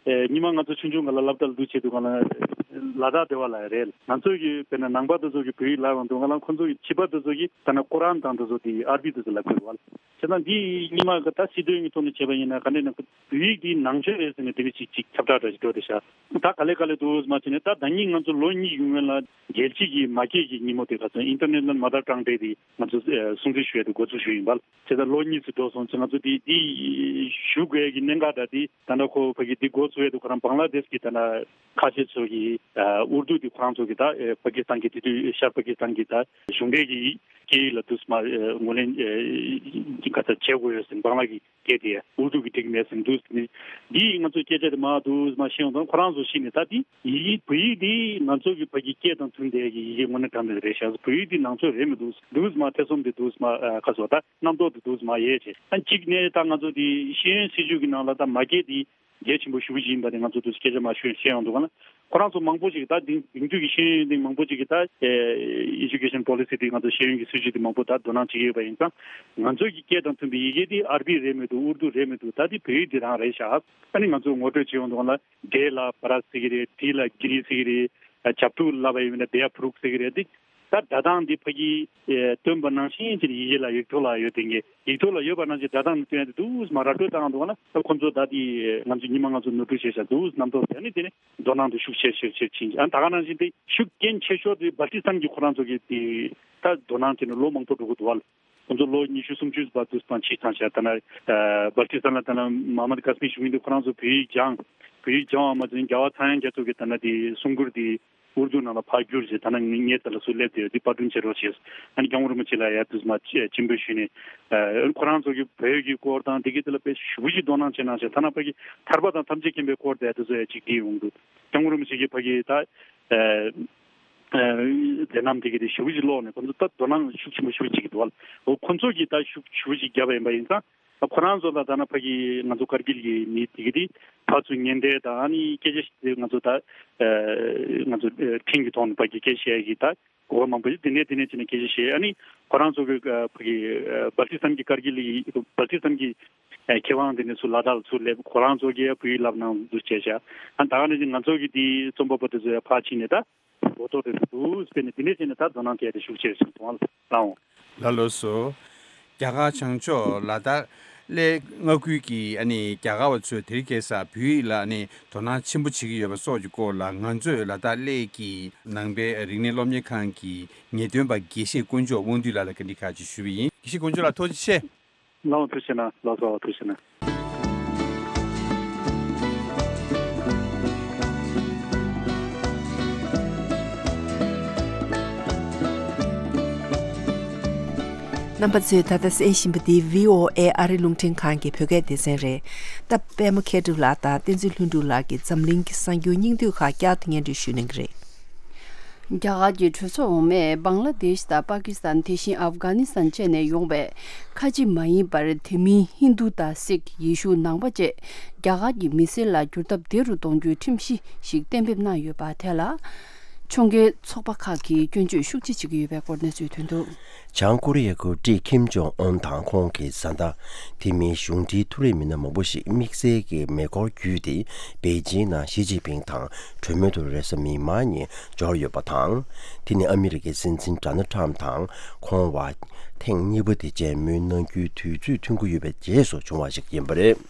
ཨེ་ཉི་མ་ང་ཚོ་ཆུང་ཆུང་སྒང་ལ་སློབ་གྲྭ་ལ་འདུག་བྱས་དུས་སྒང་ལ་ལ་དྭགས་སྡེ་བ་ལ་རེད། ང་ཚོ་གི་དཔེར་ན་ནང་པ་དེ་ཚོ་གི་བོད་ཡིག་བསླབ་ཡོང་དུས་སྒང་ལ་ཁོ་ཚོ་གི་བྱིས་པ་དེ་ཚོ་གི་ད་ནི་ཀོ་རཱན་དང་དེ་ཚོ་དེ་ཨར་བི་དེ་ཚོ་ལབ་དགོས་རེད་བ། བྱས་ཙང་འདི་ཉི་མ་གི་ད་སྲིད་དོན་གྱི་ཐོག་ནས་བྱས་པ་ཡིན་ན་ག་འདྲས་ན་བོད་ཡིག་འདི་ནང་ཆོས་རེད་ཟེར་ནས་དེ་འདྲ་ཅིག་ཅིག་ཁྱབ་བསྒྲགས་འདྲ་ཞིག་འགྲོ་བསྡད་ཤག་ད་ག་ལེ་ག་ལེ་འདུག་མ་བྱས་ནས་ད་ད་ནི་ང་ཚོ་ལོ་གཉིས་ཡུན་རིང་ལ་རྒྱལ་སྤྱི་གི་མ་སྐད་ཀྱི་ཉིན་མོ་དེ་ག་ཚོད་International Mother Tongue Day དེ་ང་ཚོ་ཨེ་སྲུང་བརྩི་ཞུ་ཡ་དེ་འགོ་འཛུགས་ཞུས་ཡིན་པ། བྱས་ཙང་ལོ་གཉིས་ཙམ་འགྲོ་སོང་ཙང་ང་ཚོ་དེ་དེ་ཞུ་དགོས་ཡ་གི་གནད་འགག་འདྲ་དེ་ད་ལྟ་ཁོ་ཕ་གི་དེ་འགོ་ཚུགས་ཡ་དེ་ཁོ་རང་བང་ལ་དེཤ་གི་ད་ལྟ་ཁ་ཆེ་ཚོ་གི་ཨུར་དུ་དེ་ཁོ་རང་ཚོ་གི་ད་ཨེ་པ་ཀི་སི་ཐན་གི་དེ་དུས་ཤར་པ་ཀི་སི་ཐན་གི་ད་གཞུང་འབྲེལ་གི་སྐད་ཡིག་ལ་དུས་མ་ཨེ་ངོས་ལེན་ཨེ་ག་ཚོད་བྱེད་དགོས་ཡོད་ཟེར་བང་ལ་གི་སྐད་དེ་ཨུར་དུ་གི་འགྲིག་མེད་ཟེར་འདུག་ཟེར་ནས། འདི་ང་ཚོ་སྐད་ཆ་དེ་མ་འདུག་མ་ཤེས་ཡོང་དང་ཁོ་རང་ཚོ་ཤེས་ནས་ད་དེ་ཡི་གེ་བོད་ཡིག་འདི་ང་ཚོ་གི་ཕ་གི་སྐད་དང་མཐུན་བསྡད་ཀྱི་ཡི་གེ་དངོས་གནས་དྲང་གནས་རེད་ཤག་བོད་ཡིག་འདི་ནང་ཆོས་རེད་མི་འདུག་འདུག་མ་ཐེ་ཚོམ་དེ་འདུག་མ་ཁ་སོ་ད་རྣམ་རྟོག་དེ་འདུག་མ་ཡོད་ཅེས། ཨ་གཅིག་ནས་ད་ང་ཚོ་དེ་ཤེས་ཡོན་སྲིད་བྱུས་ཀྱི་ནང་ལ་ད་མ་སྐད་དེ་གལ་ཆེན་པོ་ཞེ་པོ་ཅིག་ཡིན་པ་དེ་ང་ཚོ་དུས་སྐད་ཆ་མ་ཤོད་བཤད་ཡོང་འདུག་ག་ན། ཁོ་རང་ཚོ་མང་པོ་ཞིག་ད་དེང་དེང་དུས་ཀྱི་ཤེས་ཡོན་དེ་མང་པོ་ཞིག་གིས་ད་ཨེ་Education Policy དེ་ང་ཚོ་ཤེས་ཡོན་གྱི་སྲིད་བྱུས་དེ་མང་པོ་ད་དོ་སྣང་བྱེད་ཀྱི་ཡོད་པ་ཡིན་ཙང་། ང་ཚོ་གི་སྐད་དང་མཐུན་པའི་ཡི་གེ་དེ་ཨར་བི་རེད་མི་འདུག་ཨུར་དུ་རེད་མི་འདུག་ད་དེ་བོད་ཡིག་དེ་རང་རེད་ཤག་ཨ་ནི་ང་ཚོ་ངོ་སྤྲོད་བྱེད་ཡོང་དུས་ག་ན་འབྲས་ལ་བ་ར་ཟེར་གྱི་རེད། དྲི་ལ་གི་རི་ཟེར་གྱི་རེད། བྱབ་ཕྲུག་ལབ་པ་ཡིན་ན་བེ་ཡ་ཕུ་རུག་ཟེར་གི་རེད་དེ། ད་སྒྲ་གདངས་འདི་ཕ་གིའི་ཨེ་སྟོན་པ་ནང་བཞིན་གྱི་ཡི་གེ་ལ་ཡིག་ཐོག་ལ་ཡོད་དེ་ངས་ཡིག་ཐོག་ལ་ཡོད་པ་ནང་བཞིན་སྒྲ་གདངས་ནི་སྟོན་ཡ་དེ་འདུག་མ་ར་སྤྲོད་བཏང་འདུག་ན། ད་ཁོ་ཚོ་ད་དེ་ང་ཚོ་ཉི་མ་ང་ཚོ་ནོར་འཁྲུལ་བྱས་ཤག་འདུག་རྣམ་རྟོག་དེ་ནི་དེ་ནི་དོ་སྣང་དུ་ཤུགས་ཆེ་ཆེ་ཆེ་ཕྱིན། ཨ་ད་ག་ནང་བཞིན་དེ་ཤུགས་རྐྱེན་ཆེ་ཤོས་དེ་སྦལ་ཏི་སི་ཐན་གྱི་ཁོ་རང་ཚོ་གི་དེ་ད་དོ་སྣང་དེ་ནི་ལོ་མང་པོ་འགྲོ་གི་འདུག་བ། ཁོ་ཚོ་ལོ་ཉི་ཤུ་སུམ་ཅུ་བར་དུ་སྤང་ཕྱིར་བཏང་བྱས། ད་ན་ཨ་སྦལ་ཏི་སི་ཐན་ལ་ད་ན་མ་ཧ་མད་ཀ་སི་མི་ཞུ་མི་འདུག་ཁོ་རང་ཚོ་བོད་ཡིག་སྦྱང་། བོད་ཡིག་སྦྱང་བ་མ་ཟད་རྒྱལ་བ་ཚངས་དབྱངས་རྒྱ་མཚོ་གི་ད་ན་དེ་གསུང་མགུར་དེ་ཨུར་དུ་ནང་ལ་ཕར་བསྒྱུར་བྱས། ད་ནང་ངའི་རྩ་ལ་སུ་སླེབས་དེ་དེ་པར་སྐྲུན་བྱེད་རོགས་བྱས། ཨ་ནི་སྐྱབས་མགོན་རིན་པོ་ཆེ་ལ་ཡ་དུས་མ་ཆེན་པོས་ཞུས་ནས། ཨ་ཁོ་རང་ཚོ་གི་བོད་ཀྱི་སྐོར་དང་དེ་གི་དེ་ལ་དཔེ་ཞེ་པོ་ཅིག་དོ་སྣང་བྱེད་གནང་བྱས། ཐ་ན་ཕ་གི་ཐར་པ་དང་ཐམས་ཅད་མཁྱེན་པའི་སྐོར་དེ་དེ་ཚོ་ཡ་ཅིག་བྲིས་ཡོང་འདུག་སྐྱབས་མགོན་རིན་པོ་ཆེ་གི་ཕ་གི་ད་ཨ་མཛད་རྣམ་དེ་གི་དེ་ཞེ་པོ་ཅིག་ཀློག་ནས་ཁོ་ཚོ་ད་དོ་སྣང་ཤུགས་ཆེན་པོ་ཞེ་པོ་ཅིག་འདུག་བ། ཁོ་ཚོ་གི་ད་ཤུགས་ཆེ་པོ་ཅིག་བརྒྱབ་པ་ཡིན་པ་ཡིན་ཙང་། ཁོ་རང་ཚོ་ལ་ད་ན་ཕ་གི་ང་ཚོ་ཀར་གིལ་གྱི་མི་དེ་གི་དེ་ཕར་ཚུར་ཉེན་བརྡ་དང་ཨ་ནི་སྐད་ཆ་ཞིག་ང་ཚོ་ད་ང་ཚོ་འཕྲིན་གྱི་ཐོག་ནས་ཕ་གི་སྐད་ཆ་བཤད་ཀྱི་ད་གོ་བ་མང་པོ་ཞིག་དེ་ནས་དེ་ནས་ཅི་ནས་སྐད་ཆ་བཤད། ཨ་ནི་ཁོ་རང་ཚོ་གི་ཕ་གི་སྦལ་ཏི་སི་ཐན་གྱི་ཀར་གིལ་གྱི་སྦལ་ཏི་སི་ཐན་གྱི་མཁས་དབང་དེ་ནས་ཚུར་ལ་དྭགས་ལ་ཚུར་སླེབས། ཁོ་རང་ཚོ་གི་བོད་ཡིག་བསླབ་གནང་འདུག་བྱས་ཤག་ཨ་ད་ག་ནས་ཅི་ང་ཚོ་གི་དེ་རྩོམ་པ་པོ་དེ་ཚོ་ཡ་ཕར་ཕྱིན་ནས་ད། གོ་རྟོགས་རེ་རེ་འདུག་དཔེར་ན་འདི་འདྲས་བྱས་ནས་ད་དོ་སྣང་སྐྱེས་ཏེ་ཤུགས་ཆེར་ཕྱིན་སོང་ལ་ལའང་། ལགས་ལགས་སོ། རྒྱ་གར་བྱང་ཕྱོགས་ལ་དྭགས་གླེ་མངའ་ཁུལ་གྱི་ཨ་ནི་རྒྱ་གར་བ་ཚོས་དེ་རིང་ཁ་སང་བོད་ཡིག་ལ་ཨ་ནི་དོ་སྣང་ཆེན་པོ་བྱེད་ཀྱི་ཡོད་པ་སོགས་ཀྱི་སྐོར་ལ། ང་ཚོས་ལ་དྭགས་གླེ་གི་ནང་པའི་རིག་གནས་སློབ་གཉེར་ཁང་གི་ངེས་སྟོན་པ་དགེ་བཤེས་དཀོན་མཆོག་དབང་འདུས་ལགས་ལ་བཀའ་འདྲི་ཁག་ཅིག་ཞུས་པ་ཡིན། དགེ་བཤེས་དཀོན་མཆོག་ལགས་ཐུགས་རྗེ་ཆེ། ལགས་འོང་། ཐུགས་རྗེ་གནང་། ལགས་སོ། ཐུགས་རྗེ་གནང་། རྣམ་པ་ཚོས་ད་ལྟ་གསན་བཞིན་པ་འདི་བྷི་ཨོ་ཨེ་ཨ་རི་རླུང་འཕྲིན་ཁང་གི་བོད་སྐད་སྡེ་ཚན་རེད། ད་པད་མ་མཁས་གྲུབ་ལགས་དང་བསྟན་འཛིན་ལྷུན་གྲུབ་ལགས་ཀྱིས་འཛམ་གླིང་གི་གསར་འགྱུར་སྙིང་བསྡུས་ཁག་བསྐྱར་དུ་སྙན་སྒྲོན་ཞུ་གནང་གི་རེད། རྒྱ་གར་གྱི་གྲོས་ཚོགས་འོག་མས་བང་ལ་དེཤ་དང་པ་ཀི་སི་ཐན། དེ་བཞིན་ཨབ་གྷ་ནི་སི་ཐན་བཅས་ནས་ཡོང་བའི་ཁ་ཆེ་མ་ཡིན་པར་དེ་མིན་ཧིན་རྡུ་དང་སིག་ཡེ་ཤུ་ནང་པ་བཅས་རྒྱ་གར་གྱི་མི་སེར་ལ་བསྒྱུར་ཐབས་བདེ་རུ་གཏོང་རྒྱུའི་ཁྲིམས་གཞི་ཞིག་གཏན་འབེབས་གནང་ཡོད་པ་དེ་ལ་ཕྱོགས་འགལ་ཚོགས་པ་ཁག་གིས་སྐྱོན་བརྗོད་ཤུགས་ཆེ་བྱེད་ཀྱི་ཡོད་པའི་སྐོར་གནས་ཚུལ་ཐོན་འདུག། བྱང་ཀོ་རི་ཡའི་འགོ་ཁྲིད་ཁིམ་ཇོང་ཨོན་དང་ཁོང་གི་བཟའ་ཟླ། དེ་མིན་གཞུང་འབྲེལ་མཐོ་རིམ་མི་སྣ་མང་པོ་ཞིག་དམིགས་བསལ་གྱི་མེ་འཁོར་བརྒྱུད་དེ་པེ་ཅིང་ནང་ཞི་ཅིན་ཕིང་དང་གྲོས་མོལ་དུ་རེས་གཟའ་མིག་དམར་ཉིན་འབྱོར་ཡོད་པ་དང་། དེ་ནི་ཨ་མི་རི་ཀའི་སྲིད་འཛིན་ཌོ་ནལ་ཊམ་དང་ཁོང་བར་ཐེངས་གཉིས་པ་དེ་མཇལ་མོལ་གནང་རྒྱུའི་དུས་ཚོད་ཐོན་གྱི་ཡོད་པའི་རྗེས་སུ་བྱུང་བ་ཞིག་ཡིན་པ་རེད།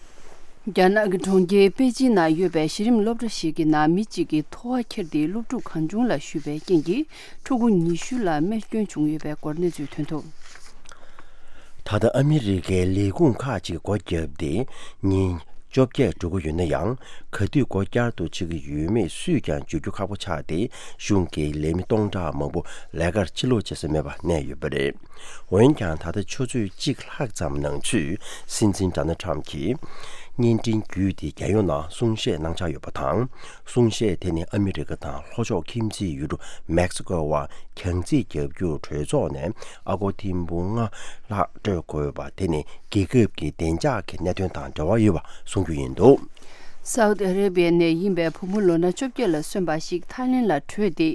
རྒྱ་ནག་གི་གྲོང་ཁྱེར་པེ་ཅིན་ནང་ཡོད་པའི་གཞི་རིམ་སློབ་གྲྭ་ཞིག་གི་ནང་མི་གཅིག་གིས་ཐོ་བ་འཁྱེར་ཏེ་སློབ་ཕྲུག་གང་བྱུང་ལ་གཞུས་པའི་རྐྱེན་གྱིས་ཕྲུ་གུ་ཉི་ཤུ་ལ་རྨས་སྐྱོན་བྱུང་ཡོད་པའི་སྐོར་གནས་ཚུལ་ཐོན་འདུག། ད་ལྟ་ཨ་མི་རི་ཀའི་ལས་ཁུངས་ཁག་ཅིག་སྒོ་བརྒྱབ་སྟེ་ཉིན་བཅོ་བརྒྱད་འགྲོ་གི་ཡོད་ན་ཡང་། ག་དུས་སྒོ་བསྐྱར་དུ་ཕྱེ་གི་ཡོད་མེད་སུས་ཀྱང་བརྗོད་རྒྱུ་ཁག་པོ་ཆགས་ཏེ། གཞུང་གིས་ལས་མི་སྟོང་ཕྲག་མང་པོ་ལས་ཀར་ཕྱིར་ལོག་བྱེད་ས་མེད་པ་གནས་ཡོད་པ་རེད། འོན་ཀྱང་ད་ལྟ་ཆུ་ཚོད་གཅིག་ལྷག་ཙམ་ནང་ཚུད་སྲིད་འཛིན་ཌོ་ནལ་ཊམ་གྱིས་བརྙན་འཕྲིན་བརྒྱུད་དེ་རྒྱལ་ཡོངས་ནང་གསུང་བཤད་གནང་འཆར་ཡོད་པ་དང་། གསུང་བཤད་དེ་ནི་ཨ་མི་རི་ཀ་དང་ལྷོ་ཕྱོགས་ཁྱིམ་མཚེས་ཡུལ་གྲུ་མེག་སི་ཀོ་བར་གྱང་རྩིས་བརྒྱབ་རྒྱུར་གྲོས་ཚོགས་ནས་ཨ་སྒོར་ཐེར་འབུམ་ལྔ་ལྷག་སྤྲོད་དགོས་པ་དེ་ནི་རྒྱལ་ཁབ་ཀྱི་བདེ་འཇགས་ཀྱི་གནད་དོན་དང་འབྲེལ་བ་ཡོད་པ་གསུང་རྒྱུ་ཡིན་འདུག། སའུ་ཏི་ཨ་རེ་བྷི་ཡ་ནས་ཡིན་པའི་བུ་མོ་ལོ་ན་བཅོ་བརྒྱད་ལ་སོན་པ་ཞིག་ཐའི་ལེན་ལ་བྲོས་ཏེ།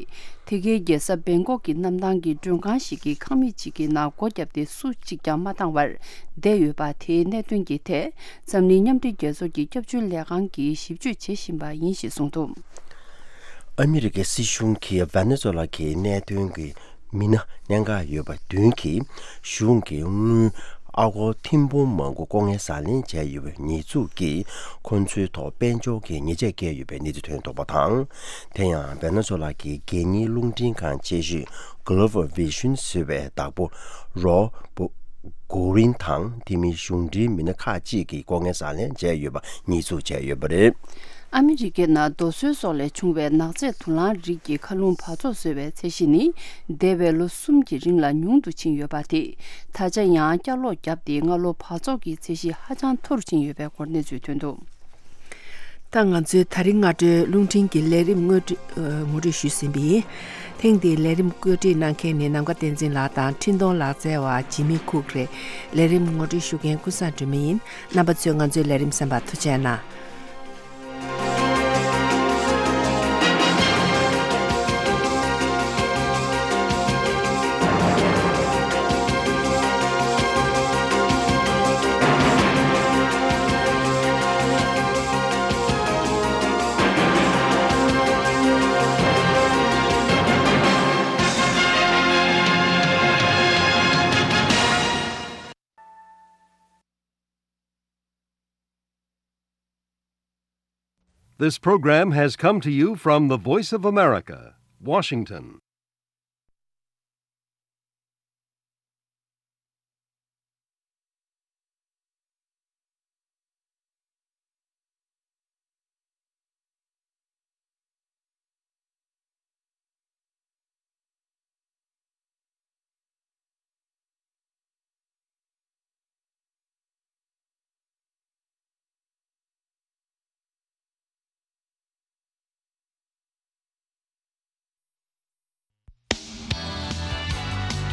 དེ་གའི་རྒྱལ་ས་བེང་ཀོག་གི་གནམ་ཐང་གི་མགྲོན་ཁང་ཞིག་གི་ཁང་མིག་ཅིག་གི་ནང་སྒོ་བརྒྱབ་སྟེ་སུ་གཅིག་ཀྱང་མ་བཏང་བར་བསྡད་ཡོད་པ་དེའི་གནད་དོན་གྱི་ཐད། འཛམ་གླིང་མཉམ་འབྲེལ་རྒྱལ་ཚོགས་ཀྱི་སྐྱབས་བཅོལ་ལས་ཁང་གིས་ཞིབ་དཔྱོད་བྱེད་བཞིན་པ་ཡིན་ཞེས་གསུངས་འདུག། ཨ་མི་རི་ཀའི་སྲིད་གཞུང་གིས་ཝེ་ནེ་ཛུ་ལ་གི་གནད་དོན་གྱི་མི་སྣ་གནད་འགག་ཡོད་པ་བདུན་གྱིས་གཞུང་གི་དངུལ་ཨ་སྒོར་ཐེར་འབུམ་མང་པོ་ལྐོག་རྔན་ཟ་ལེན་བྱས་ཡོད་པའི་ཉེས་འཛུགས་ཀྱིས་ཁོ་ཚོའི་ཐོག་དཔལ་འབྱོར་གྱི་ཉེས་ཆད་བཀལ་ཡོད་པའི་གནས་ཚུལ་ཐོན་འདུག་པ་དང་། དེ་ཡང་ཝེ་ནེ་ཛུ་ལ་གི་སྒེར་གཉེར་རླུང་འཕྲིན་ཁང་ཆེ་ཤོས་Global Vision ཟེར་བའི་བདག་པོ་རོ་བོ་གོ་རིན་དང་དེ་མིན་གཞུང་འབྲེལ་མི་སྣ་ཁག་ཅིག་གིས་ལྐོག་རྔན་ཟ་ལེན་བྱས་ཡོད་པ་ཉེས་འཛུགས་བྱས་ཡོད་པ་རེད། ཨ་མི་རི་ཀའི་ནང་རྡོ་སོལ་སོགས་ལས་བྱུང་བའི་ནག་རྫས་དུག་རླངས་རིགས་ཀྱི་མཁའ་རླུང་འབག་བཙོག་བཟོ་བའི་ཚད་གཞི་ནི་འདས་པའི་ལོ་གསུམ་གྱི་རིང་ལ་ཉུང་དུ་ཕྱིན་ཡོད་པ་དེས་ད་ཆ་ཡང་བསྐྱར་ལོག་བརྒྱབ་སྟེ་སྔ་ལོ་འབག་བཙོག་གི་ཚད་གཞི་ཧ་ཅང་མཐོ་རུ་ཕྱིན་ཡོད་པའི་སྐོར་གནས་ཚུལ་ཐོན་འདུག། ད་ང་ཚོའི་ད་རིང་སྔ་དྲོའི་རླུང་འཕྲིན་གྱི་ལས་རིམ་ངོ་སྤྲོད་ཨ་ངོ་སྤྲོད་ཞུས་ཟིན་པ་ཡིན། ཐེངས་འདིའི་ལས་རིམ་བཀོད་སྒྲིག་གནང་མཁན་ནི་ནམ་མཁའ་བསྟན་འཛིན་ལགས་དང་འཕྲིན་གཏོང་ལག་རྩལ་བ་ཇི་མི་ཁུག་རེད། ལས་རིམ་ངོ་སྤྲོད་ཞུ་མཁན་ཀུན་བཟང་སྒྲོལ་མ་ཡིན། རྣམ་པ་ཚོས་ང་ཚོའི་ལས་རིམ་གསན་པར་ཐུགས་རྗེ་གནང་། This program has come to you from the Voice of America, Washington.